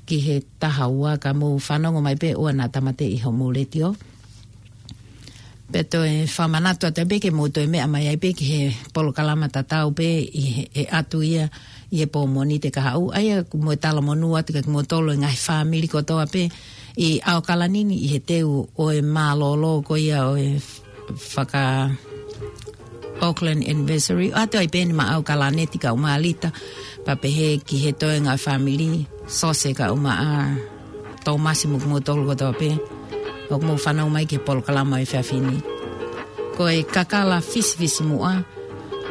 ki he taha ua ka mou fanongo mai pē ʻoua naʻa tāmateʻi hoʻomou letiō. Pea toe fakamanatu atu pē ke mou toe meʻa mai ai pē ki he polokalama tatau pē ʻi he, ʻe ʻatu ia ʻi he pō Mōnite kahaʻu. ʻA ia mo e talamonū atu kiate kimoutolu e ngaahi fāmili kotoa pē ʻi ʻAokalani ni ʻi he teu ʻo e mālōlō ko ia ʻo e faka Auckland Anniversary. ʻOatu ai pē eni maʻau Kalaneti kae ʻumaʻā Lita, pea pehē ki he toenga fāmili, Sose kae ʻumaʻā Tōmasi mo kimoutolu kotoa pē ʻoku mou fanongo mai ki he polokalama ʻo e efiafi ni. Ko e kakala fisifisimuʻa,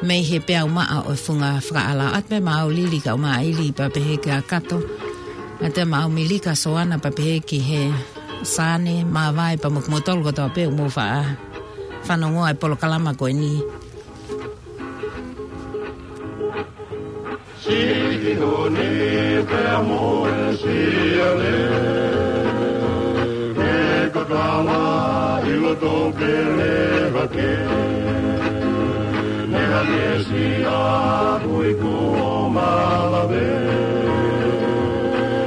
mei he peau maʻa ʻo e funga fakaʻala. ʻOatu pē maʻau Lili kae ʻumaʻā ʻIli pea pehē kia Kato. ʻOatu pē maʻau Milika Soana pea pehē ki he Sane, Māvae pea mo kimoutolu kotoa pē ʻoku mou faʻa fanongo ai polokalama ko eni. Siki hone pea mo e siale, he kakala ʻi loto pele hake. Ne hake sia hui kuo malave,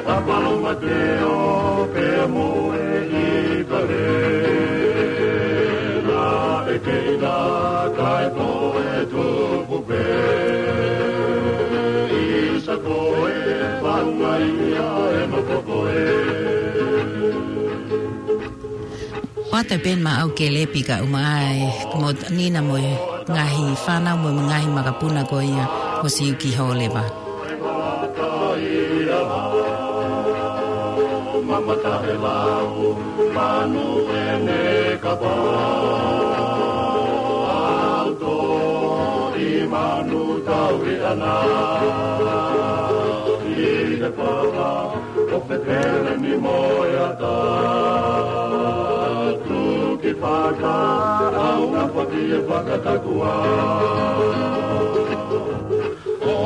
ʻa Palomateo pea mo e ʻIkale. Naʻe kei na kae toe tupu pē. Isa ko e faunga ia e mapoko e. ʻOatu pē eni maʻau Kelepi kae ʻumaʻā e mo Nina mo e ngaahi fānau mo e ngaahi makapuna ko ia ʻo Siuki Hōleva. Mamata e lau, manu ʻene kapa. Au to i manu tau i ana. I te pala, ʻo fetele ni mo e ata. Tuki faka, au na paki e fakatakua. ʻO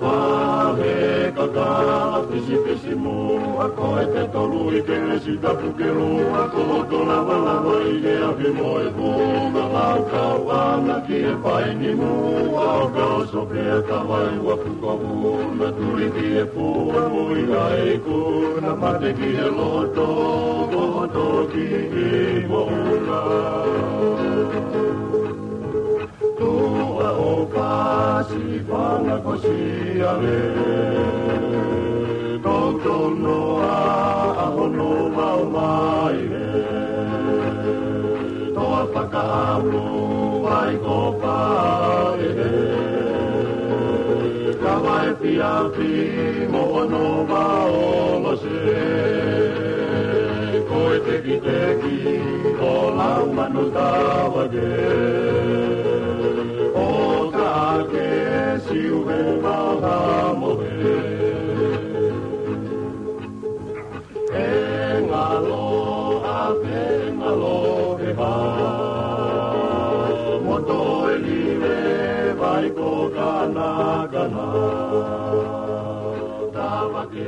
pahe kakala fisifisimuʻa ko e te tolu ʻi kelesi tapu ke lua ko hoto lavalava ʻi he afi mo e puna lau kau ana ki he paini muʻa ʻo kau sopea ka vai ua puko una tuli ki he pua mui ai kuna mate ki he loto ko hoto ki i moʻuna. Tuʻa ʻo Pasifana ko Siale, toutou noa ʻa hono vao mai he. Toa fakaʻamu vai ko Paʻehe, ka vai fiafi mo hono vao lose. Ko e tekiteki ʻo lau manu tavake. ʻO ka ke siu he maha mohe. E ngalo a pe ngalo e ha. Moto e live vai ko kanakana. Tavake